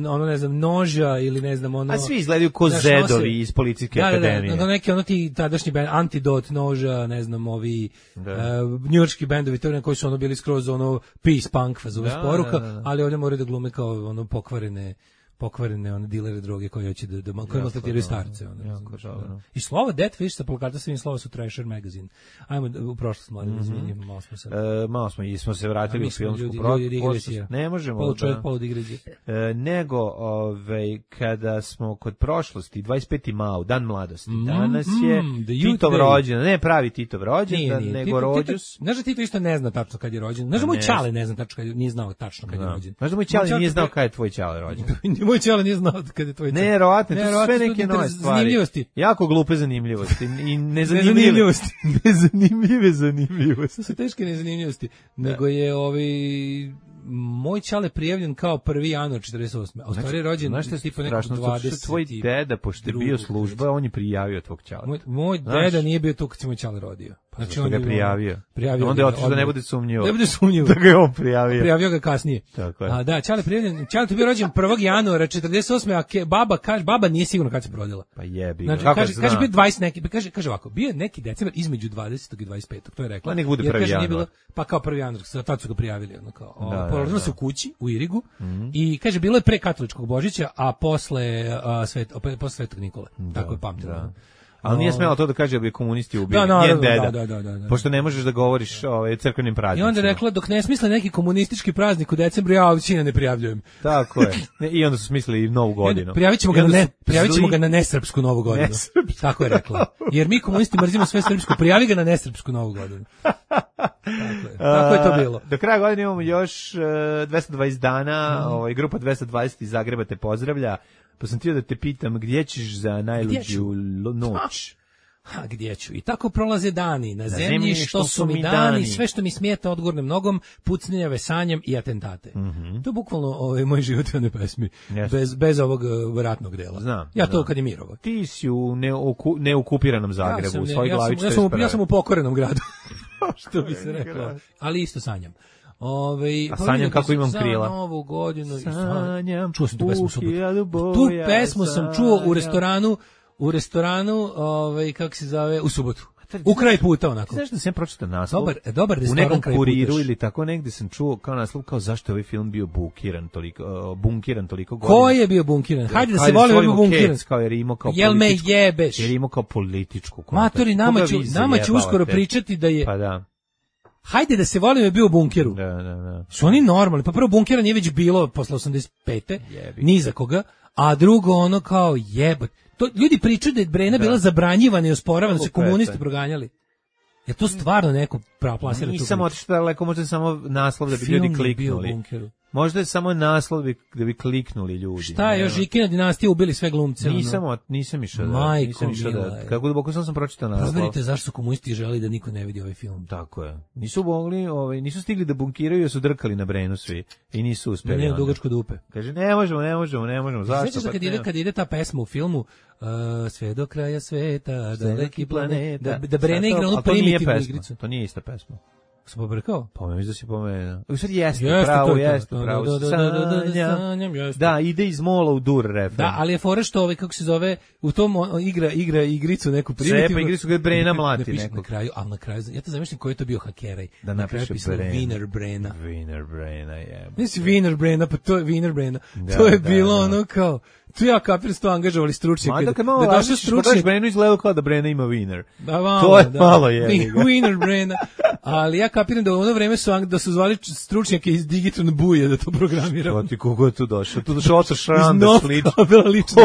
S7: ono ne znam noža ili ne znam ono
S6: a svi izgledaju ko zedovi iz policijske
S7: da,
S6: akademije
S7: da, da, neki ono ti tadašnji bend Antidot noža ne znam ovi uh, njujorški bendovi to koji su ono bili skroz ono peace punk fazu sporuka da, da, da. Ali ovdje moraju da glume kao ono pokvarene pokvarene one dilere droge koji hoće da da koji maltretiraju starce ono. Jako, da. I slovo Death Wish sa plakata svim slova su Thrasher magazine. Ajmo u prošlost mladi, mm -hmm. izvinite, malo smo se.
S6: E, malo smo i smo se vratili u filmsku prošlost. Ne možemo.
S7: Polu čovjek, polu digresija.
S6: E, nego ovaj kada smo kod prošlosti dvadeset peti maj, dan mladosti. Mm, danas je mm, Titov rođendan, ne pravi Titov rođendan, nego rođus.
S7: Znaš da Tito isto ne zna tačno kad je rođen. Znaš da moj čale ne zna tačno kad nije znao tačno kad je rođen.
S6: Znaš da moj čale nije znao kad je tvoj čale rođen.
S7: Moj čale nije znao kad je tvoj čale.
S6: Ne, verovatno, to su sve neke nove stvari.
S7: Zanimljivosti.
S6: Jako glupe zanimljivosti i nezanimljivosti. Nezanimljive zanimljivosti.
S7: To su teške nezanimljivosti. Nego je ovaj moj čale prijavljen kao prvi januar četrdeset osme. A u stvari je rođen tipa nekog dvadeset.
S6: Tvoj deda, pošto je bio služba, on je prijavio tvog čala.
S7: Moj, moj deda nije bio tu kad se moj čale rodio.
S6: Znači on ga je prijavio. prijavio onda je otišao da ne bude sumnjivo.
S7: Ne bude sumnjivo.
S6: Da ga je on prijavio.
S7: Prijavio ga kasnije.
S6: Tako je.
S7: A da, čale prijavljen. Čale je bio rođen prvog januara četrdeset osme, a ke, baba kaže baba nije sigurno kad se rodila.
S6: Pa jebi.
S7: Znači, kaže zna? kaže bio dvadeset neki, kaže kaže ovako, bio neki decembar između dvadesetog i dvadeset petog, to je rekla.
S6: Pa nek bude prvi januar.
S7: Bilo, pa kao prvi januar, sad su ga prijavili ono kao. Da, porodila se u kući u Irigu mm-hmm. i kaže bilo je pre katoličkog Božića, a posle a, svet, posle Svetog Nikole. Da, tako je pamtila.
S6: Ali nije smela to da kaže da bi komunisti ubili.
S7: Da, no,
S6: njen deda.
S7: Da, da, da, da.
S6: Pošto ne možeš da govoriš o ovaj, crkvenim praznicima.
S7: I onda je rekla, dok ne smisle neki komunistički praznik u decembru, ja većina ne prijavljujem.
S6: Tako je. I onda su smislili i Novu godinu.
S7: Prijavit ćemo ga, na, ne, prijavit ćemo ga na nesrpsku Novu godinu. Nesrpsku. Tako je rekla. Jer mi komunisti mrzimo sve srpsko, prijavi ga na nesrpsku Novu godinu. Tako je. Tako je to bilo.
S6: Uh, do kraja godine imamo još uh, dvesta dvadeset dana, mm. ovaj, grupa dvesta dvadeset iz Zagreba te pozdravlja. Pa sam htio da te pitam, gdje ćeš za najluđu noć?
S7: A gdje ću? I tako prolaze dani, na, na zemlji, zemlji što, što su mi dani, dani, sve što mi smijeta odgurnem nogom, pucnjenja, vesanjem i atentate. Mm -hmm. To je bukvalno ovaj, moj život u one pesmi, yes. bez, bez ovog uh, ratnog dela.
S6: Znam,
S7: ja to
S6: znam.
S7: kad je mirovo.
S6: Ti si u neoku, neokupiranom Zagrebu, ja sam, u svoj
S7: ja
S6: glavi
S7: ja sam, ja sam u pokorenom gradu, što bi se reklo, ali isto sanjam. Ove,
S6: a sanjam kako imam krila.
S7: Novu godinu.
S6: Sanjam.
S7: Čuo sam tu pesmu subotu. Tu pesmu sam čuo u restoranu, u restoranu, ovaj kako se zove, u subotu. U kraj puta onako.
S6: Znaš da sam pročitao naslov?
S7: Dobar, dobar restoran
S6: u nekom kuriru ili tako negde sam čuo kao naslov kao zašto je ovaj film bio bunkiran toliko, uh, bunkiran toliko godina.
S7: Ko je bio bunkiran? Hajde da se volimo bio bunkiran.
S6: Kao jer imao kao
S7: jel me jebeš?
S6: Jer imao kao političku.
S7: Matori, nama će, nama će uskoro pričati da je.
S6: Pa da.
S7: Hajde da se volimo je bio u bunkeru.
S6: Da, da, da.
S7: Su oni normalni? Pa prvo bunkera nije već bilo posle osamdeset pete ni za koga, a drugo ono kao jebot. To ljudi pričaju da je Brena da. bila zabranjivana i osporavana, da se komunisti proganjali. Je to stvarno neko plasira tu?
S6: Nisam otišao daleko, možda je samo naslov da bi
S7: film
S6: ljudi kliknuli. Možda je samo naslov da bi kliknuli ljudi.
S7: Šta je, još Žikina dinastija ubili sve glumce?
S6: Nisam, ono. nisam išao da. Nisam išao da. Kako duboko sam sam pročitao naslov.
S7: Proverite zašto su komunisti želi da niko ne vidi ovaj film.
S6: Tako je. Nisu mogli, ovaj, nisu stigli da bunkiraju, jer su drkali na Brenu svi i nisu uspeli.
S7: Ne, ne, dugačko dupe.
S6: Kaže ne možemo, ne možemo, ne možemo. Zašto?
S7: Sveća kad ide kad ide ta pesma u filmu uh, sve do kraja sveta, daleki planet, da, da Brena igra onu primitivnu igricu.
S6: To nije ista pesma.
S7: Sam pobrkao?
S6: Pa mislim da si pomenuo. U stvari jeste, jeste pravo, jeste, pravo. Sanjam, da, ide iz mola u dur refren.
S7: Da, ali je fora što ovaj, kako se zove, u tom igra igra igricu neku primitivnu.
S6: Sepa igricu gde Brena mlati nekog.
S7: Na kraju, al na kraju, ja te zamišljam ko je to bio hakeraj. Da napiše Wiener Brena.
S6: Wiener Brena, je.
S7: Nisi Wiener Brena, pa to je Wiener Brena. To je bilo ono kao tu ja kapiram sto angažovali stručnjake.
S6: Da, kad malo da došao stručnjak, Brenu izgledao kao da Brena ima Wiener.
S7: Da, malo,
S6: to je
S7: da.
S6: malo je.
S7: Wiener Brena. Ali ja kapiram da u ono vreme su da su zvali stručnjake iz Digitron Buje da to programiraju.
S6: Što ti kogo je tu došao? Tu došao Oto Šandar slično.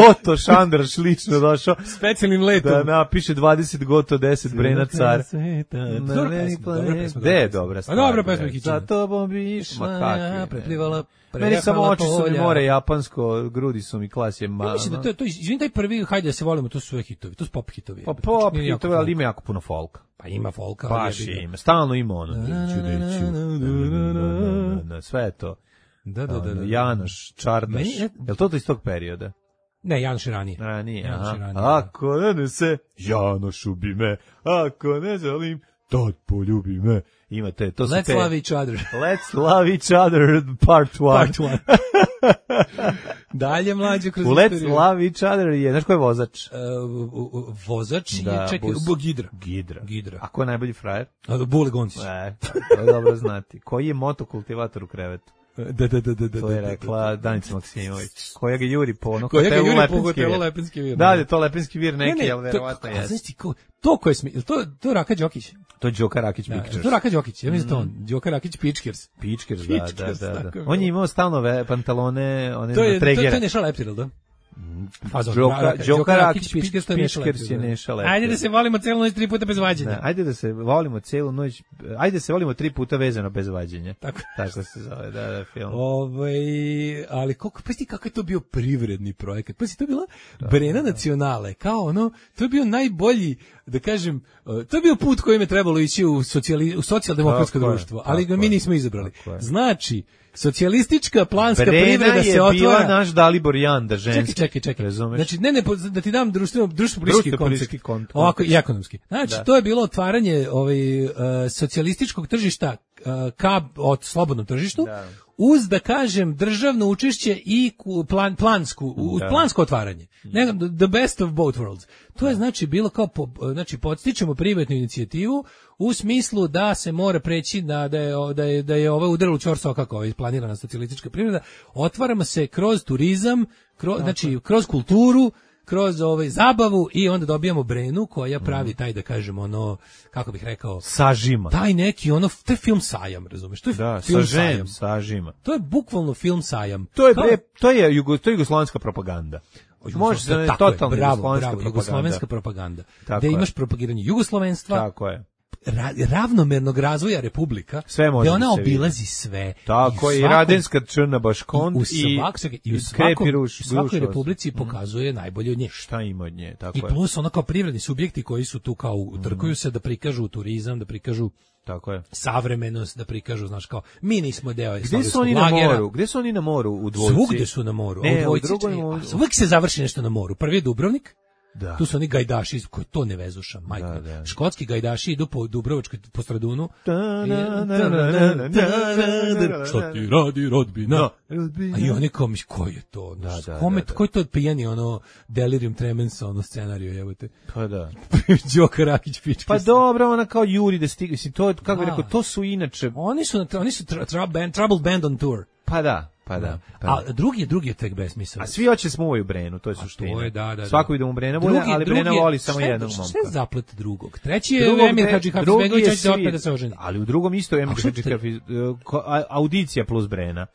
S6: Oto Šandar slično došao.
S7: Specijalnim letom.
S6: Da napiše dvadeset goto deset Brena car.
S7: Dobra pesma.
S6: Gde je dobra stvar?
S7: A dobra pesma.
S6: Za tobom bi išla.
S7: Preplivala
S6: Meni samo oči su mi more japansko, grudi su mi klasje ma.
S7: Ja mislim da to to izvini taj prvi hajde da se volimo, to su sve hitovi, to su pop hitovi.
S6: Pa pop hitovi, ali ima jako puno folka.
S7: Pa ima folka,
S6: baš ima, stalno ima ono. Sve je to.
S7: Da, da, da.
S6: Janoš, Čardaš. Jel to to iz tog perioda?
S7: Ne, Janoš je ranije.
S6: Ranije, aha. Ako ne se, Janoš ubi me. Ako ne želim, tad poljubi me. Imate, to su
S7: Let's
S6: te...
S7: love each other.
S6: Let's love each other, part one.
S7: Part one. Dalje mlađe kroz
S6: u Let's love each other je, znaš ko je vozač?
S7: Uh, vozač
S6: da,
S7: je, čekaj,
S6: bus...
S7: Gidra.
S6: Gidra.
S7: Gidra.
S6: A ko je najbolji frajer?
S7: Bule Goncić.
S6: E, to je dobro znati. Koji je motokultivator u krevetu?
S7: Da, da, da, da.
S6: To je rekla Danica Maksimović. Koja ga juri po ono
S7: koja
S6: hotelu
S7: Lepenski,
S6: Lepenski,
S7: Lepenski vir.
S6: Da, je to Lepenski vir neki, ali verovatno je.
S7: Znači, to ko je smi... To, to Raka Đokić?
S6: To je Đoka Rakić Pičkers.
S7: Da, to Raka Đokić, ja mislim da on. Đoka Rakić Pičkers.
S6: Pičkers, da, da, da, da. On je imao stalno pantalone, one na tregere.
S7: To je Neša Leptir, da?
S6: Đoka Rakić Pičkers je Neša Leptir.
S7: Ajde da se volimo celu noć tri puta bez vađenja.
S6: Ajde da se volimo celu noć, ajde da se volimo tri puta vezano bez vađenja.
S7: Tako.
S6: Tako se zove, da, da, film.
S7: Ovaj, ali koliko, pa sti kako je to bio privredni projekat. Pa sti to bila Brena Nacionale, kao ono, to je bio najbolji, da kažem, to je bio put kojim je trebalo ići u, socijali, u socijaldemokratsko društvo, ali ga mi nismo izabrali. Znači, socijalistička planska
S6: Brena
S7: privreda se otvara.
S6: Brena je bila naš Dalibor Janda, ženski.
S7: Čekaj, čekaj, čekaj.
S6: Razumeš?
S7: Znači, ne, ne, da ti dam društveno, društveno-politički koncept.
S6: koncept.
S7: Ovako, i ekonomski. Znači, da. To je bilo otvaranje ovaj, uh, socijalističkog tržišta uh, ka od slobodnom tržištu, da. Uz, da kažem, državno učešće i plan, plansku, da. plansko otvaranje. Ne, the best of both worlds. To je, znači, bilo kao, po, znači, podstičemo privatnu inicijativu u smislu da se mora preći da, da je, da je, da je ovo udarilo čor soka kao je planirana socijalistička privreda. Otvaramo se kroz turizam, kroz, znači, kroz kulturu, kroz ovaj zabavu i onda dobijamo Brenu koja pravi taj, da kažemo, ono, kako bih rekao,
S6: sažima.
S7: Taj neki ono, to je film sajam, razumeš? To je
S6: da,
S7: film
S6: sažem,
S7: sajam.
S6: Sažima.
S7: To je bukvalno film sajam.
S6: To je bre, to je jugo, to je jugoslovenska propaganda. Može se da totalno jugoslovenska,
S7: jugoslovenska propaganda.
S6: Tako
S7: da imaš propagiranje jugoslovenstva.
S6: Tako je.
S7: Ra, ravnomernog razvoja republika,
S6: sve može
S7: da ona
S6: se
S7: obilazi sve.
S6: Tako i, i Radenska Črna Baškont i,
S7: i, svak, i u svakom, ruš, svakoj republici pokazuje mm. najbolje od nje.
S6: Šta ima od nje, tako
S7: I
S6: je.
S7: I plus ono kao privredni subjekti koji su tu kao utrkuju mm. se da prikažu turizam, da prikažu
S6: tako je.
S7: Savremenost, da prikažu, znaš kao, mi nismo deo
S6: Gde su oni na moru? Gde su oni na moru u dvojci?
S7: Svugde su na moru.
S6: Ne,
S7: u dvojci,
S6: u drugoj...
S7: uvijek se završi nešto na moru. Prvi je Dubrovnik.
S6: Da.
S7: Tu su oni gajdaši koji to ne vezuša, majko. Da, da. Škotski gajdaši idu po Dubrovačkoj, po Stradunu. Šta ti radi rodbina? A i oni kao, ko je to? Da, da, kome, da, da. Ko je to pijani, ono, delirium tremens, ono, scenariju, jebote?
S6: Pa da.
S7: Đoka Rakić Pičkers.
S6: Pa dobro, ona kao Juri da stigne, si to, kako bih rekao, to su inače...
S7: Oni su, oni su tra, tra, band, Troubled Band on Tour.
S6: Pa da. Pa da. Pa da.
S7: A drugi je drugi je tek besmisao.
S6: A svi hoće smuvaju Brenu, to je suština.
S7: To je, da, da,
S6: svako ide u Brena, drugi, ali Brena
S7: drugi,
S6: voli samo
S7: šta,
S6: jednog momka.
S7: Šta je zaplet drugog? Treći je Emir Hadžibegović, će se opet da se oženi.
S6: Ali u drugom isto je Emir Hadžibegović, audicija plus Brena,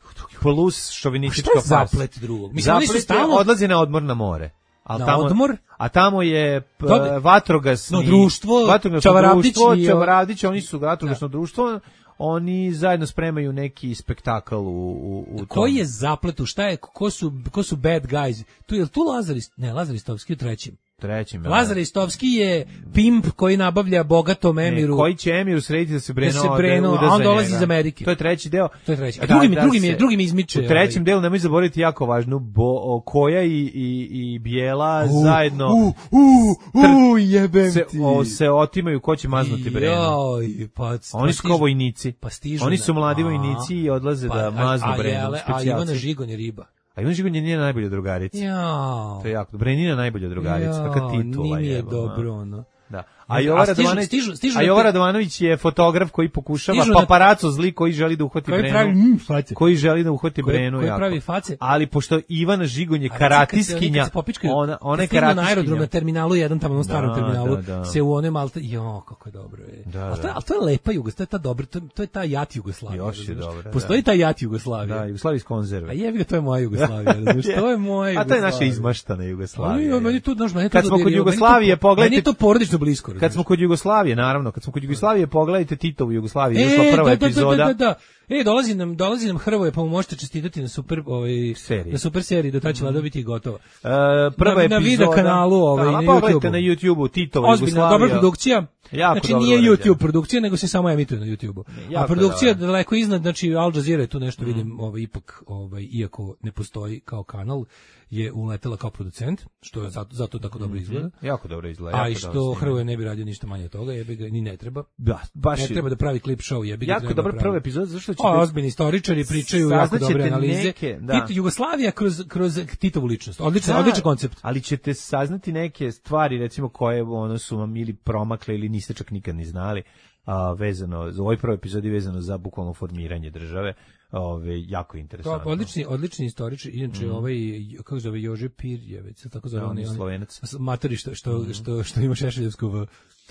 S6: plus šovinistička fasa.
S7: Šta je zaplet drugog? Mislim, oni su stalno
S6: odlaze na odmor na more.
S7: Al tamo, odmor?
S6: A tamo je p, vatrogasno
S7: no, društvo,
S6: vatrogasno društvo, Čavaravdić, oni su vatrogasno društvo. Oni zajedno spremaju neki spektakl u, u, u tom.
S7: Koji je zapletu, šta je, ko su, ko su bad guys? Tu je tu Lazar, ne, Lazar Istovski u trećem.
S6: Trećim,
S7: Lazar Istovski je pimp koji nabavlja bogatom Emiru.
S6: Ne, koji će Emiru srediti da se Breno,
S7: da se Breno
S6: da
S7: a on dolazi iz Amerike.
S6: To je treći deo.
S7: To je treći. A drugi mi, da drugi mi, drugi mi izmiče.
S6: U trećem ovaj. delu nemoj zaboraviti jako važno, bo, Koja i, i, i Bijela uh, zajedno
S7: uh, uh, uh, jebem
S6: se,
S7: ti.
S6: O, se otimaju ko će maznuti Breno.
S7: Joj, pa,
S6: Oni su kao vojnici.
S7: Pa stižu.
S6: Oni su mladi vojnici i odlaze
S7: pa,
S6: da maznu Breno.
S7: A Ivana Žigon je riba.
S6: A Ivana Žigon je njena najbolja drugarica.
S7: Jao.
S6: To je jako dobro. Brenina najbolja drugarica. Kakva titula je.
S7: Nije dobro, ono.
S6: Da. A Jova Radovanović, stižu, stižu a Jova Radovanović je fotograf koji pokušava paparaco zli koji želi da uhvati
S7: koji
S6: Brenu.
S7: Pravi, mm,
S6: koji želi da uhvati
S7: koji,
S6: Brenu
S7: koji
S6: jako.
S7: Pravi face.
S6: Ali pošto Ivana Žigon je karatiskinja, ona ona je karatiskinja.
S7: Na aerodromu na terminalu jedan tamo na starom
S6: da,
S7: terminalu
S6: da, da.
S7: se u onem alta, jo kako je dobro je.
S6: Da,
S7: a to je, al to je lepa Jugoslavija, to je ta dobra, to, to je ta jat Jugoslavija.
S6: Još je dobra.
S7: Postoji ta jat Jugoslavija.
S6: Da, Jugoslavija iz konzerve.
S7: A jebi ga, to je moja Jugoslavija, razumiješ? To je moja.
S6: A to je naša izmaštana Jugoslavija.
S7: Meni to, znaš, meni to.
S6: Kad smo kod Jugoslavije, pogledajte.
S7: Meni to porodično blisko.
S6: Kad smo kod Jugoslavije, naravno, kad smo kod Jugoslavije, pogledajte Titovu Jugoslaviju, izašla prva
S7: da,
S6: epizoda.
S7: Da, da, da, E, dolazi nam, dolazi nam Hrvoje, pa mu možete čestitati na super, ovaj,
S6: seriji.
S7: Na super seriji, do tada će Vlada biti gotova.
S6: Uh, prva
S7: na,
S6: epizoda.
S7: Na video kanalu, ovaj,
S6: da,
S7: na YouTubeu.
S6: na YouTubeu, Titova
S7: Ozbiljna,
S6: Jugoslavija.
S7: dobra produkcija.
S6: Jako
S7: znači nije YouTube produkcija, nego se samo emituje na YouTubeu. A produkcija
S6: dobro.
S7: daleko iznad, znači Al Jazeera je tu nešto mm. vidim, ovaj, ipak, ovaj, iako ne postoji kao kanal, je uletela kao producent, što je zato, zato tako dobro izgleda.
S6: Mm-hmm. Jako dobro izgleda.
S7: A i što Hrvoje ne bi radio ništa manje od toga, jebi ga, ni ne treba.
S6: Da, baš
S7: ne treba da pravi klip show, jebi ga.
S6: Jako dobra prva epizoda, zašto će...
S7: O, ozbiljni istoričari pričaju jako dobre analize.
S6: Neke, da.
S7: Tito, Jugoslavija kroz, kroz Titovu ličnost. Odličan, da, odličan koncept.
S6: Ali ćete saznati neke stvari, recimo, koje ono su vam ili promakle ili niste čak nikad ni znali, a, vezano, za ovoj prvoj epizodi vezano za bukvalno formiranje države. Ove, jako interesantno.
S7: To, odlični, odlični istoričar, inače mm. ovaj, kako zove, Jože Pirjevec, tako zove,
S6: da,
S7: on je
S6: Slovenac.
S7: Matori što, što, mm. što, što ima Šešeljevsku v...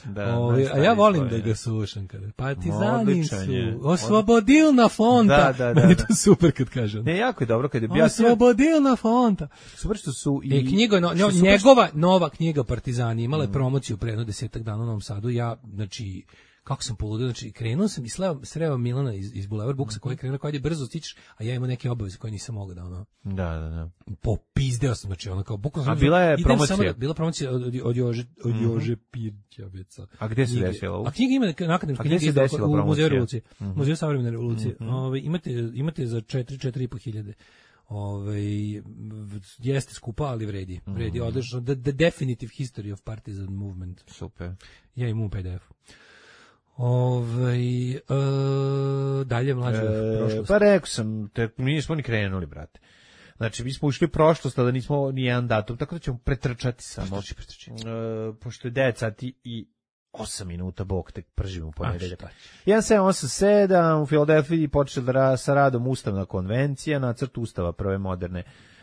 S6: Da,
S7: Ove, a ja volim Slovenec. Da ga slušam kada partizani su oslobodilna fonta.
S6: Da, da, da,
S7: meni je to super kad kažem.
S6: Ne, jako je dobro kad je bio
S7: oslobodilna fonta.
S6: Super što su i
S7: e, knjiga, no, no, njegova nova knjiga Partizani imala je mm. promociju pre jedno desetak dana u Novom Sadu. Ja, znači, kako sam poludio, znači krenuo sam i sleo, sreo Milana iz, iz Boulevard Booksa, koji je krenuo, koji je brzo stičeš, a ja imam neke obaveze koje nisam mogao da ono...
S6: Da, da, da.
S7: Popizdeo sam, znači ono kao... Bukvalno,
S6: a bila je promocija?
S7: Da, bila promocija od, od Jože, od mm-hmm. Jože Pirćaveca.
S6: A gde se desila?
S7: A knjiga ima na akademskoj knjigi u Muzeju revolucije. Mm-hmm. Muzeju savremene revolucije. Mm-hmm. Ove, imate, imate za četiri, četiri i po hiljade. Ove, jeste skupa, ali vredi. Vredi, mm-hmm. odlično. The, the definitive history of partisan movement.
S6: Super.
S7: Ja imam u P D F-u. Ove, e, dalje mlađe
S6: e,
S7: prošlost.
S6: Pa rekao sam, te, mi nismo ni krenuli, brate. Znači, mi smo ušli prošlost, a da nismo ni jedan datum, tako da ćemo pretrčati samo. E, pošto je devet sati i osam minuta, bok, tek pržimo u ponedeljak. jedan sedam osam sedam, u Filadelfiji počela sa radom Ustavna konvencija, nacrt Ustava prve moderne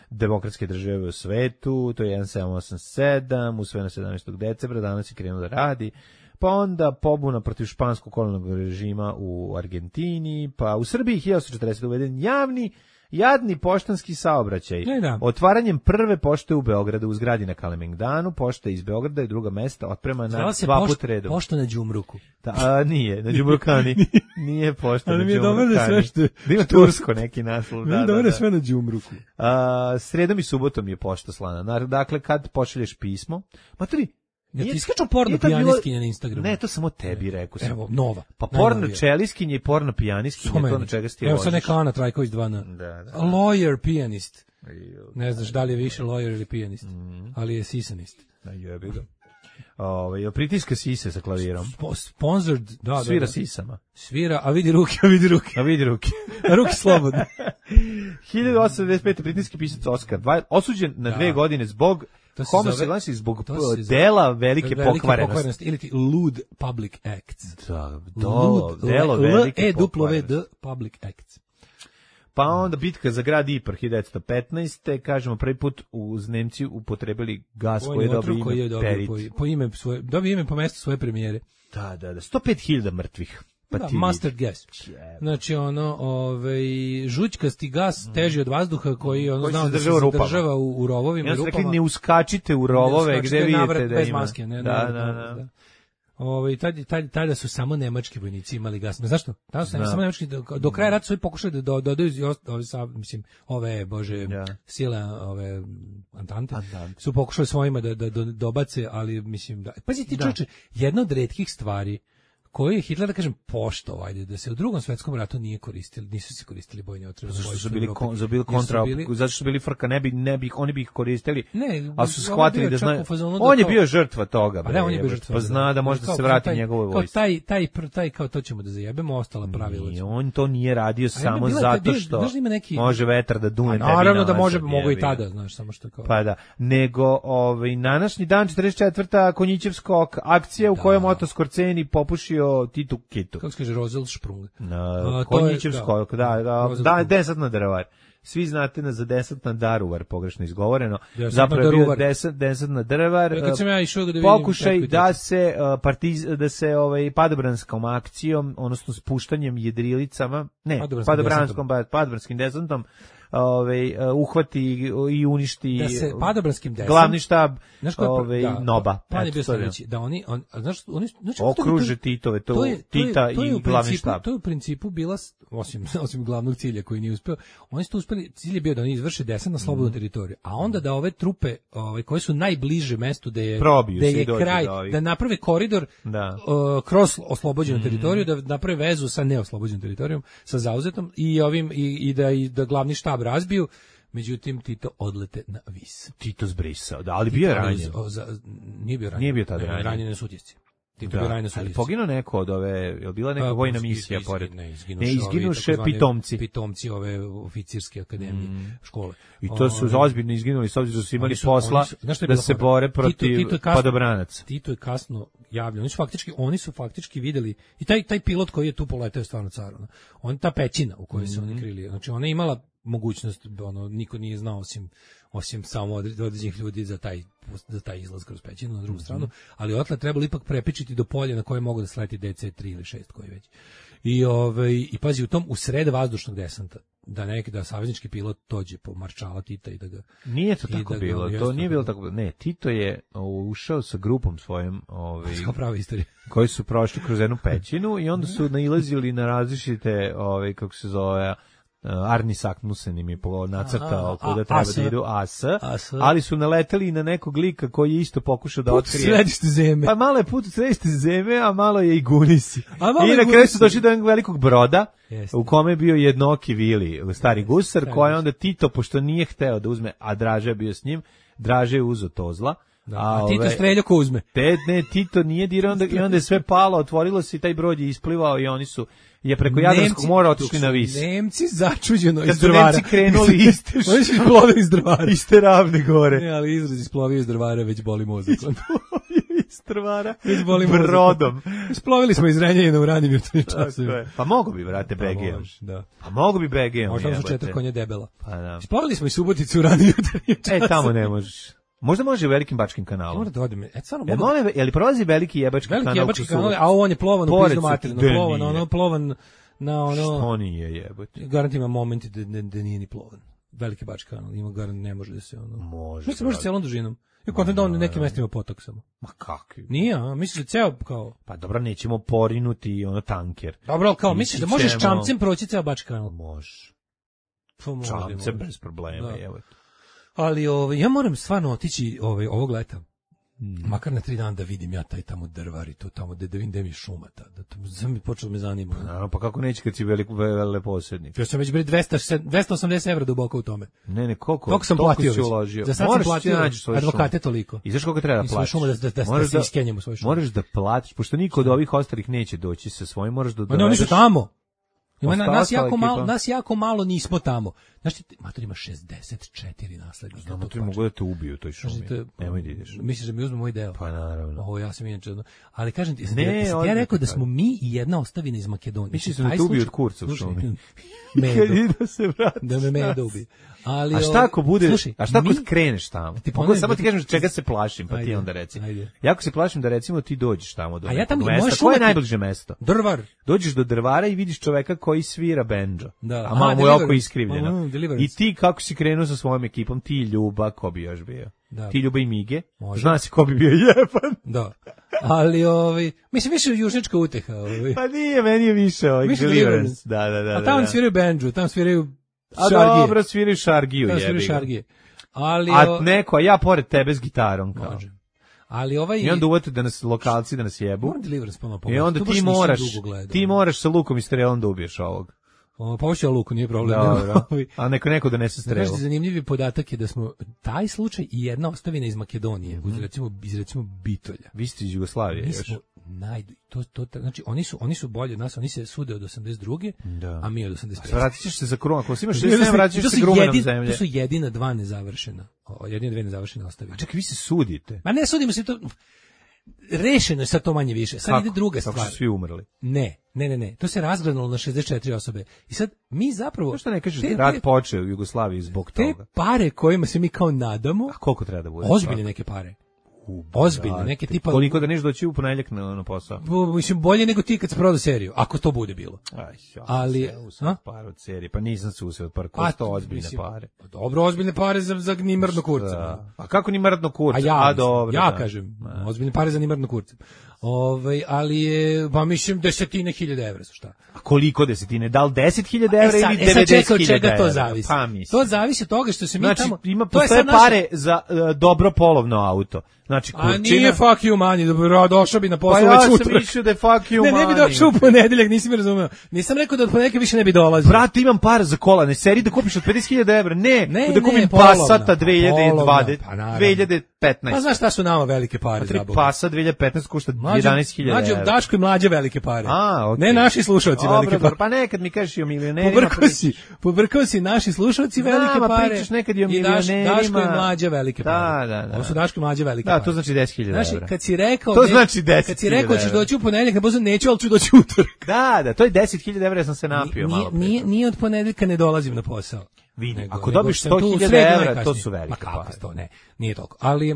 S6: demokratske države u svetu, to je jedan sedam osam sedam, usvojeno sedamnaestog decembra, danas je krenuo da radi. Pa onda pobuna protiv španskog kolonijalnog režima u Argentini, pa u Srbiji hiljadu osamsto četrdesetog uveden javni, jadni poštanski saobraćaj.
S7: Da.
S6: Otvaranjem prve pošte u Beogradu u zgradi na Kalemegdanu, pošta iz Beograda i druga mesta otprema na dva
S7: pošt,
S6: put redom.
S7: Pošta na Đumruku.
S6: Da, a, nije, na Đumrukani. Nije pošta na Đumrukani.
S7: Ali mi je dobro da sve što...
S6: Da ima tursko neki naslov.
S7: Mi je dobro da sve na Đumruku.
S6: A, sredom i subotom je pošta slana. Dakle, kad pošalješ pismo, maturi,
S7: ja ti iskaču porno pijaniskinje na Instagramu.
S6: Ne, to samo tebi rekao sam.
S7: Evo, nova.
S6: Pa porno čeliskinje i porno pijaniskinje, to na čega si ti
S7: Evo sad neka Ana Trajković dva na.
S6: Da, da.
S7: Lawyer pijanist. Ne znaš da li je više lawyer ili pijanist, mm. ali je sisanist.
S6: Da, jebi ga. Ovaj, pritiska sise sa klavirom.
S7: Sponsored, da, da.
S6: Svira
S7: da.
S6: sisama.
S7: Svira, a vidi ruke, a vidi ruke.
S6: A vidi ruke.
S7: A ruke slobodne.
S6: hiljadu osamsto devedeset pete britanski pisac Oskar, osuđen na da. dve godine zbog homoseksualnosti, zbog dela velike, velike pokvarenosti.
S7: Ili ti lewd public acts.
S6: Da, do, delo velike pokvarenosti.
S7: L E W D public acts.
S6: Pa onda bitka za grad Ipar hiljadu devetsto petnaeste. Kažemo prvi put uz Nemci upotrebili gas koji je dobio ime Perit.
S7: Po, po ime svoje, dobio ime po mestu svoje premijere.
S6: Da, da, da, sto pet hiljada mrtvih. Pa
S7: da, mustard gas. Znači ono, ovaj žućkasti gas teži od vazduha koji ono znao da se zadržava u, u rovovima i
S6: rupama.
S7: Rekli,
S6: ne uskačite u rovove gde vidite da
S7: bez
S6: ima.
S7: Maske, ne,
S6: da,
S7: ne,
S6: da, da. da.
S7: Ovaj tad tad tada su samo nemački vojnici imali gas. Ne zašto? Tada su samo nemački do, do kraja rata su pokušali da dodaju ove sa mislim ove bože ja. sile ove Antante Antante. Su pokušali svojima da da dobace, ali mislim da pazi ti čoveče, jedna od retkih stvari koji je Hitler, da kažem, poštovao, ajde, da se u drugom svetskom ratu nije koristili, nisu se koristili bojne otrove.
S6: Zašto su bili kon, za bili kontra, zato što su bili frka, ne bi, ne bi, oni bi ih koristili, ne, ali su shvatili da znaju, on je bio žrtva toga,
S7: pa, ne, on je bio žrtva,
S6: pa zna da može da se vrati njegovoj vojsci.
S7: Kao taj, taj, taj, kao to ćemo da zajebemo, ostala pravila.
S6: I on to nije radio samo zato što može vetar da dune.
S7: Naravno da može, mogu i tada, znaš, samo što kao.
S6: Pa da, nego, ovaj, današnji dan, četrdeset četvrta Konjićevska akcija u kojoj Oto Skorceni popušio Titu Kitu.
S7: Kako se kaže, Roselsprung.
S6: Na Konjićevskoj, da, da, da, da, desantna Daruvar. Svi znate na za desantna Daruvar, pogrešno izgovoreno. Zapravo je bio deset, desantna Daruvar.
S7: Ja, kad sam ja išao da vidim,
S6: pokušaj da se uh, partiz, da se ovaj padobranskom akcijom, odnosno spuštanjem jedrilicama, ne, padobranskom, padobranskim desantom, ovaj uhvati i uništi
S7: da se padobranskim desem
S6: glavni štab
S7: ovaj
S6: da, Noba.
S7: Pa je bio sledeći, da oni on znaš oni znači
S6: okruže Titove to, to je, Tita to je, to je i glavni štab.
S7: To je u principu bila osim osim glavnog cilja koji nije uspeo. Oni su uspeli, cilj je bio da oni izvrše desant na slobodnu mm. teritoriju, a onda da ove trupe, ove koje su najbliže mestu da je
S6: Probiju
S7: da je kraj, da, da naprave koridor
S6: da.
S7: Uh, kroz oslobođenu mm. teritoriju, da naprave vezu sa neoslobođenom teritorijom, sa zauzetom i ovim i, i da i da glavni štab razbiju. Međutim, Tito odlete na Vis.
S6: Tito zbrisao, da, ali bio je ranjen.
S7: Nije bio ranjen.
S6: Nije bio tada ranjen.
S7: Ranjen je sutjesci. Tito bio ranjen na sutjesci.
S6: Poginuo neko od ove, je li bila neka
S7: A,
S6: vojna misija iz, pored? Ne, izginuše pitomci.
S7: Pitomci ove oficirske akademije, mm. škole.
S6: I to su o, ozbiljno izginuli, s obzirom da su imali su, posla su, da se bore protiv Tito, Tito padobranaca.
S7: Tito je kasno javljeno. Oni su faktički, oni su faktički videli, i taj, taj pilot koji je tu poletao je stvarno car. On, ta pećina u kojoj mm. se oni krili, znači ona je imala mogućnost, ono, niko nije znao osim, osim samo određenih ljudi za taj, za taj izlaz kroz pećinu na drugu mm-hmm. stranu, ali otle trebalo ipak prepičiti do polja na koje mogu da sleti D C tri ili šest koji već. I, ovaj, i pazi, u tom, u sred vazdušnog desanta, da neki, da saveznički pilot dođe po maršala Tita i da ga...
S6: Nije to tako da bilo, to nije bilo tako, ne, Tito je ušao sa grupom svojim, ovaj,
S7: prava istorija,
S6: koji su prošli kroz jednu pećinu i onda su nailazili na različite, ovaj, kako se zove, Arni Saknusen im je nacrtao kuda treba da idu A S, ali su naleteli na nekog lika koji je isto pokušao da
S7: put
S6: otkrije.
S7: Središte zemlje.
S6: Pa malo je put u središte zemlje, a malo je i Gunisi. I na kraju su došli do jednog velikog broda, Jeste. u kome je bio jednoki Vili, stari gusar, koji je onda Tito, pošto nije hteo da uzme, a Draže je bio s njim, Draže je uzeo Tozla.
S7: Da, a, a Tito streljao ko uzme.
S6: Te, ne, Tito nije dirao, onda, i onda je sve palo, otvorilo se i taj brod je isplivao i oni su je preko Jadranskog mora otišli na Vis.
S7: Nemci začuđeno iz Drvara.
S6: Kad su Nemci krenuli iste,
S7: oni su isplovili iz Drvara.
S6: Iste ravne gore.
S7: Ne, ali izraz isplovio iz Drvara već boli mozak.
S6: Iz Drvara
S7: brodom. Isplovili smo iz Renjanina u ranim jutarnjim časovima.
S6: Pa mogu bi, vrate, B G om.
S7: Da.
S6: Pa mogu bi B G om.
S7: Možda su četiri konja debela.
S6: Pa da.
S7: Isplovili smo iz Subotice u ranim jutarnjim časovima.
S6: E, tamo ne možeš. Možda može u Velikim Bačkim kanalom.
S7: Mora da odem. E, stvarno
S6: mogu. E, je li prolazi Veliki Jebački
S7: veliki
S6: kanal?
S7: Veliki Jebački kanal, a on je plovan u pizdu materinu. Plovan, ono, plovan na ono...
S6: Što nije jebote?
S7: Garant ima momenti da, da, da nije ni plovan. Veliki Bački kanal, ima garant, ne može da se ono...
S6: Može.
S7: Mislim, može celom dužinom. I kontent da on u nekim mestima potok samo.
S6: Ma kakvi?
S7: Nije, a misliš da ceo kao...
S6: Pa dobro, nećemo porinuti ono tanker.
S7: Dobro, ali kao, misliš da možeš ćemo... čamcem proći ceo Bački kanal?
S6: Može.
S7: Pa može.
S6: Čamcem bez problema, da. Evo.
S7: Ali ovaj, ja moram stvarno otići ovaj, ovog leta. Hmm. Makar na tri dana da vidim ja taj tamo Drvar i to tamo da, da vidim gde mi šuma ta, da to sam mi počeo me zanima.
S6: Pa, pa kako neće kad si veliko veleposednik?
S7: Ja sam već bre dvesta osamdeset evra duboko u tome.
S6: Ne, ne, koliko?
S7: Koliko sam platio već? Za sad sam platio advokate toliko.
S6: I znaš koliko treba da platiš?
S7: Šuma da, da, da, da se iskenjemo svoje šume.
S6: Moraš da platiš, pošto niko od ovih ostalih neće doći sa svojim, moraš da...
S7: Ma ne, oni su tamo. Ima na, nas jako malo, nas jako malo nismo tamo. Znaš ti, mater ima šezdeset četiri naslednika.
S6: Znam, mater mogu da te ubiju u toj šumi. Te, nemoj da ideš.
S7: Misliš da mi uzme moj deo?
S6: Pa naravno.
S7: Ovo, ja sam inače... Ali kažem ti, ne, ja, ja rekao da smo mi i jedna ostavina iz Makedonije.
S6: Misliš da te ubiju od kurca u šumi?
S7: Medo.
S6: Da se vrati.
S7: Da me Medo ubije. Ali,
S6: a šta ako bude, slušaj, a šta ako mi, kreneš tamo? Ti Mogu, samo ti kažem čega se plašim, pa ajde, ti onda reci. Ajde. Ja ako se plašim da recimo ti dođeš tamo do
S7: a ja tamo
S6: mesta, koje je najbliže mesto?
S7: Drvar.
S6: Dođeš do Drvara i vidiš čoveka koji svira bendžo.
S7: Da.
S6: A malo mu je oko iskrivljeno. I ti kako si krenuo sa svojom ekipom, ti Ljuba, ko bi još bio? Da. Ti Ljuba i Mige. Može. Zna si ko bi bio jeban.
S7: Da. Ali ovi, mislim više južnička uteha, ovi.
S6: Pa nije, meni je više ovaj Deliverance. Da, da, da.
S7: A tamo da, sviraju bendžu, tamo sviraju
S6: a šargije. Dobro, sviraju šargiju, jebi.
S7: Sviraju šargije. Ali
S6: a neko, a ja pored tebe s gitarom kao.
S7: Može. Ali ovaj
S6: i onda uvete da nas lokalci da nas jebu.
S7: Deliverance pa
S6: I onda ti moraš, ti moraš sa lukom i strelom da ubiješ ovog.
S7: O, pa hoće luku, nije problem.
S6: Dobro, a neko neko donese strelu.
S7: Znaš, zanimljivi podatak je da smo taj slučaj i jedna ostavina iz Makedonije, mm-hmm. uz recimo, iz recimo Bitolja.
S6: Vi ste iz Jugoslavije
S7: još. Naj, to, to, znači, oni su, oni su bolji od nas, oni se sude od osamdeset druge, da. A mi od osamdeset pete.
S6: Vratit ćeš se za krum, ako si imaš šezdeset sedam, vratit ćeš se grumenom zemlje.
S7: To su jedina dva nezavršena, o, jedine dve nezavršene ostavine.
S6: A čekaj, vi se sudite?
S7: Ma ne sudimo se, to rešeno je sad to manje više. Sad kako? Ide druga stvar.
S6: Kako su svi umrli?
S7: Ne, ne, ne, ne. To se razgranalo na šezdeset četiri osobe. I sad mi zapravo...
S6: Zašto ne kažeš da rat počeo u Jugoslaviji zbog
S7: te
S6: toga?
S7: Te pare kojima se mi kao nadamo...
S6: A koliko treba da bude?
S7: Ozbiljne neke pare. Ozbiljno, neke tipa...
S6: Koliko da neš doći u ponedjeljak na, na posao?
S7: Bu, mislim, bolje nego ti kad se prodao seriju, ako to bude bilo.
S6: Aj, ja,
S7: ali...
S6: Se par od serije, pa nisam se useo od par, ko sto ozbiljne mislim, pare.
S7: Dobro, ozbiljne pare za, za nimrdno kurca.
S6: A kako nimrdno kurca?
S7: A ja,
S6: a dobro,
S7: ja
S6: da.
S7: kažem, a. ozbiljne pare za nimrdno kurca. Ovaj, ali je, pa mislim, desetine hiljada evra su šta.
S6: A koliko desetine? Da li deset hiljada evra ili devedeset hiljada evra?
S7: E sad, čeka, od čega to zavisi?
S6: Pa,
S7: to zavisi od toga što se mi
S6: znači,
S7: tamo...
S6: Ima, postoje pare naša... za uh, dobro polovno auto. Znači, kurčina...
S7: A nije fuck you money, dobro, došao bi na posao
S6: pa
S7: već
S6: ja
S7: utorak.
S6: Pa ja sam mislio da je fuck you
S7: ne,
S6: money.
S7: Ne, ne bi došao u ponedeljak, nisi mi razumeo. Nisam rekao da od ponedeljka više ne bi dolazio.
S6: Brate, imam par za kola, ne seri da kupiš od pedeset hiljada evra, ne,
S7: ne
S6: da kupim
S7: ne,
S6: Passata dve hiljade dvadeset,
S7: pa
S6: dve hiljade petnaest.
S7: Pa znaš šta su nama velike pare za Boga?
S6: Passat dve hiljade petnaest košta jedanaest hiljada evra.
S7: Mlađe, Daško i mlađe velike pare.
S6: A, okay.
S7: Ne naši slušalci
S6: Dobro,
S7: velike pare.
S6: Pa nekad mi kažeš i o milionerima.
S7: Pobrkao si, pobrkao si naši slušalci velike
S6: Znam,
S7: pare.
S6: Pričaš nekad i o milionerima.
S7: I Daško i mlađe velike pare.
S6: Da, da, da.
S7: Ovo su Daško i mlađe velike pare.
S6: Da, to znači deset hiljada evra.
S7: Znači, kad si rekao,
S6: to
S7: ne,
S6: znači deset
S7: kad si rekao ćeš doći u ponedeljak, na posao neću, ali ću doći utorak.
S6: Da, da, to je deset hiljada evra, ja sam se napio
S7: nije,
S6: malo.
S7: Nije, nije od ponedeljka ne dolazim na posao.
S6: Vidi,
S7: nego,
S6: ako dobiš sto hiljada evra, to su velike
S7: pa kako
S6: pare.
S7: sto, ne, nije toliko. Ali je,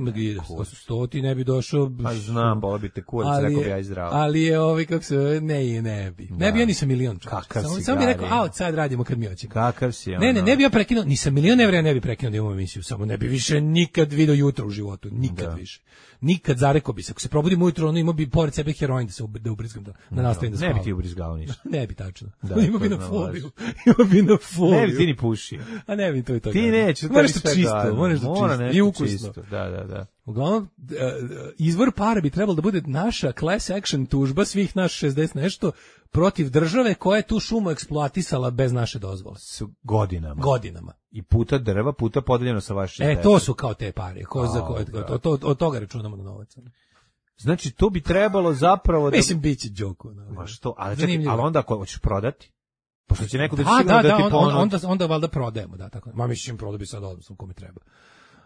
S7: sto ti ne bi došao...
S6: Pa znam, bolo bi te kurac, rekao bi ja i zdravo.
S7: Ali je ovi, kako se, ne, ne bi. Ne bi ja nisam milion.
S6: Kakav
S7: samo,
S6: si
S7: samo bi rekao, a od sad radimo kad mi hoćemo.
S6: Kakav si ono?
S7: Ne, ne, ne bi ja prekinuo, nisam milion evra, ja ne bi prekinuo da imamo emisiju, samo ne bi više nikad video jutro u životu, nikad da. više. Nikad zarekao bi se, ako se probudim ujutro, ono imao bi pored sebe heroin da se da ubrizgam, da, da nastavim da spavam.
S6: Ne bi ti ubrizgao ništa.
S7: Ne bi tačno.
S6: Da,
S7: imao bi na fobiju. Imao bi na fobiju.
S6: Ne bi ti ni pušio.
S7: A ne bi to i to.
S6: Ti nećeš,
S7: moraš to čisto, moraš to
S6: Mora
S7: čisto i ukusno.
S6: Čisto. Da, da, da.
S7: Uglavnom, izvor para bi trebalo da bude naša class action tužba svih naš šezdeset nešto protiv države koja je tu šumu eksploatisala bez naše dozvole.
S6: S godinama.
S7: Godinama.
S6: I puta drva, puta podeljeno sa vaše
S7: E, to su kao te pare. Ko za koje, to, to, od toga računamo na novac.
S6: Znači, to bi trebalo zapravo da...
S7: Mislim, bit će džoko.
S6: Ma što, ali, čekaj, ali onda ako hoćeš prodati? Pošto će neko da,
S7: da
S6: sigurno da,
S7: da,
S6: da ti
S7: on,
S6: ponude.
S7: Onda, onda valjda prodajemo, da, tako. Ma mislim, prodao bi sad odnosno kome treba.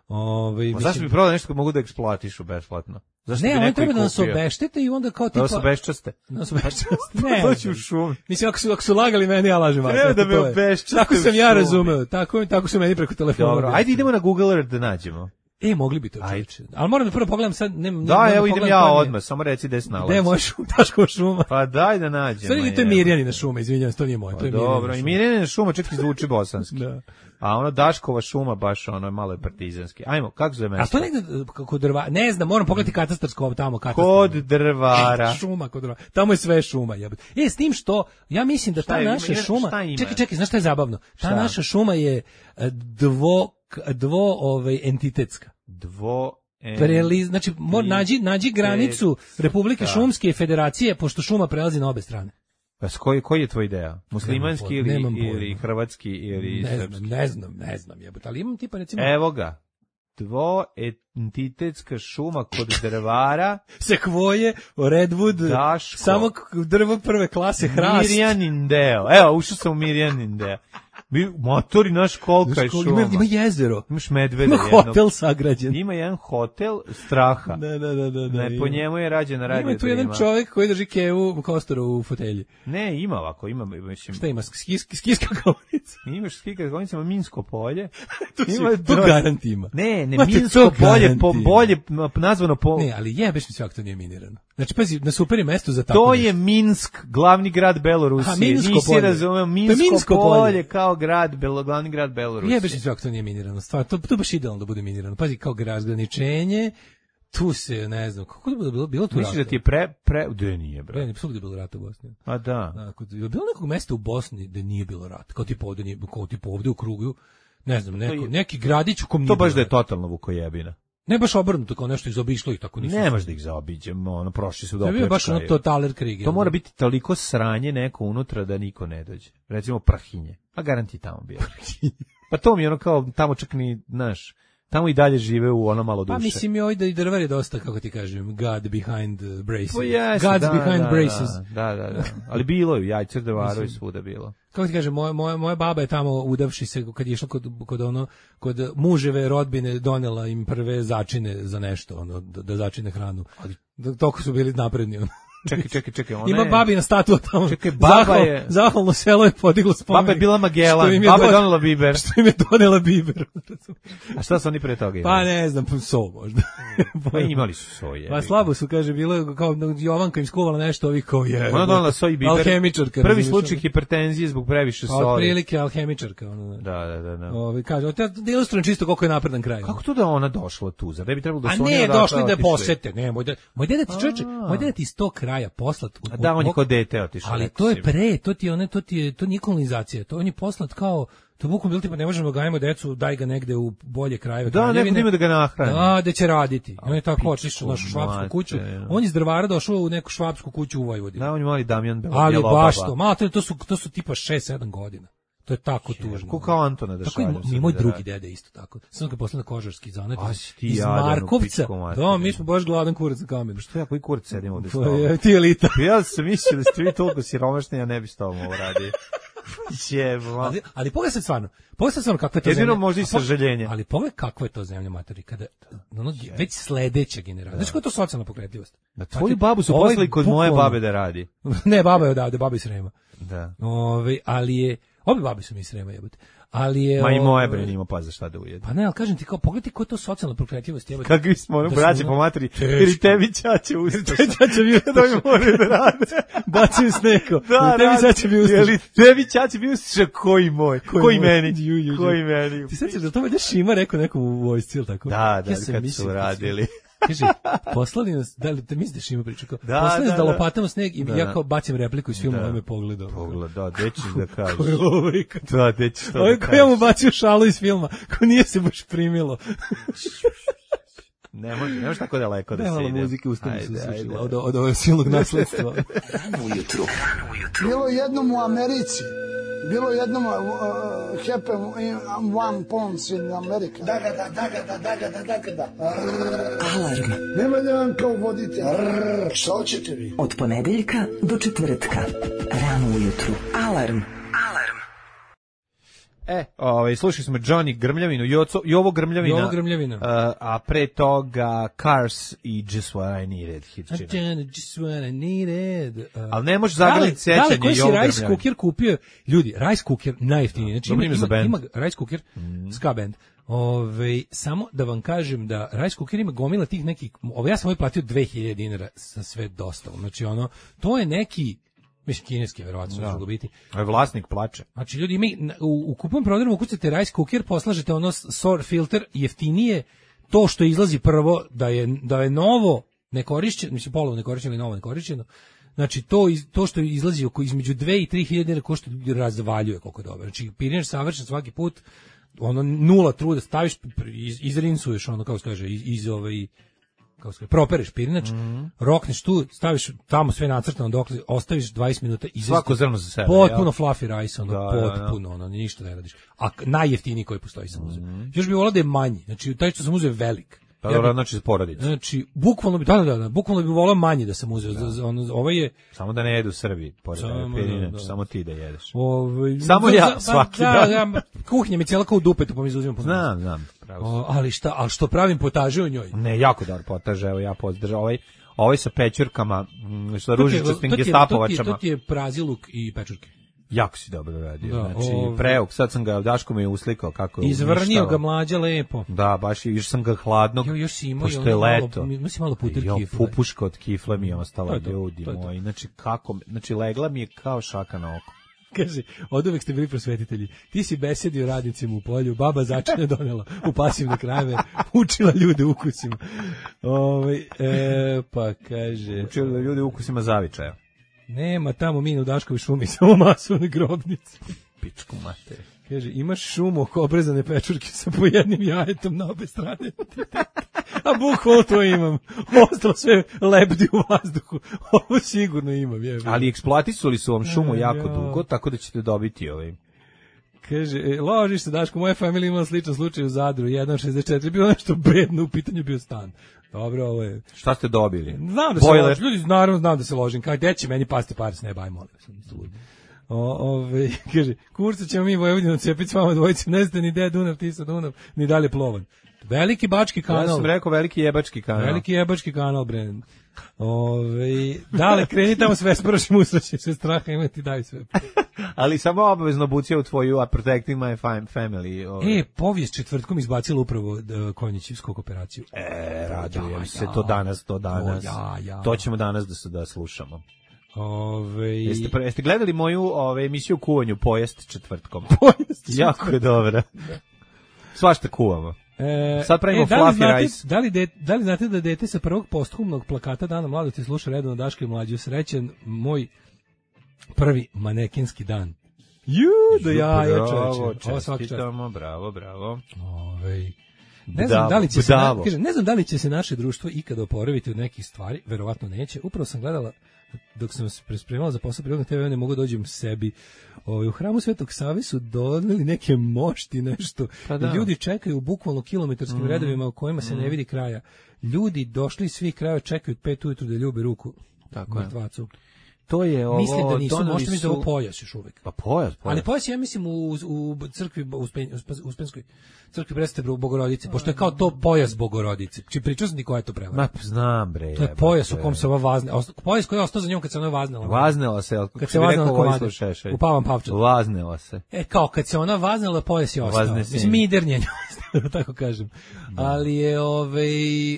S7: Ove,
S6: Ma zašto bi prodao nešto kad mogu da eksploatišu besplatno? Zašto
S7: ne,
S6: bi
S7: oni treba
S6: da
S7: nas obeštete i onda kao tipa...
S6: Da nas obeščaste?
S7: Da nas obeščaste.
S6: Ne, doći u šumi.
S7: Mislim, ako su, ako su lagali meni, ja lažem.
S6: Treba da me obeščaste.
S7: Tako sam ja razumeo. Tako, tako su meni preko telefona.
S6: Dobro, ajde idemo na Google Earth da nađemo.
S7: E, mogli bi to čeći. Ali moram da prvo pogledam sad... Ne, ne,
S6: da,
S7: ne,
S6: evo idem ja odmah, samo reci gde se nalazi.
S7: Gde je moja šuma, Daškova šuma?
S6: Pa daj da nađemo.
S7: Stvari, to je Mirjanina šuma, izvinjavam, to nije moja.
S6: Pa dobro, i Mirjanina šuma čak i zvuči bosanski. Da. A ono Daškova šuma baš ono je malo partizanski. Ajmo, kako zove mesto?
S7: A to negde kod drva, ne znam, moram pogledati katastarsko tamo katastar.
S6: Kod drvara.
S7: Šuma kod drvara. Tamo je sve šuma, jebote. E, s tim što ja mislim da ta
S6: je,
S7: naša
S6: ima,
S7: šuma, čekaj, čekaj, znaš šta je zabavno? Ta šta? Naša šuma je dvo dvo ovaj entitetska.
S6: Dvo en...
S7: Preliz, znači mor, nađi nađi granicu Republike Šumske i Federacije pošto šuma prelazi na obe strane.
S6: Pa koji koji je tvoj ideja? Muslimanski ili ili hrvatski ili
S7: ne
S6: srpski?
S7: Znam, ne znam, ne znam, jebote, ali imam tipa recimo
S6: evo ga. Dvoentitetska šuma kod drvara,
S7: sekvoje, redwood,
S6: Daško,
S7: samo drvo prve klase, hrast.
S6: Mirjanin deo. Evo, ušao sam u Mirjanin deo. Motori naš kolika je šuma.
S7: Ima, ima jezero.
S6: Imaš medveda
S7: jednog. Ima hotel sagrađen.
S6: Ima jedan hotel straha.
S7: Da, da, da, da.
S6: Ne, po njemu je rađena radio.
S7: Ima tu jedan ima. Čovjek koji drži kevu Kostoru u fotelji.
S6: Ne, ima ovako, ima, mislim.
S7: Šta ima? Skijska skis, skakaonica.
S6: Imaš skijska skakaonica, ima Minsko polje.
S7: ima to garant ima.
S6: Ne, ne, Mate, Minsko polje, po, bolje nazvano po...
S7: Ne, ali jebeš mi sve ako to nije minirano. Znači, pazi, na super je mesto za tako
S6: to nešto. Je Minsk, glavni grad Belorusije.
S7: A, Minsko
S6: Nisi
S7: polje.
S6: razumeo, Minsko, Minsko polje, polje kao grad, belo, glavni grad Belorusije.
S7: Jebeš mi sve ako to nije minirano. Stvar, to, to baš idealno da bude minirano. Pazi, kao razgraničenje, tu se, ne znam, kako da bilo, bilo tu
S6: misliš da ti je pre, pre, gde nije, bre?
S7: Ne, svugde je bilo rata u Bosni.
S6: A da.
S7: Dakle, je bilo nekog mesta u Bosni gde nije bilo rata, kao tipa ovde, nije, kao tipa ovde u krugu, ne znam, neko, neki gradić u kom nije
S6: to baš
S7: bilo
S6: da je totalno vukojebina.
S7: Ne baš obrnuto, kao nešto izobišlo ih tako nisu.
S6: Nemaš da ih zaobiđemo, ono, prošli su do
S7: opljačkaju. To je baš ono totaler krig.
S6: To mora biti toliko sranje neko unutra da niko ne dođe. Recimo Prahinje, a garanti tamo bio. Pa to mi je ono kao, tamo čak ni, znaš, tamo i dalje žive u ono malo duše.
S7: Pa mislim je ovdje i drvar je dosta, kako ti kažem, God behind braces.
S6: Pa jesu,
S7: God's
S6: da,
S7: behind
S6: da,
S7: braces.
S6: Da, da, da. Ali bilo je, jajcer drvaru i svuda bilo.
S7: Kako ti kažem, moja, moja, moja baba je tamo udavši se, kad je išla kod, kod, ono, kod muževe rodbine, donela im prve začine za nešto, ono, da, da začine hranu. Ali toliko su bili napredni, ono.
S6: Čekaj, čekaj, čekaj. Ona
S7: Ima
S6: je...
S7: babina statua tamo.
S6: Čekaj, baba
S7: Zahval,
S6: je...
S7: Zahvalno selo je podiglo spomenik.
S6: Baba je bila Magellan,
S7: je
S6: baba je
S7: do...
S6: donela biber.
S7: Što im je donela biber.
S6: A šta su oni pre toga imali?
S7: Pa ne znam, so možda.
S6: Pa imali su soje.
S7: Pa slabo su, kaže, bilo kao Jovanka im skuvala nešto, ovih kao je.
S6: Ona donela soj i biber.
S7: Alhemičarka.
S6: Prvi slučaj hipertenzije zbog previše soli.
S7: Pa otprilike alhemičarka. Ono,
S6: da, da, da. da.
S7: Ovi, kaže, da ilustrujem čisto koliko je napredan kraj.
S6: Kako to da ona došla tu? Zar ne bi trebalo da su
S7: oni
S6: oni
S7: odatle? A ne, došli da posete. Ne, moj deda, moj deda ti čoveče, moj deda ti iz tog kraja poslat.
S6: A da, on je kod dete otišao.
S7: Ali to je pre, to ti je one, to ti je, to nije kolonizacija. To on je poslat kao, to bukvalno bilo tipa ne možemo da gajimo decu, daj ga negde u bolje krajeve.
S6: Da, neko ima da ga nahrani.
S7: Da, da će raditi. On je tako otišao u našu švapsku kuću. On iz Drvara došao u neku švapsku kuću u Vojvodini.
S6: Da, on je mali Damjan Belobaba.
S7: Ali baš to, malo to su to su tipa šest sedam godina. To je tako tužno.
S6: Ko kao Antona da šaljem.
S7: Tako i moj drugi dede isto tako. Sam ga posle na Kožarski zaneti. Iz Markovca. Da, mi smo baš gladan kurac na kamenu.
S6: Što ja koji kurac sedim ovde s
S7: tobom? Ti elita.
S6: Ja sam mislio da ste vi toliko siromašni, ja ne bi s tobom ovo radio.
S7: ali, ali pogledaj se stvarno. Pogledaj se stvarno kakva je to
S6: Jedino
S7: zemlja.
S6: možda i sažaljenje.
S7: Ali pogledaj kakva je to zemlja, matori. Kada, ono, već sledeća generacija. Znači koja je to socijalna pokretljivost?
S6: Na tvoju babu su poslali kod moje babe da radi.
S7: Ne, baba je odavde, baba iz Srema.
S6: Da.
S7: Ove, ali je... Obe babi su mi iz Srema jebote. Ali je...
S6: Ma i moje bre nima pa za šta da ujede.
S7: Pa ne, ali kažem ti kao, pogledaj koja je to socijalna pokretljivost jebote.
S6: Kakvi smo, ono, braće po materi, ili tebi ćaće ustaša.
S7: Tebi ćaće bi ustaša.
S6: Da mi moraju da rade.
S7: Bacaju sneko.
S6: Da,
S7: tebi ćaće bi ustaša.
S6: Ili tebi ćaće bi ustaša, koji moj, koji, koji meni,
S7: ju, ju, ju.
S6: koji meni.
S7: Ti sećaš da to već Šima rekao nekom u vojsci ili tako?
S6: Da, da, ja kad mislio, su radili.
S7: Kaže, poslali nas, da li te misliš Šima priča kao,
S6: da,
S7: poslali nas da,
S6: da,
S7: da lopatamo sneg i
S6: da,
S7: ja kao bacim repliku iz filma, da, on me pogledao.
S6: Pogled, da, gde ćeš da kažeš?
S7: Ko je ovaj?
S6: Da, gde ćeš to da kažeš?
S7: Ovo ja mu bacio šalu iz filma, ko nije se baš primilo.
S6: Ne može, ne može tako daleko da se ide.
S7: Nemalo muzike ustane su sušila od, od ovog silnog nasledstva.
S1: Rano ujutru.
S9: Bilo jednom u Americi, bilo jednom uh, happen in one pounds in America. Da, da, da, da, da, da, da, da, da.
S1: Alarm.
S9: Nema da vam kao vodite. Šta hoćete vi?
S1: Od ponedeljka do četvrtka. Rano ujutru. Alarm. Alarm.
S6: E, ovaj, slušali smo Johnny Grmljavinu, Joco, Jovo Grmljavina,
S7: Jovo Grmljavina.
S6: Uh, a pre toga Cars i Just What I Needed.
S7: Just What I Needed. Uh,
S6: Ali ne može zagrliti sećanje Jovo Grmljavina.
S7: Da li, koji si Rice Cooker kupio? Ljudi, Rice Cooker najjeftiniji. Znači, ima, ima, ima Rice Cooker, mm. ska band. Ove, samo da vam kažem da Rice Cooker ima gomila tih nekih, ove, ja sam ovaj platio dve hiljade dinara sa sve dostavom. Znači, ono, to je neki... Mislim, kineski, verovatno će mogu biti.
S6: A vlasnik plače.
S7: Znači, ljudi, mi u, u kupom prodarom ukucate Rice Cooker, poslažete ono S O R filter, jeftinije to što izlazi prvo, da je, da je novo nekorišćeno, mislim, polovo nekorišćeno ili novo nekorišćeno, znači, to, to što izlazi oko između dve i tri hiljade ko što razvaljuje koliko je dobro. Znači, pirinač savršen svaki put, ono, nula truda, staviš, iz, izrinsuješ, ono, kako se kaže, iz, iz ovaj... kao se propereš pirinač, mm -hmm. rokneš tu, staviš tamo sve nacrtano dok ostaviš dvadeset minuta i
S6: svako zrno za sebe.
S7: Potpuno ja. Fluffy rice, ono,
S6: da,
S7: potpuno,
S6: da, da.
S7: ono, ništa ne radiš. A najjeftiniji koji postoji sam uzeo. Mm -hmm. Još bi volao da je manji, znači taj što sam uzeo velik.
S6: Pa ja dobro, znači za porodicu.
S7: Znači, bukvalno bi, da, da, da, bukvalno bi volao manji da sam uzeo. Da. Ono, ovaj je...
S6: Samo da ne jedu Srbi, pored pirinač, da, da. Samo ti da jedeš.
S7: Ove,
S6: samo
S7: da,
S6: ja, svaki
S7: da,
S6: dan.
S7: Da, kuhinja mi cijela kao u dupetu, pa mi izuzimam po
S6: Znam, znam.
S7: O, ali šta, ali što pravim potaže u njoj?
S6: Ne, jako dobar potaže, evo ja pozdržam. Ovaj, ovaj sa pečurkama, sa ružičastim gestapovačama.
S7: To ti je praziluk i pečurke.
S6: Jako si dobro radio.
S7: Da,
S6: znači,
S7: ove...
S6: preuk, sad sam ga, Daško mi je uslikao kako je
S7: izvrnio ga mlađa lepo.
S6: Da, baš još sam ga hladnog,
S7: jo, još si imao,
S6: pošto je leto.
S7: Malo, si malo puter
S6: jo,
S7: kifle.
S6: Pupuška od kifle mi je ostala,
S7: to,
S6: ljudi
S7: to, to,
S6: moji. Znači, kako, znači, legla mi je kao šaka na oko.
S7: Kaže, od uvek ste bili prosvetitelji. Ti si besedio radnicima u polju, baba začine donela u pasivne krajeve, učila ljude ukusima. Ove, e, pa kaže...
S6: Učila ljude ukusima zavičaja.
S7: Nema tamo mina u Daškovi šumi, samo masovne grobnice.
S6: Pičku mater.
S7: Kaže, imaš šumu oko obrezane pečurke sa po jednim jajetom na obe strane. A bukvalno to imam. Ostalo sve lebdi u vazduhu. Ovo sigurno imam. Je,
S6: ali eksploatisali su vam šumu
S7: e,
S6: jako
S7: ja.
S6: dugo, tako da ćete dobiti ovaj.
S7: Kaže, e, ložiš se, Daško, moja familija imala sličan slučaj u Zadru, jedan šezdeset četiri, bilo nešto bedno, u pitanju bio stan. Dobro, ovo je...
S6: Šta ste dobili?
S7: Znam da se Boiler. ložim, ljudi, naravno znam da se ložim, kao, gde će meni pasti par s neba, aj molim. O, ove, kaže, kurca ćemo mi Vojvodinu cepiti s vama dvojice, ne znate ni gde je Dunav, ti sa Dunav, ni dalje plovan. Veliki bački kanal.
S6: Ja sam rekao veliki jebački kanal.
S7: Veliki jebački kanal, bre. Ove, dale, kreni tamo sve sprašim usraći, sve straha imati, daj sve.
S6: Ali samo obavezno bucija u tvoju A Protecting My Family. Ove.
S7: E, povijest četvrtkom izbacila upravo Konjićevsku operaciju.
S6: E, radujem se, to danas, to danas.
S7: O, ja, ja.
S6: To ćemo danas da, da slušamo.
S7: Ove...
S6: Jeste, jeste gledali moju ove, emisiju o kuvanju Pojest četvrtkom?
S7: Pojest četvrtkom.
S6: Jako je dobra. Svašta kuvamo.
S7: E,
S6: Sad pravimo
S7: e, da li
S6: fluffy
S7: znate,
S6: rice.
S7: Da li, de, da li znate da dete sa prvog posthumnog plakata Dana mladosti sluša redovno Daška i Mlađu? Srećen moj prvi manekinski dan. Ju, do jaja, čoveče. Ovo svaki čast.
S6: Bravo, bravo.
S7: Ovej. Ne znam, da li će se, na, kaže, ne znam da li će se naše društvo ikada oporaviti od nekih stvari, verovatno neće. Upravo sam gledala, dok sam se prespremala za posao prirodnog te ve, ne mogu dođem sebi. Ovaj, u hramu Svetog Save su doneli neke mošti, nešto. Pa da. Ljudi čekaju u bukvalno kilometarskim mm. redovima u kojima se mm. ne vidi kraja. Ljudi došli iz svih krajeva, čekaju od pet ujutru da ljube ruku mrtvacu.
S6: To je ovo,
S7: mislim da nisu, možete mi su... da ovo pojas još uvijek.
S6: Pa pojas, pojas.
S7: Ali pojas ja mislim u, u crkvi, u Uspenskoj crkvi Presvete Bogorodice, pošto je kao to pojas Bogorodice. Či pričao sam ti koja je to prevara.
S6: Ma, znam bre.
S7: To je pojas u kom se ova vazne, pojas koji je ostao za njom kad se ona vaznela.
S6: Vaznela se,
S7: kad se vaznela komadu, u Pavan Pavčat.
S6: Vaznela se.
S7: E, kao kad se ona vaznela, pojas je ostao. Mislim, midernjenje ostao, tako kažem. Da. Ali je, ovaj,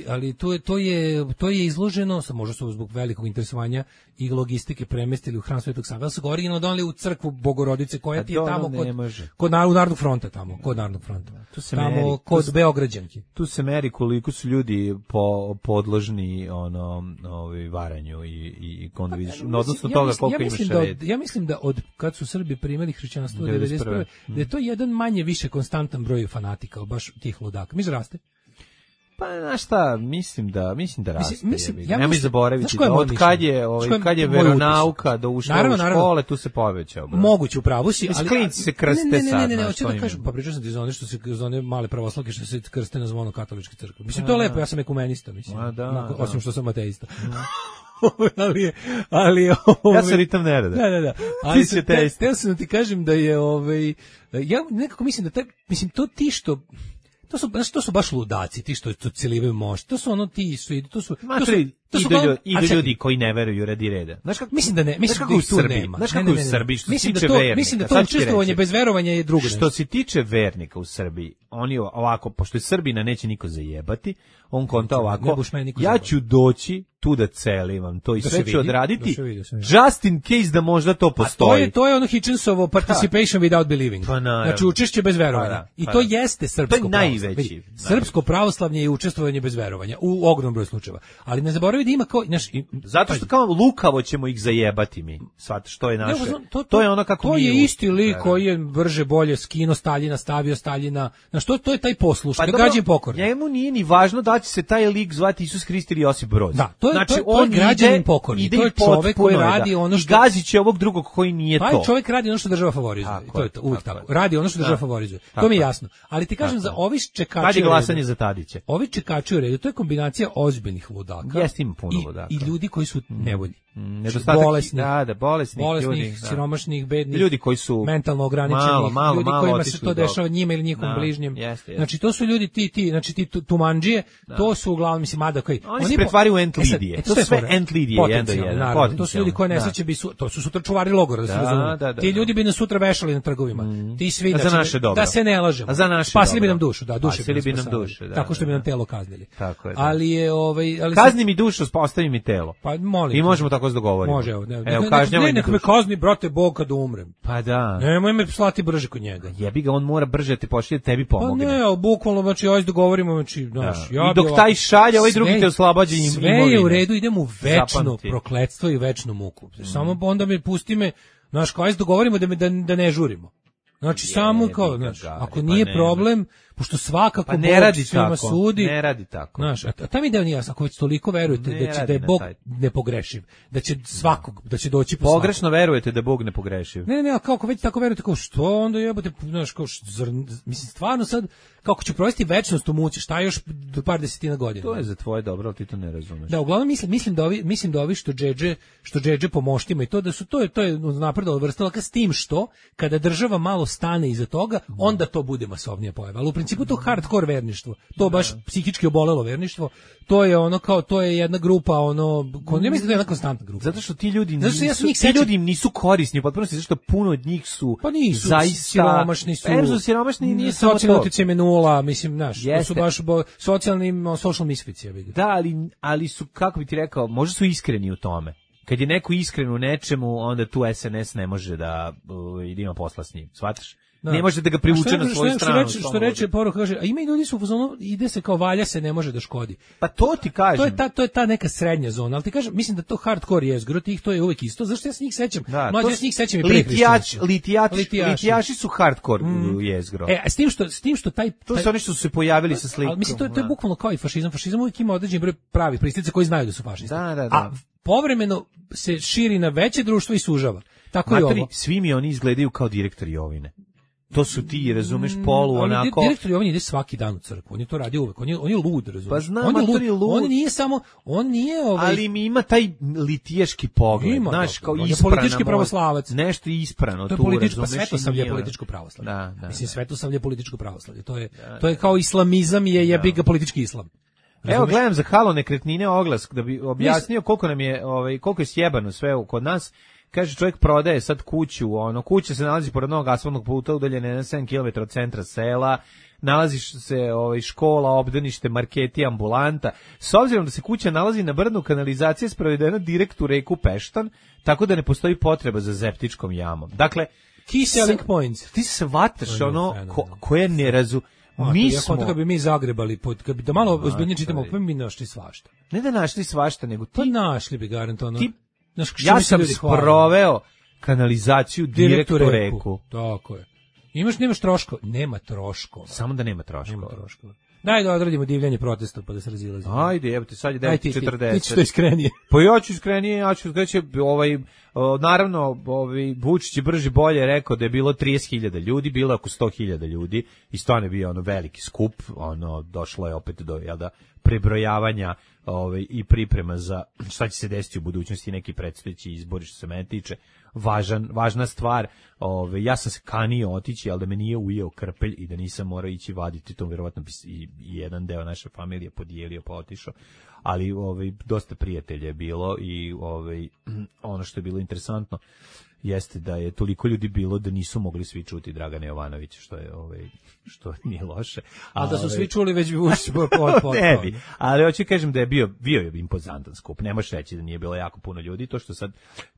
S7: ali to je, to je, to je izloženo, možda su zbog velikog interesovanja i logistike premestili u hram Svetog Save, ali su ga originalno doneli u crkvu Bogorodice koja ti je tamo kod, kod Narodnog fronta tamo, kod Narodnog fronta. Tu se tamo meri, kod tu, Beograđanki.
S6: Tu se meri koliko su ljudi po, podložni ono, ovi varanju i i onda vidiš, no, odnosno ja toga mislim, koliko ja imaš
S7: da
S6: red.
S7: Od, ja mislim da od kad su Srbi primili hrišćanstvo devedeset prve da je to jedan manje više konstantan broj fanatika, baš tih ludaka. Mi raste.
S6: Pa znaš šta, mislim da mislim da raste.
S7: Mislim, mislim, ja
S6: nemoj zaboraviti da od kad je, ovaj kad je veronauka do ušla naravno, u škole, naravno. Tu se povećao. Bro.
S7: Moguće, upravo si, ali
S6: klinci se krste
S7: ne, ne,
S6: sad.
S7: Ne, ne, ne, hoću da kažem, pa pričao sam ti za one što se za one male pravoslavke što se krste na zvono katoličke crkve. Mislim, to je lepo, ja sam ekumenista, mislim.
S6: Da,
S7: Onako,
S6: da.
S7: Osim što sam ateista. ali je, ali je,
S6: ovaj, ja sam ritam nerada.
S7: Da, da, da. Ali se te, te sam da ti kažem da je ovaj ja nekako mislim da taj, mislim to ti što to su baš to su baš ludaci, ti što to celivaju mošt. To su ono ti su to su to su
S6: to su idu, idu ljudi koji ne veruju radi reda.
S7: Znaš kako mislim da ne, mislim kako da u Srbiji nema.
S6: Znaš kako u Srbiji što se tiče
S7: to,
S6: vernika.
S7: Mislim da to učestvovanje bez verovanja je drugo.
S6: Što se tiče vernika u Srbiji, oni ovako, pošto je Srbina neće niko zajebati, on konta ovako, ja ću doći tu da celim, to i da sve ću odraditi, just in case da možda to postoji.
S7: A to je, to je ono Hitchensovo participation ha. without believing.
S6: Pa
S7: znači učešće bez verovanja. Pa I to jeste srpsko
S6: to je najveći.
S7: Srpsko pravoslavlje je učestvovanje bez verovanja u ogromnom broju slučajeva. Ali ne zaboravi da ima kao, znaš,
S6: zato što kao lukavo ćemo ih zajebati mi. Svat što je naše. To, to, to je ono kako
S7: to
S6: mi
S7: je isti lik koji je brže bolje skino Staljina, stavio Staljina. Znaš, to, to je taj posluš, pa gađen pokorni.
S6: Njemu nije ni važno da će se taj lik zvati Isus Hrist ili Josip Broz.
S7: Da, to je,
S6: znači,
S7: to je, on to je građanin pokorni. To je čovek koji radi ono što...
S6: I gazi će ovog drugog koji nije to.
S7: Taj čovek radi ono što država favorizuje. Tako, to je to, uvijek tako. tako. Radi ono što država favorizuje. To mi je jasno. Ali ti kažem, za ovi čekači...
S6: Radi glasanje za Tadića.
S7: Ovi čekači u redu, to je kombinacija ozbiljnih ludaka.
S6: Jeste ima puno ludaka.
S7: I ljudi koji su nevoljni.
S6: Nedostatak,
S7: bolesnih,
S6: da, da, bolesnih,
S7: bolesnih
S6: ljudi, da.
S7: siromašnih, bednih,
S6: ljudi koji su
S7: mentalno ograničeni,
S6: malo, malo,
S7: ljudi
S6: malo
S7: kojima se to dešava njima ili njihovom
S6: da,
S7: bližnjem.
S6: Jeste, jeste.
S7: Znači to su ljudi ti ti, znači ti tumanđije, da. To su uglavnom mislim mada koji
S6: oni, oni se pretvaraju u entlidije. E sad, e, to je sve entlidije jedan do jedan.
S7: To su ljudi koji nesreće bi su, to su sutra čuvari logora, da se razume. Ti ljudi bi nas sutra vešali na trgovima. Mm. Ti svi
S6: da, naše
S7: da se ne lažemo.
S6: A za naše
S7: spasili bi nam dušu, da, duše
S6: bi nam dušu, da.
S7: Tako što bi nam telo kaznili.
S6: Tako je.
S7: Ali je ovaj, ali
S6: kazni mi dušu, ostavi mi telo.
S7: Pa molim.
S6: I možemo tako se dogovoriti.
S7: Može, evo. Ne, nek me kazni, brate, Bog kad umrem.
S6: Pa da.
S7: Nemoj me slati brže kod njega.
S6: Jebi ga, on mora brže te pošalje, tebi pomogne.
S7: Pa ne, ali bukvalno, znači, ajde dogovorimo, znači, znaš,
S6: ja i dok ovako, taj šalje, ovaj drugi te oslobađa imovine.
S7: Sve je u redu, idemo u večno Zapamti. prokletstvo i večnu muku. Mm. Samo onda me pusti me, znaš, kao ajde dogovorimo da, me, da, da ne žurimo. Znači, je, samo kao, znaš, ako nije pa problem, pošto svakako
S6: pa ne radi
S7: tako,
S6: sudi, ne radi tako.
S7: Znaš, a tam ide on jasno, ako već toliko verujete ne da će da je Bog nepogrešiv, da će svakog, da će doći po
S6: pogrešno
S7: svakog.
S6: verujete da je Bog nepogrešiv.
S7: Ne, ne, ne, kako već tako verujete, kao što onda jebote, znaš, kao što, mislim, stvarno sad, kako ću provesti večnost u muci, šta još do par desetina godina.
S6: To je za tvoje dobro, ali ti to ne razumeš.
S7: Da, uglavnom mislim, mislim da ovi, mislim da ovi što džedže, što džedže po moštima i to da su to je to je napredovalo vrsta laka s tim što kada država malo stane iza toga, onda to bude masovnija pojava. Ali u principu to hardcore verništvo, to baš psihički obolelo verništvo, to je ono kao, to je jedna grupa, ono, ko, ne mislim da je jedna konstantna grupa.
S6: Zato što ti ljudi nisu,
S7: zato što ja
S6: ti ljudi nisu korisni, potpuno se, zašto puno od njih su,
S7: pa nisu,
S6: zaista,
S7: siromašni su,
S6: em su siromašni i nije samo to.
S7: Socijalni utjecaj je nula, mislim, znaš, to su baš bo, socijalni, social misfici, ja bih.
S6: Da, ali, ali su, kako bi ti rekao, možda su iskreni u tome. Kad je neko iskren u nečemu, onda tu S N S ne može da, uh, da ima posla s njim, shvataš? Da. Ne može da ga privuče na svoju stranu.
S7: Što, što reče poruka, kaže, a ima i ljudi su u fazonu, ide se kao valja se, ne može da škodi.
S6: Pa to ti kažem.
S7: To je ta, to je ta neka srednja zona, ali ti kažem, mislim da to hardcore jezgro, tih to je uvek isto, zašto ja se njih sećam?
S6: Da,
S7: mlađe ja se njih sećam i pre
S6: litijač, litijači, litijaši. litijaši su hardcore mm. jezgro.
S7: E, a s tim što, s tim što taj...
S6: To su oni što su se pojavili sa slikom.
S7: Ali mislim, to, to je bukvalno kao i fašizam. Fašizam uvijek ima određen broj pravih pristaca koji znaju da su fašisti.
S6: Da, da, da.
S7: A povremeno se širi na veće društvo i sužava. Tako
S6: Matri,
S7: i ovo.
S6: Svi mi oni izgledaju kao direktori Jovine. To su ti, razumeš, polu,
S7: ali
S6: onako...
S7: Direktor Jovan ide svaki dan u crkvu, on je to radi uvek, on je, on je lud, razumeš.
S6: Pa znam,
S7: on je lud,
S6: je lud.
S7: On nije samo, on nije ovaj...
S6: Ali mi ima taj litijaški pogled,
S7: ima,
S6: znaš, kao
S7: on
S6: isprana...
S7: je politički pravoslavac.
S6: Nešto isprano
S7: to je
S6: tu,
S7: političko,
S6: razumeš.
S7: Pa Svetosavlje je političko pravoslavlje.
S6: Da, da,
S7: Mislim,
S6: da.
S7: Svetosavlje je političko pravoslavlje, to je, da, to je kao islamizam je jebi ga politički islam.
S6: Razumeš? Evo, gledam za Halo nekretnine oglas, da bi objasnio koliko nam je, ovaj, koliko je sjebano sve kod nas. Kaže, čovjek prodaje sad kuću, ono, kuća se nalazi pored novog asfaltnog puta, udaljene na sedam kilometara od centra sela, nalazi se ovaj, škola, obdanište, marketi, ambulanta. S obzirom da se kuća nalazi na brdu, kanalizacija je sprovedena direkt u reku Peštan, tako da ne postoji potreba za septičkom jamom. Dakle,
S7: key selling points.
S6: Ti se vataš ono ko, koje ne razu... Mi
S7: ja
S6: smo...
S7: kad bi mi zagrebali, kad bi da malo ozbiljnije čitamo, pa mi našli svašta.
S6: Ne da našli svašta, nego ti...
S7: Pa našli bi garantovano.
S6: Ti Znaš, ja sam sproveo kanalizaciju direkt u reku. reku.
S7: Tako je. Imaš, nemaš troškova? Nema troškova.
S6: Samo da nema troškova.
S7: Nema troškova. Daj da odradimo divljanje protesta pa da se razilazimo.
S6: Ajde, evo ti sad je devet četrdeset.
S7: Ti ćeš to iskrenije.
S6: Pa ja ću iskrenije, ja ću da će ovaj naravno ovaj Vučić je brže bolje rekao da je bilo trideset hiljada ljudi, bilo oko sto hiljada ljudi i stvarno je bio ono veliki skup, ono došlo je opet do jel da prebrojavanja ovaj i priprema za šta će se desiti u budućnosti, neki predstojeći izbori što se mene tiče. Važan, važna stvar, ove, ja sam se kanio otići, ali da me nije ujeo krpelj i da nisam morao ići vaditi, to vjerovatno bi i, i jedan deo naše familije podijelio pa otišao, ali ove, dosta prijatelja je bilo i ove, ono što je bilo interesantno jeste da je toliko ljudi bilo da nisu mogli svi čuti Dragana Jovanovića, što je ovaj što nije loše.
S7: A da su svi čuli već bi ušli pod pod.
S6: Ne bi, ali hoću kažem da je bio bio je impozantan skup. Ne možeš reći da nije bilo jako puno ljudi, to što sad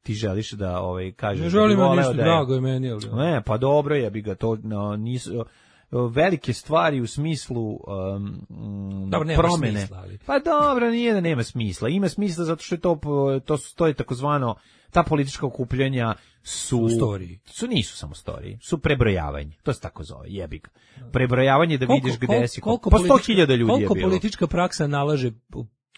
S6: ti želiš da ovaj kažeš.
S7: Ne želim
S6: da
S7: ništa drago je meni, ali.
S6: Ne, pa dobro je, bi ga to no, nisu velike stvari u smislu um,
S7: dobro,
S6: promene.
S7: Smisla, ali.
S6: Pa dobro, nije da nema smisla. Ima smisla zato što je to to to je takozvano ta politička okupljanja su
S7: storiji.
S6: Su nisu samo storiji, su prebrojavanje. To se tako zove, jebi ga. Prebrojavanje da
S7: koliko,
S6: vidiš gde
S7: koliko,
S6: si.
S7: Koliko
S6: pa sto hiljada ljudi je bilo.
S7: Koliko politička praksa nalaže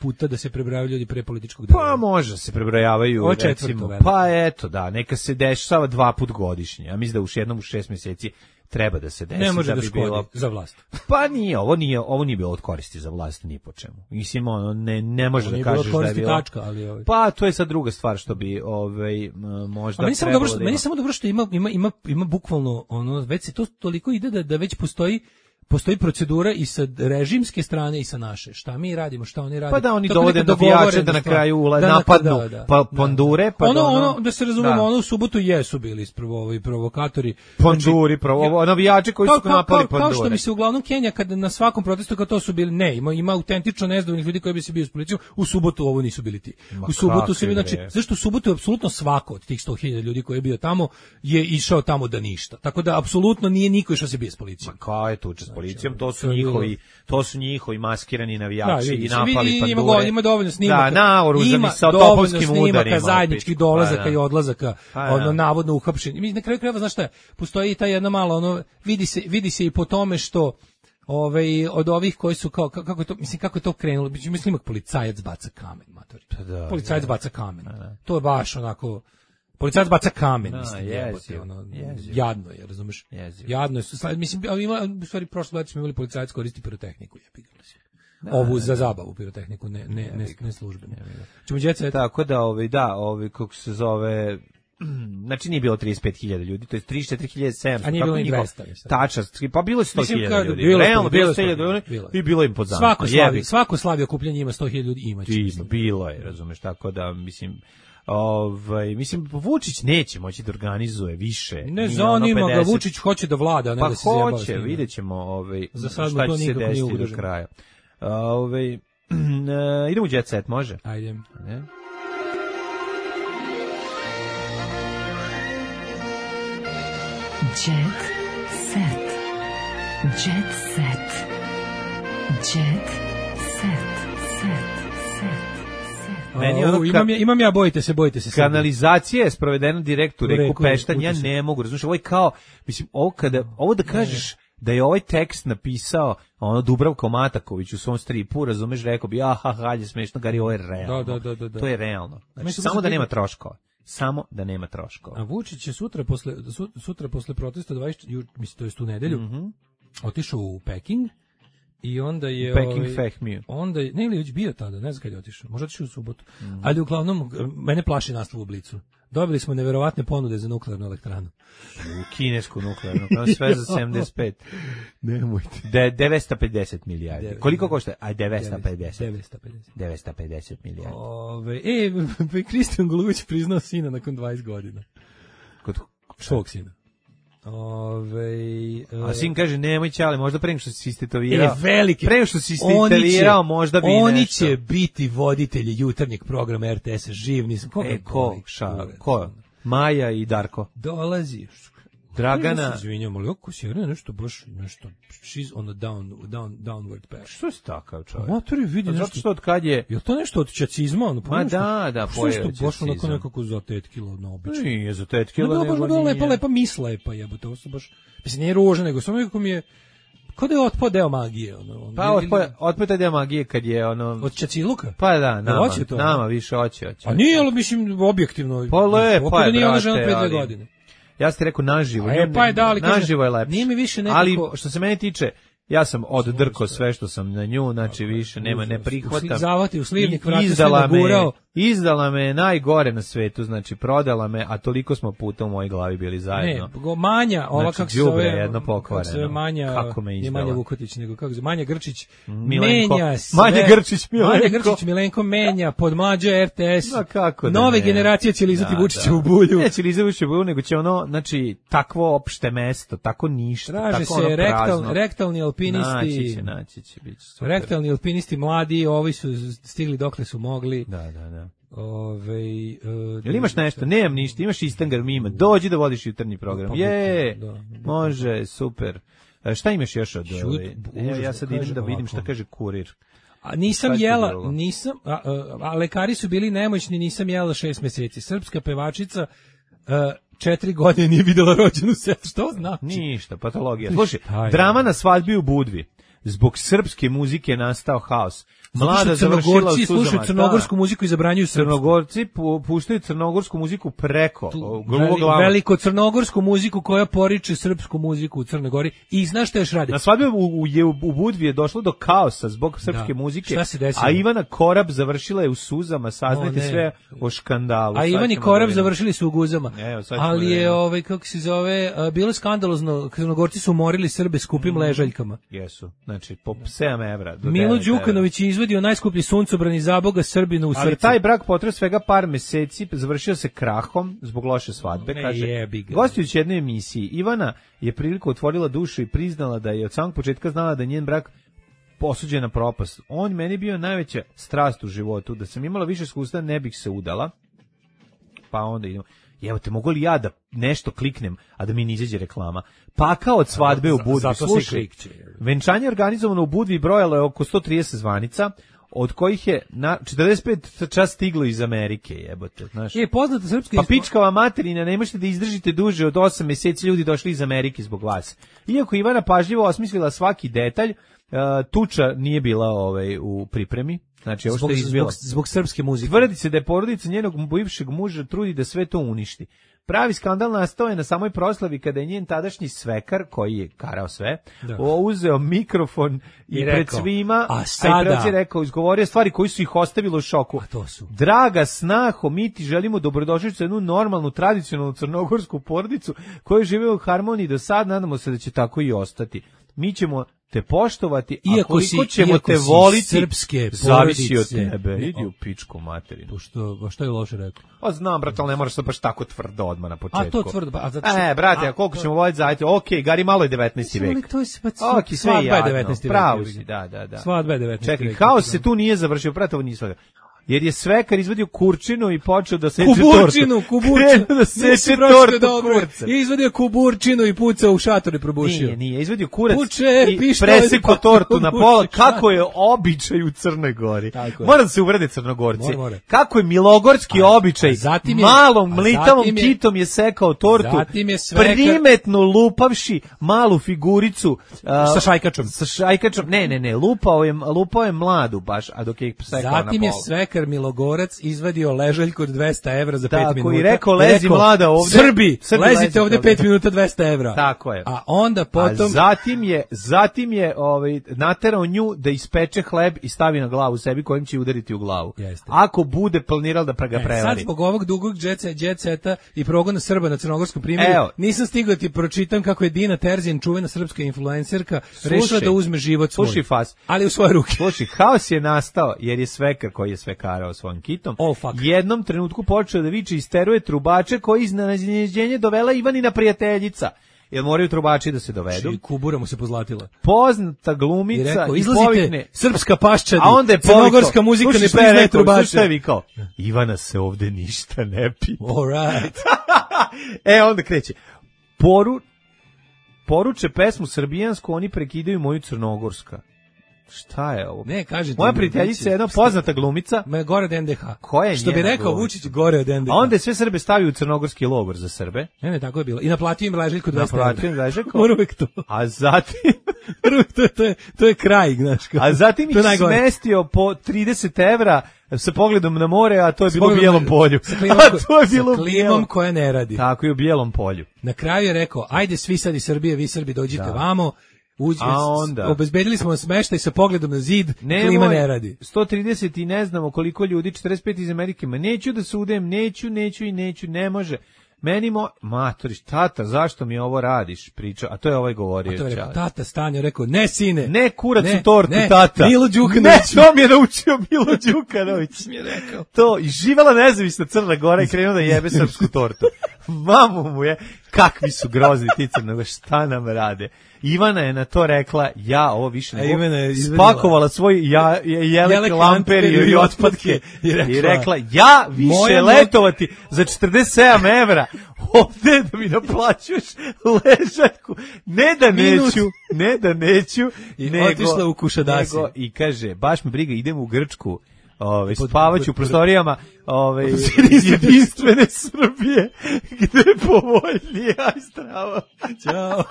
S7: puta da se prebrojavaju ljudi pre političkog dela?
S6: Pa može se prebrojavaju,
S7: o
S6: recimo. Pa eto, da, neka se dešava dva put godišnje. Ja mislim da u jednom u šest mjeseci treba da se desi.
S7: Ne može
S6: da,
S7: da
S6: bi
S7: škodi
S6: bilo
S7: za vlast.
S6: Pa nije, ovo nije, ovo nije bilo od koristi za vlast ni po čemu. Mislim, ono, ne, ne može da kažeš da je bilo...
S7: Tačka, ali ovaj.
S6: Pa to je sad druga stvar što bi ovaj, možda
S7: meni
S6: trebalo
S7: dobro što,
S6: da ima.
S7: Meni samo dobro što ima, ima, ima, ima bukvalno, ono, već se to toliko ide da, da već postoji postoji procedura i sa režimske strane i sa naše. Šta mi radimo, šta oni rade.
S6: Pa da oni dovode navijače da na kraju ula, da napadnu da, da, pa pandure, pa
S7: ono,
S6: ono,
S7: ono, da se razumemo, da. Ono u subotu jesu bili ispravo ovi provokatori.
S6: Panduri, znači, provo, navijači koji su napali
S7: kao,
S6: pandure.
S7: Kao što mi se uglavnom Kenija, kada na svakom protestu, kao to su bili, ne, ima, ima autentično nezadovoljnih ljudi koji bi se bio s policijom, u subotu ovo nisu bili ti. Ma u subotu su bili, znači, zašto u subotu je apsolutno svako od tih sto hiljada ljudi koji je bio tamo, je išao tamo da ništa. Tako da, apsolutno nije niko išao se bio s policijom.
S6: Ma kao je tuče s policijom, to su njihovi, to su njihovi maskirani navijači
S7: da,
S6: i napali
S7: vidi,
S6: pandure.
S7: Ima, ima dovoljno snimaka.
S6: Da, naoružani sa topovskim udarima.
S7: Zajedničkih dolazaka
S6: pa,
S7: i odlazaka,
S6: pa,
S7: ono navodno uhapšeni. Mi na kraju krajeva, znaš šta je, postoji ta jedna mala, ono, vidi se, vidi se i po tome što ovaj od ovih koji su kao kako je to, mislim kako je to krenulo, mislim imak policajac baca kamen, matori.
S6: Da,
S7: policajac
S6: da,
S7: baca kamen.
S6: Da, da.
S7: To je baš onako policajac baca kamen,
S6: da,
S7: mislim, jebote, ono,
S6: jezio.
S7: Jadno je, razumeš?
S6: Jezio.
S7: Jadno je, mislim, ima, u stvari, prošle godine smo imali policajac koristi pirotehniku, jebi ga. Ovu za zabavu pirotehniku, ne, ne, ne, ne službenu. Čemo djeca,
S6: tako da, ovi, da, ovi, kako se zove, znači nije bilo trideset pet hiljada ljudi, to je trideset četiri hiljade sedamsto.
S7: A nije bilo i dvesta.
S6: Tača, pa bilo je sto hiljada ljudi.
S7: Bilo,
S6: realno bilo sto hiljada
S7: ljudi
S6: i bilo im pod
S7: zanom. Svako slavi, svako slavi okupljanje ima sto hiljada ljudi, imaće.
S6: Bilo je, razumeš, tako da mislim Ovaj mislim Vučić neće moći da organizuje više.
S7: Ne zanima ga, Vučić hoće da vlada, ne
S6: pa
S7: da se zjebava.
S6: Pa hoće, videćemo ovaj
S7: za sad
S6: šta
S7: to
S6: će se desiti do kraja. Ovaj idemo u Jet Set, može?
S7: Ajde.
S6: Ne?
S4: Jet Set. Jet Set. Jet Set. Set.
S7: Meni ono, imam, ja, imam ja, bojite se, bojite se.
S6: Kanalizacija je sprovedena direkt u reku Peštan, ja ne mogu, razumiješ, ovo je kao, mislim, ovo, kada, ovo da kažeš ne. Da je ovaj tekst napisao ono Dubravko Mataković u svom stripu, razumeš, rekao bi, aha, ha, je smešno, Gari, ovo je realno.
S7: Da, da, da, da.
S6: To je realno. Znači, samo da nema troškova. Samo da nema troškova.
S7: A Vučić će sutra posle, sutra posle protesta, dvadeset, mislim, to je tu nedelju, mm-hmm. otišao u Peking. I onda je
S6: Peking
S7: ovaj,
S6: Fehmiju.
S7: Onda je, ne ili već bio tada, ne znam kad je otišao, možda otišao u subotu. Mm. Ali uglavnom, mene plaši nastav u Blicu. Dobili smo neverovatne ponude za nuklearnu elektranu.
S6: U kinesku nuklearnu, kao sve za sedamdeset pet.
S7: Nemojte.
S6: De, devetsto pedeset milijardi. Deve, Koliko košta? Aj, devetsto pedeset.
S7: devetsto pedeset.
S6: devetsto pedeset milijardi.
S7: Ove, e, Kristijan Golubić priznao sina nakon dvadeset godina.
S6: Kod
S7: svog sina. Ove,
S6: a sin kaže nemoj ćale, možda pre nego što si istetovirao.
S7: E, velike.
S6: Pre nego što si istetovirao, možda bi
S7: oni
S6: nešto.
S7: Oni će biti voditelji jutarnjeg programa R T S-a, živ nisam. Koga
S6: e, ko? Ša, ko? Maja i Darko.
S7: Dolazi.
S6: Dragana.
S7: Izvinjam, ali oko si nešto baš, nešto, she's on a down, down, downward path.
S6: Što si takav čovjek?
S7: Matori vidi nešto.
S6: Zato što od kad je...
S7: Je to nešto od čacizma? Ono,
S6: Ma da, da,
S7: pojeo čacizam. Što baš onako nekako za tetkilo na obično.
S6: Nije za tetkilo,
S7: no,
S6: nego
S7: baš,
S6: nije.
S7: Lepa, lepa misla je, pa jebote, ovo su baš, mislim, nije ružno, nego samo nekako mi je, kao da je otpao deo magije. Ono, on,
S6: pa otpao, otpao taj deo magije kad je ono...
S7: Od Čaciluka?
S6: Pa da, nama, nama više hoće, hoće.
S7: A nije, ali mislim, objektivno.
S6: Pa lepa je,
S7: nije ona žena pre dve godine.
S6: Ja sam ti rekao naživo,
S7: e, pa je da, ali
S6: naživo je lepše.
S7: Nije mi više nekako...
S6: Ali što se mene tiče, ja sam oddrko sve što sam na nju, znači više nema, ne prihvatam.
S7: Zavati u slivnik, vrati se nagurao.
S6: Izdala me najgore na svetu, znači prodala me, a toliko smo puta u mojoj glavi bili zajedno.
S7: Ne, Manja, ova
S6: znači,
S7: kako se zove,
S6: jedno pokvareno.
S7: Kako se zove Manja,
S6: kako me izdala.
S7: je Manja Vukotić, nego kako se zove, Manja Grčić,
S6: Milenko.
S7: menja sve.
S6: Manja Grčić, Milenko.
S7: Manja Grčić, Milenko menja, pod Mlađa R T S.
S6: No, kako da
S7: nove
S6: ne.
S7: generacije će lizati
S6: da,
S7: Vučića
S6: da.
S7: u bulju.
S6: Neće lizati Vučića u bulju, nego će ono, znači, takvo opšte mesto, tako ništa,
S7: traže
S6: tako
S7: se
S6: ono
S7: rektal,
S6: prazno.
S7: rektalni alpinisti.
S6: Naći će, naći će, bit će super.
S7: Rektalni alpinisti mladi, ovi su stigli dokle su mogli.
S6: Da, da, da.
S7: Ove, uh,
S6: jel imaš nešto? Nemam ništa, imaš Istangar mima. Dođi da vodiš jutarnji program. Je, da, da, može, super. A šta imaš još od ove? Ja, ja sad idem da vidim šta kaže kurir.
S7: A nisam jela, nisam, a, a, a lekari su bili nemoćni, nisam jela šest meseci. Srpska pevačica a, četiri godine nije videla rođenu setu. Što znači?
S6: Ništa, patologija. Slušaj, drama na svadbi u Budvi. Zbog srpske muzike je nastao haos. Mlada završila u suzama.
S7: Slušaju crnogorsku muziku i zabranjuju srpsku.
S6: Crnogorci pu, puštaju crnogorsku muziku preko
S7: veli, veliko crnogorsku muziku koja poriče srpsku muziku u Crnoj Gori. I znaš šta još radi?
S6: Na svadbi u, u, u Budvi je došlo do kaosa zbog srpske da. muzike.
S7: Šta se desilo?
S6: A Ivana Korab završila je u suzama. Saznajte o, sve o škandalu.
S7: A Ivan i Korab završili su u guzama.
S6: Evo,
S7: ali je, ovaj, kako se zove, bilo skandalozno. Crnogorci su umorili Srbe skupim mm. ležaljkama.
S6: Jesu. Znači, po sedam evra.
S7: Milo Đukanović je izvadio najskuplji suncobran iz Zaboga Srbinu u srcu.
S6: Ali taj brak potreo svega par meseci, završio se krahom zbog loše svadbe.
S7: Ne,
S6: kaže, gostujući jednoj emisiji, Ivana je priliku otvorila dušu i priznala da je od samog početka znala da je njen brak posuđen na propast. On meni bio najveća strast u životu, da sam imala više iskustva, ne bih se udala. Pa onda idemo. Evo te, mogu li ja da nešto kliknem, a da mi ne izađe reklama? Pakao od svadbe u Budvi. Slušaj, venčanje organizovano u Budvi brojalo je oko sto trideset zvanica, od kojih je na četrdeset pet čas stiglo iz Amerike, jebote, znaš.
S7: Je poznata srpska
S6: pa pičkava materina, ne možete da izdržite duže od osam meseci, ljudi došli iz Amerike zbog vas. Iako Ivana pažljivo osmislila svaki detalj, Uh, tuča nije bila ovaj u pripremi, Znači, ovo što
S7: zbog,
S6: je izbilo.
S7: Zbog, zbog srpske muzike.
S6: Tvrdi se da je porodica njenog bivšeg muža trudi da sve to uništi. Pravi skandal nastao je na samoj proslavi kada je njen tadašnji svekar, koji je karao sve, da. uzeo mikrofon i, I pred rekao, svima,
S7: a sada
S6: a i rekao, izgovorio stvari koji su ih ostavilo u šoku.
S7: A to su.
S6: Draga snaho, mi ti želimo dobrodošlicu jednu normalnu, tradicionalnu crnogorsku porodicu koja žive u harmoniji do sad, nadamo se da će tako i ostati. Mi ćemo te poštovati,
S7: iako
S6: a koliko
S7: si,
S6: ćemo
S7: iako
S6: te voliti,
S7: srpske
S6: zavisi od tebe. Idi u pičku materinu.
S7: To što, što je loše rekao?
S6: Pa znam, brate, ali ne moraš da baš tako tvrdo odmah na početku.
S7: A to tvrdo, pa... A zato
S6: što... E, brate, a koliko to... ćemo voliti zajeti? Okej, okay, Gari, malo je devetnaesti vek.
S7: To je pa
S6: okay, svadba je devetnaesti vek. Pravo si, da, da, da.
S7: Svadba je devetnaesti vek.
S6: Čekaj, haos se tu nije završio, brate, ovo nije svadba. Jer je svekar izvadio kurčinu i počeo da seče tortu.
S7: Kuburčinu, kuburčinu.
S6: da seče tortu kurca.
S7: I izvadio kuburčinu i pucao u šator i probušio.
S6: Nije, nije, izvadio kurac
S7: Puče,
S6: i presekao tortu na pola. Kako je običaj u Crnoj Gori. Mora da se uvrede Crnogorci. Mora, mora. Kako je milogorski a, običaj. A je, malom mlitavom je, kitom je sekao tortu. Je svekar, primetno lupavši malu figuricu. Uh,
S7: sa šajkačom.
S6: Sa šajkačom. Ne, ne, ne. Lupao je, lupao je mladu baš, a dok je sekao na pola.
S7: Zatim je svekar Milogorac izvadio ležaljku od dvesta evra za pet minuta.
S6: I rekao, lezi rekao, mlada ovde.
S7: Srbi, Srbi lezite lezite ovde pet minuta dvesta evra.
S6: Tako je.
S7: A onda potom...
S6: A zatim je, zatim je ovaj, naterao nju da ispeče hleb i stavi na glavu sebi kojim će udariti u glavu.
S7: Jeste.
S6: Ako bude planirao da ga prevari.
S7: E, sad zbog ovog dugog džetseta i progona Srba na crnogorskom primjeru, Evo. nisam stigao ti pročitam kako je Dina Terzijan, čuvena srpska influencerka, rešila da uzme život svoj.
S6: Slušaj, fas.
S7: Ali u svoje ruke.
S6: Slušaj, haos je nastao jer je svekar koji je svekarao svojim kitom.
S7: Oh, fuck.
S6: Jednom trenutku počeo da viče i isteruje trubače koji iznenađenje dovela Ivanina prijateljica. Jer moraju trubači da se dovedu.
S7: I kubura mu se pozlatila.
S6: Poznata glumica i, rekao,
S7: i povikne, srpska paščadi,
S6: a onda je
S7: crnogorska muzika ne priznaje trubače.
S6: Slušaj šta je vikao, Ivana se ovde ništa ne pita.
S7: All right.
S6: E, onda kreće. Poru, poruče pesmu srbijansku, oni prekidaju moju crnogorska. Šta je ovo?
S7: Ne, kažete.
S6: Moja prijateljica je jedna poznata glumica.
S7: Ma gore od en de ha.
S6: Koja je
S7: Što bi rekao
S6: glumica?
S7: Vučić, gore od en de ha.
S6: A onda je sve Srbe stavio u crnogorski logor za Srbe.
S7: Ne, ne, tako je bilo. I naplatio im ležaljku dvesta evra.
S6: Naplatio im ležaljku.
S7: Uvijek to.
S6: A zatim...
S7: to, je, to, je, to je kraj, znaš. Kao.
S6: A zatim ih smestio po trideset evra sa pogledom na more, a to je bilo u Bijelom polju.
S7: Sa klimom, a to je bilo sa klimom koja ne radi.
S6: Tako je u Bijelom polju.
S7: Na kraju je rekao, ajde svi sad iz Srbije, vi Srbi dođite da. vamo. Uđe,
S6: a onda
S7: obezbedili smo smeštaj sa pogledom na zid, Nemoj, klima ne radi.
S6: sto trideset i ne znamo koliko ljudi, četrdeset pet iz Amerike, ma neću da sudem, neću, neću i neću, ne može. Meni mo, matoriš, tata, zašto mi ovo radiš, priča, a to je ovaj govorio.
S7: A to je rekao, tata Stanjo, rekao, ne sine.
S6: Ne kurac
S7: ne,
S6: u tortu,
S7: ne,
S6: tata.
S7: Milo Đukanović.
S6: Ne, to mi je naučio Milo Đukanović.
S7: mi je rekao.
S6: To, i živela nezavisna Crna Gora i krenuo da jebe srpsku tortu. Mamu mu je, kakvi su grozni ti Crnoga, šta nam rade. Ivana je na to rekla, ja ovo više ne mogu, spakovala svoj ja, jelek, jelek lamperiju i otpadke i rekla, i rekla ja više letovati za četrdeset sedam evra ovde da mi naplaćuješ ležaljku, ne da neću, ne da neću,
S7: i
S6: nego,
S7: otišla u Kušadasi.
S6: Nego, i kaže, baš me briga, idem u Grčku, Ove, spavaću u prostorijama ove, jedinstvene Srbije, gde je povoljnije, aj strava.
S7: Ćao.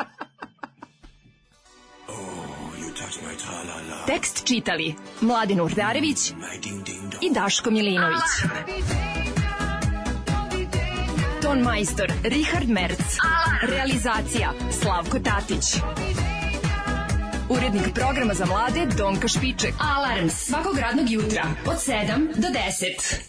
S4: Tekst čitali Mladin Urdarević i Daško Milinović. Ton majstor Richard Merc. Realizacija Slavko Tatić. Urednik programa za mlade Donka Špiček. Alarms svakog radnog jutra od sedam do deset.